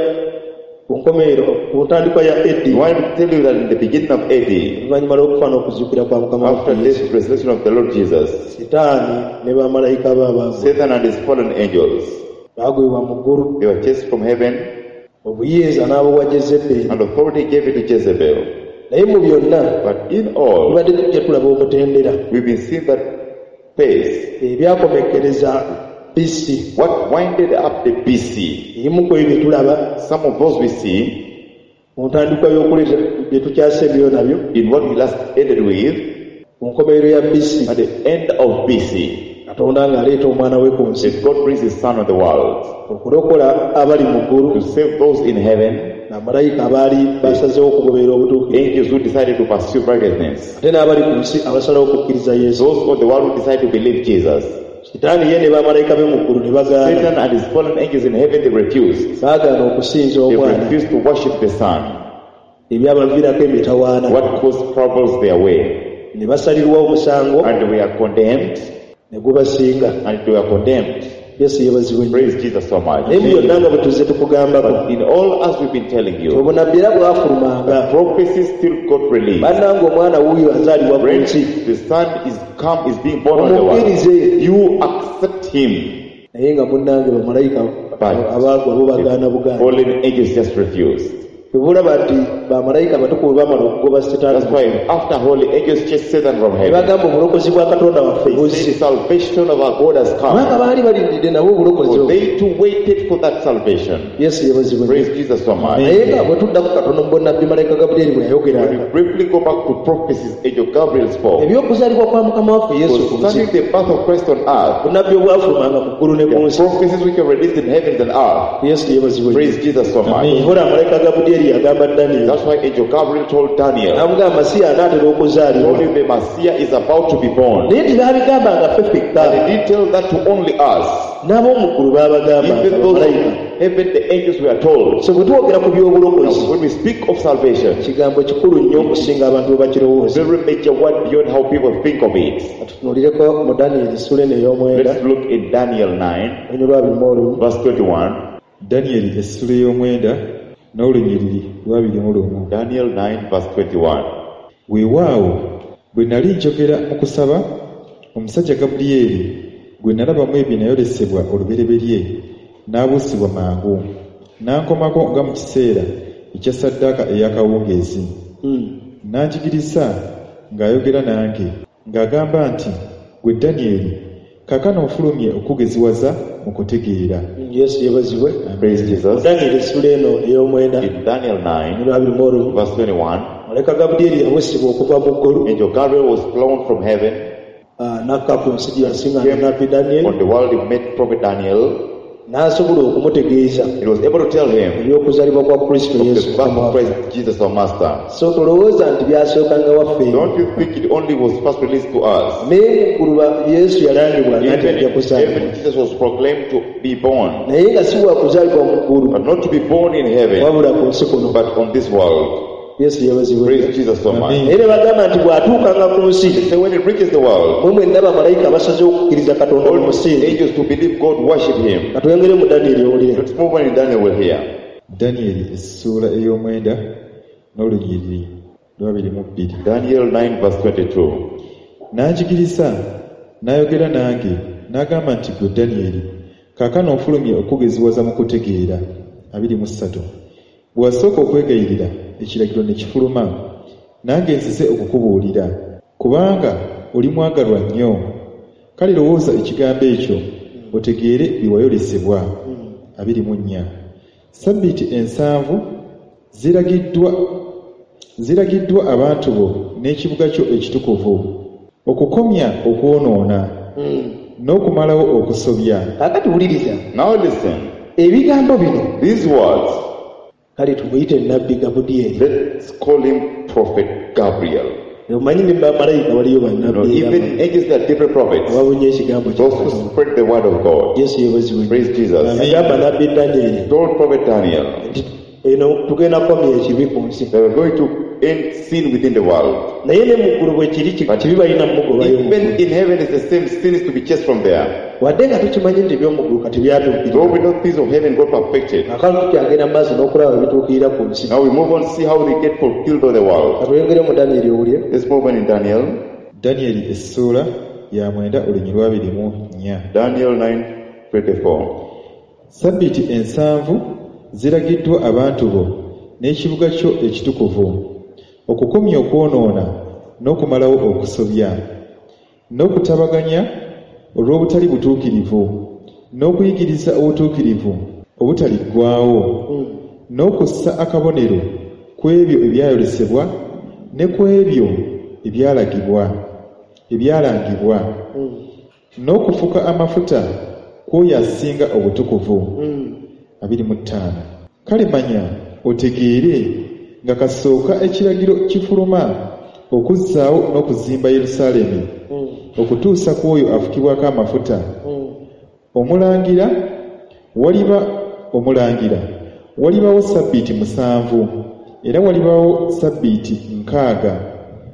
ku nkomerero ku ntandikwa ya A D, We want to tell you that in the beginning of A D, oluvannyuma lw'okufa n'okuzuukira kwa Mukama waffe after Yesu, this resurrection of the Lord Jesus, Sitaani ne bamalayika be abaagwa Satan and his fallen angels, baagwibwa mu ggulu, they were chased from heaven, obuyinza n'abuwa Jezeberi. and authority gave it to Jezebel. Naye mu byonna But in all, tubadde tujja tulaba omutendera we've been seeing that pace. ebyakomekkereza B C. What winded up the B C? Ebimu ku ebyo bye tulaba Some of those we see mu ntandikwa y'okuleeta bye tukyasembyeyo nabyo in what we last ended with ku nkomerero ya B C. at the end of B C. Katonda ng'aleeta omwana we ku nsi That God brings his son on the world okulokola abali mu ggulu to save those in heaven, bamalayika abaali basazeewo okugoberera obutuukirivu, angels who decided to pursue righteousness, ate n'abali ku nsi abasalawo okukkiriza Yesu. those of the world who decided to believe Jesus. Sitaani ye ne bamalayika be mu ggulu ne bagaana. Satan and his fallen angels in heaven, they refused. Baagaana okusinza They omwana. refused to worship the Son. Ebyabaviirako emitawaana. What caused troubles their way. Ne basalirwa omusango. And they were condemned. Ne gubasinga. And they were condemned. Yesu yeebazibwe nnyo. Praise Jesus so much. Naye mu byonna nga bwe tuzze tukugambako, But in all, as we've been telling you, obunnabbi era bwafulumanga. prophecy still got released. Bannange omwana wuuyo azaalibwa ku Friends, nsi. the Son is come, is being born on the world. Omukkirize. You accept him. Naye nga munnange bamalayika But abaagwa bo bagaana bugaana. fallen angels just refused. Tebulaba nti bamalayika abatukuvu bamala okugoba Sitaani. That's why after holy angels chased Satan from Ne heaven, bagamba obulokozi bwa Katonda waffe they buzze. said salvation of our God has Kubanga come. baali balindidde nabo obulokozi For obwo. they too waited for that salvation. Yesu yeebazibwe nnyo. Praise Jesus so much. Naye nga bwe tudda ku katono mu bunnabbi malayika Gabulyeri bwe When yayogeranga. we briefly go back to prophecies Angel Gabriel spoke Eby'okuzaalibwa kwa Mukama waffe Yesu ku nsi. concerning the birth of Christ on earth, Bunnabbi obwafulumanga mu ggulu ne ku the nsi. prophecies which were released in heavens and earth. Yesu yeebazibwe nnyo. Praise Jesus so much. Nkola malayika Gabulyeri yagamba Daniel. That's why Angel Gabriel told Daniel, N'amugamba Masiya anaatera okuzaalibwa. told him the Messiah is about to be born. Naye tebaabigambanga ffe ffekka. And he didn't tell that to only us. N'ab'omu ggulu baabagambanga Even those bamalayika. of heaven, the angels were told. So bwe twogera ku by'obulokozi, Now, when we speak of salvation, kigambo kikulu nnyo okusinga abantu bwe bakirowooza. very major word beyond how people think of it. Katutunuulireko mu Daniel essula eno ey'omwenda, Let's look in Daniel nine, olunyiriri lwa abiri mu olumu. verse twenty-one. Daniel essula ey'omwenda n'olunyiriri lw'abiri mu lumu. Daniel nine, verse twenty-one. Weewaawo bwe nali njogera mu kusaba, omusajja Gabulyeri gwe nalabamu ebyo nayolesebwa olubereberye n'abuusibwa mangu, n'ankomako nga mu kiseera ekya ssaddaaka ey'akawungeezi. Hmm. N'anjigiriza ng'ayogera nange, ng'agamba nti, Ggwe Danyeri, kaakano nfulumye okukugeziwaza mu kutegeera. Yesu yeebazibwe. Praise Jesus. Danyeri essula eno ey'omwenda In Daniel nine, abiri mu olumu verse twenty-one, malayika Gabulyeri yawusibwa okuva mu ggulu Angel Gabriel was flown from heaven ah, n'akka ku nsi gye yasiŋŋaana nabbi Danyeri on the world. He met Prophet Daniel. N'asobola okumutegeeza He was able to tell him eby'okuzaalibwa kwa Kristo of Yesu the birth Mukama of waffe. Christ Jesus our Master. So tolowooza nti byasookanga waffe. Don't you think it only was first released to us? Naye mu ggulu ba- Yesu yalangibwa nga nti Even ajja in kuzaalibwa heaven, Jesus was proclaimed to be born, naye nga si wa kuzaalibwa mu ggulu but not to be born in heaven, wabula ku nsi kuno. But on this world. Yesu yeebazibwe. Praise Jesus so much. Amen. Naye ne bagamba nti bw'atuukanga ku nsi They say when it reaches the world, mwe mwenna bamalayika basazeewo okukkiriza Katonda all mu musingi. angels to believe God worship him. Katwengere mu Danyeri owulire. Let's move on in Daniel will hear. Danyeri essuula ey'omwenda n'olunyiriri lw'abiri mu bbiri. Daniel nine verse twenty-two. N'anjigiriza n'ayogera nange n'agamba nti ggwe Danyeri kaakano nfulumye okugeziwaza mu kutegeera. Abiri mu ssatu. Bwe wasooka okwegayirira ekiragiro ne kifuluma nange nzize okukubuulira kubanga oli mwagalwa nnyo kale lowooza ekigambo ekyo otegeere bye wayolesebwa. Abiri mu nnya. Sabbiiti ensanvu ziragiddwa ziragiddwa abantu bo n'ekibuga kyo ekitukuvu okukomya okwonoona n'okumalawo okusobya. Kaakati wuliriza. Now listen, ebigambo bino these words, kale tumuyite nabbi Gabudyeri. Let's call him Prophet Gabriel. Omanyi ne bamalayika waliyo No, bannabbi even angels there are different prophets. ababunye ekigambo kya Those who Katonda. spread the word of God. Yesu yeebazibwe. Praise Jesus. Yagamba nabbi Danyeri Told Prophet Daniel nti eno tugenda kukomya ekibi ku nsi. They were going to end sin within the world. Naye ne mu ggulu bwe kiri ki- kibi balina mugobayo mu Even ggulu. in heaven it's the same, sin is to be chased from there. Wadde nga tukimanyi nti eby'omu ggulu kati Though byatuukirira we know things of heaven got perfected. kaakano tukyagenda mu maaso n'okulaba ebituukirira ku nsi. Now we move on to see how they get fulfilled on the world. Katweyongere mu Danyeri owulire. Let's move on in Daniel. Danyeri essuula ya mwenda olunyiriri lw'abiri mu nnya. Daniel nine twenty-four. Sabbiiti ensanvu ziragiddwa abantu bo n'ekibuga kyo ekitukuvu okukomya okwonoona n'okumalawo okusobya n'okutabaganya olw'obutali butuukirivu n'okuyigiriza obutuukirivu obutaliggwaawo n'okussa akabonero ku ebyo ebyayolesebwa ne ku ebyo ebyalagibwa ebyalangibwa n'okufuka amafuta kw'oyo asinga obutukuvu. Abiri mu ttaano. Kale manya otegeere nga kasooka ekiragiro kifuluma okuzzaawo n'okuzimba Yerusaalemi okutuusa ku oyo afukibwako amafuta omulangira waliba omulangira walibawo sabbiiti musanvu era walibawo sabbiiti nkaaga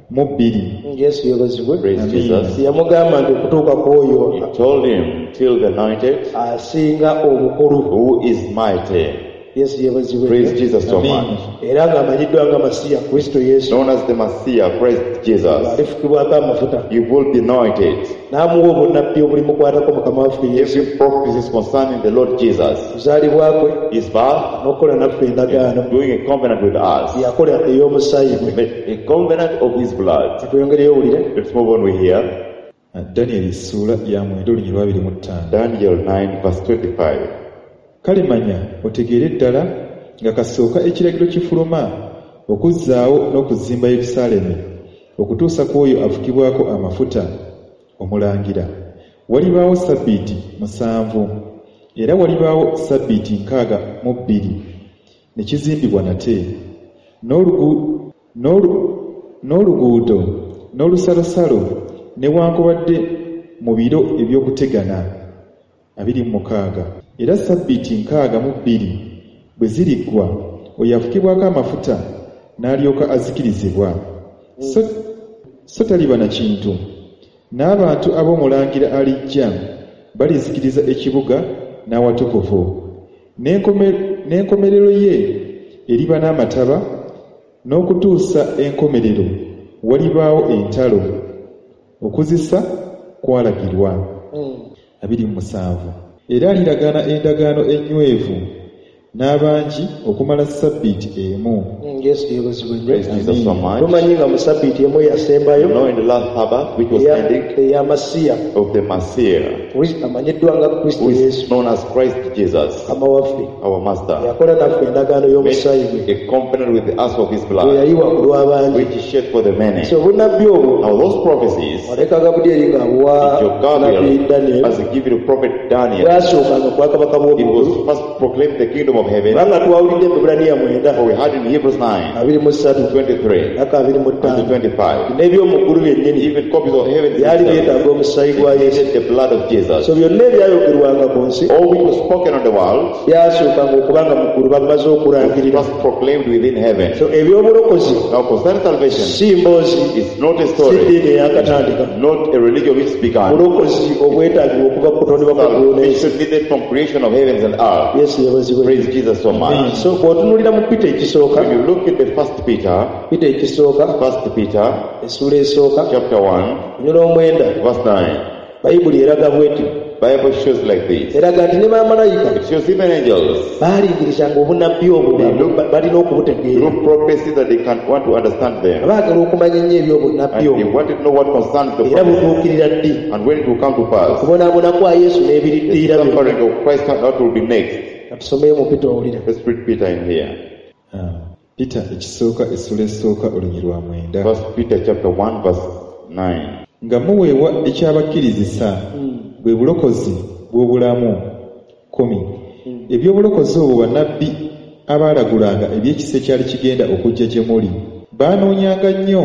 mu bbiri. Yesu yeebazibwe. Praise Amen. Jesus. Yamugamba nti okutuuka ku oyo He told him till the anointed asinga obukulu. Who is mighty. Yesu yeebazibwe. Praise Jesus so Amen. much. Era ng'amanyiddwa nga Masiya Kristo Yesu Known as the Messiah, Christ Jesus. alifukibwako amafuta He will be anointed. n'amuwa obunnabbi obulimukwatako Mukama waffe Yesu. Every prophecy concerning the Lord Jesus, kuzaalibwa kwe his birth, n'okukola naffe endagaano doing a covenant with us, yakola ey'omusaayi gwe. A covenant of his blood. Katweyongereyo owulire. Let's move on, we hear Danyeri essuula ya mwenda olunyiriri lw'abiri mu ttaano. Daniel nine verse twenty-five. Kale manya otegeere ddala nga kasooka ekiragiro kifuluma okuzzaawo n'okuzimba Yerusaalemi okutuusa ku oyo afukibwako amafuta omulangira walibaawo sabbiiti musanvu era walibaawo sabbiiti nkaaga mu bbiri ne kizimbibwa nate n'olugu- n'olu- n'oluguudo n'olusalosalo newankubadde mu biro eby'okutegana. Abiri mu mukaaga. Era sabbiiti nkaaga mu bbiri bwe ziriggwa oyo afukibwako amafuta n'alyoka azikirizibwa so, so taliba na kintu n'abantu ab'omulangira alijja balizikiriza ekibuga n'awatukuvu N'enkome- n'enkomerero ye eriba n'amataba n'okutuusa enkomerero walibaawo entalo okuzisa kwalagirwa. Abiri mu musanvu. Era aliragaana endagaano ennywevu n'abangi okumala sabbiiti emu. Mm, Yesu yeebazibwe nnyo. Praise Jesus so much. Tumanyi nga mu sabbiiti emu eyasembayo You know, in the last Sabbath, which was eya- ending eya Masiya of the Messiah, Kristo amanyiddwa nga Kristo who is Yesu known as Christ Jesus, Mukama waffe our Master, yakola naffe endagaano y'omusaayi gwe made a covenant with us of his gwe blood, yayiwa ku lw'abangi. which he shed for the many. So obunnabbi obwo Now those prophecies, malayika Gabulyeri ng'abuwa your nabbi Gabriel, Daniel as he gave it to prophet Daniel, bwasookanga ku bwakabaka it bw'omuggulu was first proclaimed the kingdom of heaven, kubanga twawulidde mu Ebbulaniya mwenda for we had in Hebrews nine, abiri mu ssatu twenty-three, paka abiri mu and ttaano twenty-five. n'ebyomuggulu byennyini Even copies of heaven byali itself byetaaga omusaayi gwa Yesu. needed the blood of Jesus. So byonna ebyayogerwanga ku nsi All which was spoken on the world byasookanga okuba nga mu ggulu bamaze was okulangirira. first proclaimed within heaven. So ebyobulokozi Now concerning salvation, si mboozi, it's not a si story, ddiini eyakatandika. not a religion which began. Bulokozi obwetaagibwa okuva ku kutondebwa kw'eggulu n'ensi. Salvation needed from creation of heavens and earth. Yesu yeebazibwe. Praise Jesus so much. So bw'otunuulira mu Peter ekisooka, When you look at the first Peter, Peter ekisooka, first Peter essuula esooka, chapter one, olunyiriri omwenda, verse nine, Bayibuli eraga bw'eti. Bible shows like this. Eraga nti ne bamalayika It shows even angels baalingirizanga obunnabbi obwo ba- balina okubutegeera. through prophecy that they can want to understand them. Baagala okumanya ennyo eby'obunnabbi And they obwo wanted to know what concerns the era prophecy butuukirira ddi. and when it will come to pass. Okubonaabona kwa Yesu The n'ebiriddiira byonna. suffering of Christ and that will be next. Katusomeyo mu Peter owulira. Let's read Peter in here. Ah, Peter ekisooka essula esooka olunyiriri lwa mwenda. First Peter chapter one verse nine. Nga muweebwa ekyabakkirizisa bwe bulokozi bw'obulamu kkumi. Eby'obulokozi obwo bannabbi abaalagulanga eby'ekisa ekyali kigenda okujja gye muli baanoonyanga nnyo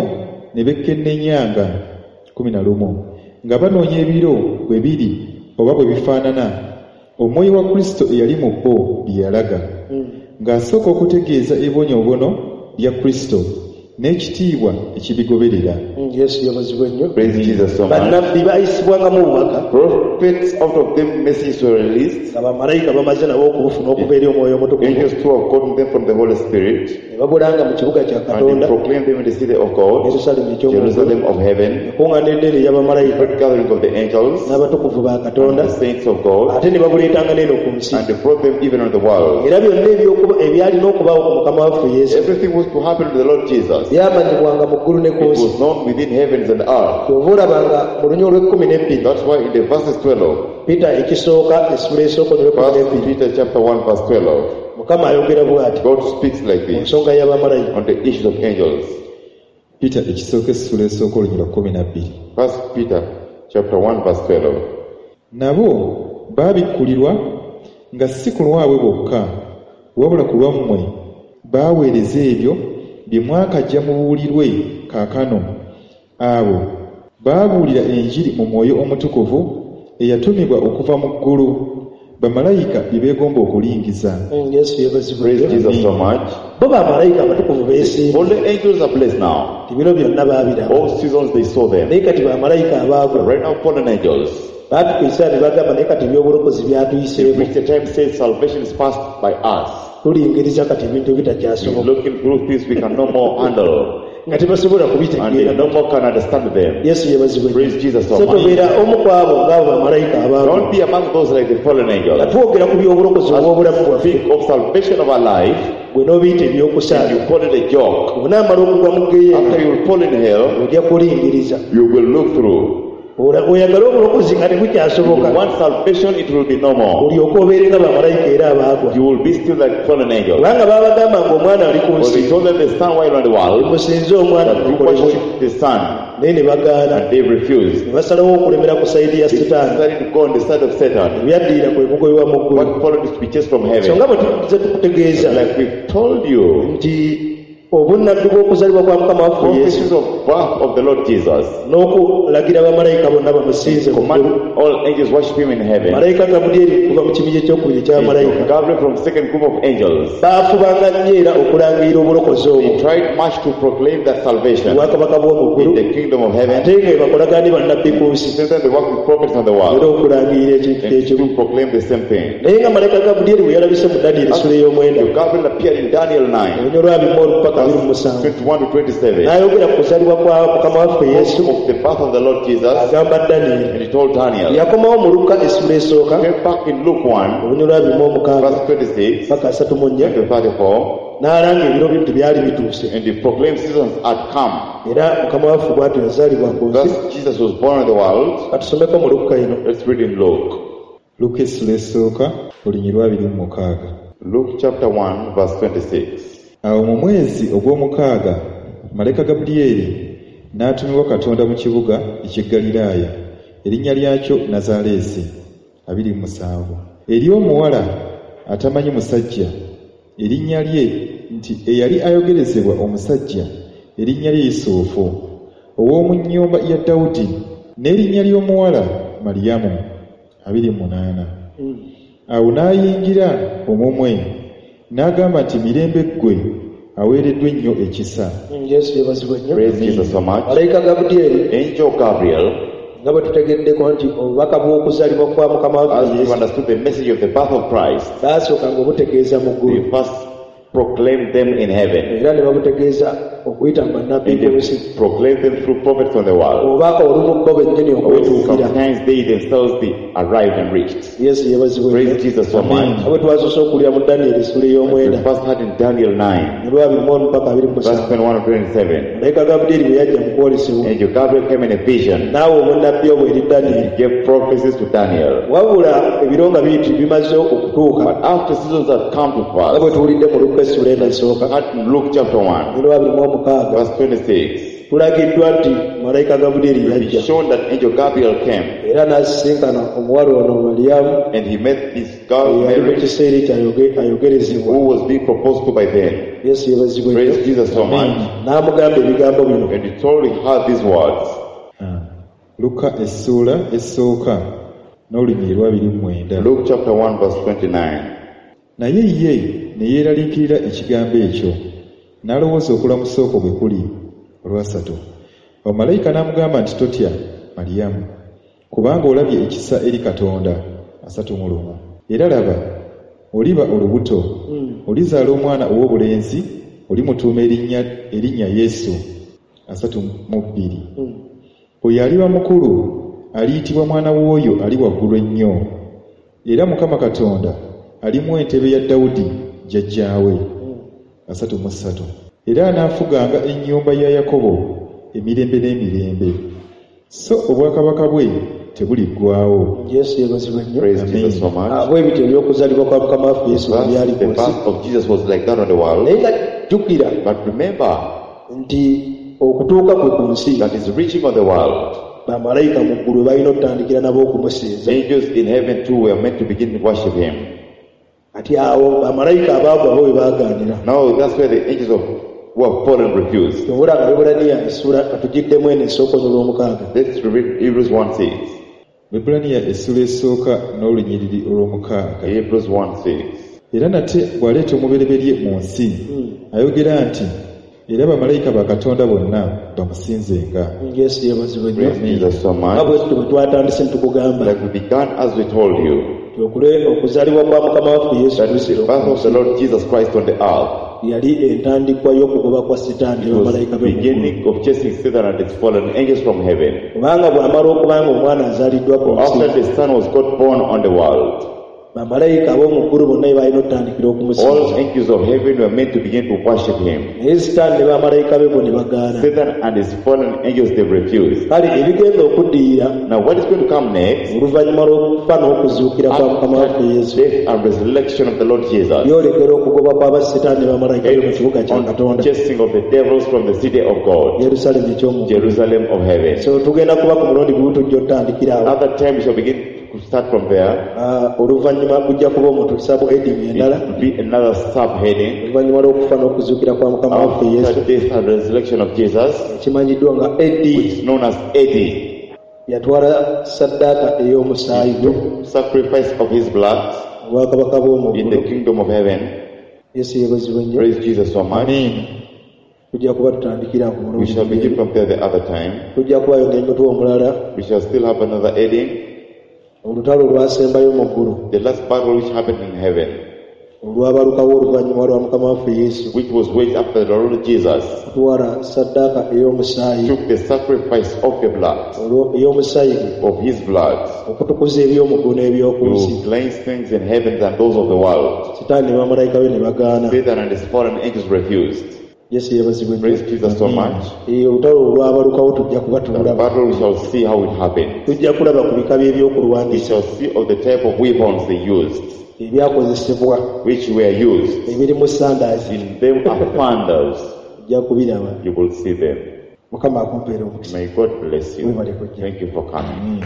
ne bekkenneenyanga kkumi na lumu nga banoonya ebiro bwe biri oba bwe bifaanana omwoyo wa Kristo eyali mu bo bye yalaga ng'asooka okutegeeza ebibonyoobonyo bya Kristo n'ekitiibwa ekibigoberera. Mm, Yesu yeebazibwe nnyo. Praise Jesus so much. Bannabbi baayisibwangamu obubaka Prophets, out of them messages were released. nga bamalayika bamaze nabo okubufuna okuva eri omwoyo omutukuvu Angels too have gotten them from the Holy Spirit ne babulanga mu kibuga kya and they Katonda proclaimed them in the city of God, Yerusaalemi eky'omu ggulu Jerusalem of heaven, ekuŋŋaana ennene ey'abamalayika great gathering of the angels n'abatukuvu ba and Katonda the saints of God, ate ne babuleetanga n'eno ku nsi. and they brought them even on the world. Era byonna ebyokuba ebyalina okubaawo ku Mukama waffe Yesu Everything was to happen to the Lord Jesus. byamanyibwanga mu ggulu ne ku It nsi. was known within heavens and earth. Kyova olabanga mu lunya olw'ekkumi n'ebbiri That's why in the verses twelve, Peter ekisooka essula esooka olw'ekkumi First n'ebbiri Peter chapter one verse twelve, Mukama ayogera bw'ati God speaks like ku this nsonga y'abamalayika. on the issues of angels. Peter ekisooka essula esooka olunyiriri lwa kkumi na bbiri. First Peter chapter one verse twelve. Nabo baabikkulirwa nga si ku lwabwe bokka wabula ku lwammwe baaweereza ebyo bye mwakajja mubuulirwe kaakano. Abo baabuulira enjiri mu mwoyo omutukuvu eyatumibwa okuva mu ggulu bamalayika bye beegomba okulingiza. Mm, Yesu yeebazibwe. Praise Jesus so much. Bo bamalayika abatukuvu beesiimye. All the angels are blessed now. Ebiro byonna baabiraba. All seasons they saw them. Naye kati bamalayika abaagwa Right now, fallen angels. baatuka ekiseera ne bagamba naye kati ebyobulokozi byatuyiseemu. Which the time says salvation is passed by us. Tulingiriza kati ebintu We're ebitakyasoboka looking through things we can no more handle nga tebasobola and they kubitegeera. no more can understand them. Yesu yeebazibwe. Praise Jesus so So much. tobeera omu ku abo ng'abo bamalayika abaagwa. Don't be among those like the fallen Nga angels. twogera ku by'obulokozi obw'obulamu bwaffe Think of salvation of our life gwe n'obiyita and ebyokusaaga. you call it a joke. Bw'onaamala okugwa mu ggeyeena After you will fall in hell, ojja kulingiriza. you will look through. Ola- Oyagale obulokozi nga You tebukyasoboka want salvation, it will be no more. olyoke obeere nga bamalayika era abaagwa. You will be still like fallen angels. Kubanga baabagamba ng'omwana ali ku For nsi they told them the son while on the world musinze omwana that you mukolebwe worship the son, naye ne bagaana and they refused. ne basalawo okulemera ku sayidi ya They Sitaani. decided to go on the side of Satan. Ebyaddirira kwe kugoyebwa mu ggulu. What followed is to be chased from So heaven. nga bwe tuze tukutegeeza Like we've told you, nti obunnabbi bw'okuzaalibwa kwa Mukama waffe Yesu prophecies of birth of the Lord Jesus n'okulagira bamalayika bonna bamusinze mu command ggulu. all angels worship him in heaven. Malayika Gabulyeri kuva mu kibinja ekyokubiri eky'abamalayika Gabriel from second group of angels. baafubanga nnyo era okulangirira obulokozi obwo They tried much to proclaim that salvation obwakabaka bw'omu in ggulu the kingdom of heaven. ate nga bakolagana ne bannabbi ku nsi Same time they work with prophets on the era world okulangirira ekintu and ekimu. to proclaim the same thing. Naye nga malayika Gabulyeri bwe yalabise mu Danyeri essula ey'omwenda Gabriel appeared in Daniel nine, olunyiriri lwa bima olupaka abiri mu Verse musanvu twenty-one to twenty-seven. N'ayogera ku kuzaalibwa kwa mukama waffe Yesu Of the birth of the Lord Jesus, agamba Danyeri and he told Daniel. Yakomawo mu Luka essula esooka Came back in Luke one, olunyiriri abiri mu omukaaga verse twenty-six paka asatu mu nnya to thirty-four, n'alanga ebiro bye nti byali bituuse and he proclaimed seasons had come. Era mukama waffe bw'atyo yazaalibwa ku nsi Thus Jesus was born in the world. Katusomeko mu Luka eno. Let's read in Luke. Luka essula esooka olunyiriri abiri mu mukaaga. Luke chapter one, verse twenty-six. Awo mu mwezi ogw'omukaaga malayika Gabulyeri n'atumibwa Katonda mu kibuga eky'e Ggaliraaya erinnya lyakyo Nazaaleesi abiri mu musanvu eri omuwala atamanyi musajja erinnya lye nti eyali ayogerezebwa omusajja erinnya lye Yusufu ow'omu nnyumba ya Dawudi n'erinnya ly'omuwala Mariyamu abiri mu munaana. Awo n'ayingira omumwe n'agamba nti mirembe ggwe aweereddwa ennyo ekisa. Yesu yeebazibwe nnyo. Praise Jesus so much. Malayika Gabulyeri Angel Gabriel, nga bwe tutegeddeko nti obubaka bw'okuzaalibwa kwa mukama waffe as we Yesu understood the message of the birth of Christ, baasookanga obutegeeza mu ggulu they first proclaimed them in heaven. Era ne babutegeeza okuyita mu bannabbi And ku nsi they proclaimed them through prophets on the world. Oba olumu bo bennyini Or okwetuukira. sometimes they themselves they arrived and reached. Yesu yeebazibwe Praise nnyo. Jesus so much. Nga bwe twasoose okuwulira mu Danyeri essula We ey'omwenda first heard in Daniel nine, olwa abiri mu omu paka abiri mu verse musanvu twenty-one to twenty-seven. malayika Gabulyeri bwe yajja mu kwolesebwa Angel Gabriel came in a vision. n'awa obunnabbi obwo eri Danyeri. He gave prophecies to Daniel. Wabula ebiro nga biyiti bimaze okutuuka But after seasons had come to nga bwe pass, tuwulidde mu Luka essula eno esooka heard in Luke chapter one, olwa abiri mu omukaaga verse twenty-six, tulagiddwa nti malayika Gabulyeri it yajja is shown that angel Gabriel came era n'asisinkana omuwala ono Mariyamu and he met this girl eyali mu Mary kiseera ekyo ayoge- ayogerezebwa. who was being proposed to by then. Yesu yeebazibwe nnyo. Praise Jesus so much. N'amugamba ebigambo bino. And he told her these words. Ah. Luka essuula esooka n'olunyiriri lw'abiri mu mwenda. Luke chapter one, verse twenty-nine. Naye ye ne yeeraliikirira ekigambo ekyo n'alowooza okulamusa okwo bwe kuli olwasatu. Awo malayika n'amugamba nti totya Mariyamu kubanga olabye ekisa eri Katonda asatu mu lumu. Era laba oliba olubuto olizaala omwana ow'obulenzi olimutuuma erinnya erinnya Yesu asatu mu bbiri. Oyo aliba mukulu aliyitibwa mwana w'oyo ali waggulu ennyo era Mukama Katonda alimuwa entebe ya Dawudi jjajjaawe asatu mu ssatu. Era anaafuganga ennyumba ya Yakobo emirembe n'emirembe so obwakabaka bwe tebuliggwaawo. Yesu yeebazibwe nnyo. Praise Amen. Jesus so much. Ah, bwe bityo eby'okuzaalibwa kwa mukama waffe Yesu bwe Thus, byali the ku nsi. birth of Jesus was like that on the world. Naye nga jjukira But remember nti okutuuka kwe ku nsi that is reaching on the world. bamalayika mu ggulu balina okutandikira nabo okumusinza. Angels in heaven too were meant to begin to worship him. Kati awo bamalayika abaagwa bo we baagaanira. Now that's where the angels of who have fallen refused. Kyova nga Abebbulaniya essula katugiddemu eno esooka olw'omukaaga. Let's read Hebrews one six. Abebbulaniya essula esooka n'olunyiriri olw'omukaaga. Hebrews one six. Era nate bw'aleeta omubereberye mu nsi ayogera nti era bamalayika ba Katonda bonna bamusinzenga. Yesu yeebazibwe nnyo. Praise Jesus so Nga much. bwe tutyo bwe twatandise ne tukugamba Like we began as we told you, nti okule- okuzaalibwa kwa mukama waffe Yesu that the Kristo birth of the Lord Jesus Christ on the earth yali entandikwa y'okugoba kwa Sitaani ne was bamalayika the be mu ggulu. beginning of chasing Satan and its fallen angels from heaven. Kubanga bw'amala okuba nga omwana azaaliddwa ku nsi After the Son was God born on the world, bamalayika ab'omu ggulu bonna be balina okutandikira okumusinza. all angels of heaven were meant to begin to worship him. Naye Sitaani ne bamalayika be bo ne bagaana. Satan and his fallen angels, they refused. Kale ebigenda okuddirira Now, what is going to come next? oluvannyuma lw'okufa n'okuzuukira kwa mukama waffe After Yesu death and resurrection of the Lord Jesus, byolekera okugoba kw'abasitaani ne bamalayika be mu kibuga kya on Katonda chasing of the devils from the city of God, Yerusaalemi eky'omu ggulu. Jerusalem of heaven. So tugenda kuba ku mulundi gumu tujja otandikira awo. Another time we shall begin to start from there. Ah, oluvannyuma gujja kuba omuntu sub heading endala It will be another subheading. Oluvannyuma lw'okufa n'okuzuukira kwa mukama waffe Yesu After death and resurrection of Jesus, ekimanyiddwa nga A D which is known as A D, yatwala saddaaka ey'omusaayi gwe sacrifice of his blood obwakabaka bw'omu in the ggulu. kingdom of heaven. Yesu yeebazibwe nnyo. Praise Jesus so much. Amen. Tujja kuba tutandikira ku We mulundi shall begin gumu. from there the other time. Tujja kubayo n'emutwe omulala We shall still have another heading. olutalo olwasembayo mu ggulu The last battle which happened in heaven, Olwabalukawo oluvannyuma lwa Mukama waffe Yesu which was waged after the Lord Jesus okutwala ssaddaaka ey'omusaayi took the sacrifice of the blood, olwo- ey'omusaayi gwe of his blood, okutukuza eby'omuggulu n'eby'oku nsi. to cleanse things in heavens and those of the world. Sitaani ne bamalayika be ne bagaana. Satan and his fallen angels refused. Yesu yeebazibwe nnyo. Praise Jesus so much. Eh, olutalo olwabalukawo tujja kuba The tululaba. battle, we shall see how it happened. Tujja kulaba ku bika We by'ebyokulwanyisa shall see of the type of weapons they used, ebyakozesebwa which were used. ebirimu sandaazi. In them are thunders. Ojja kubiraba. You will see them. Mukama akumpeera omukisa. May God bless you. Webale kujja. Thank you for coming.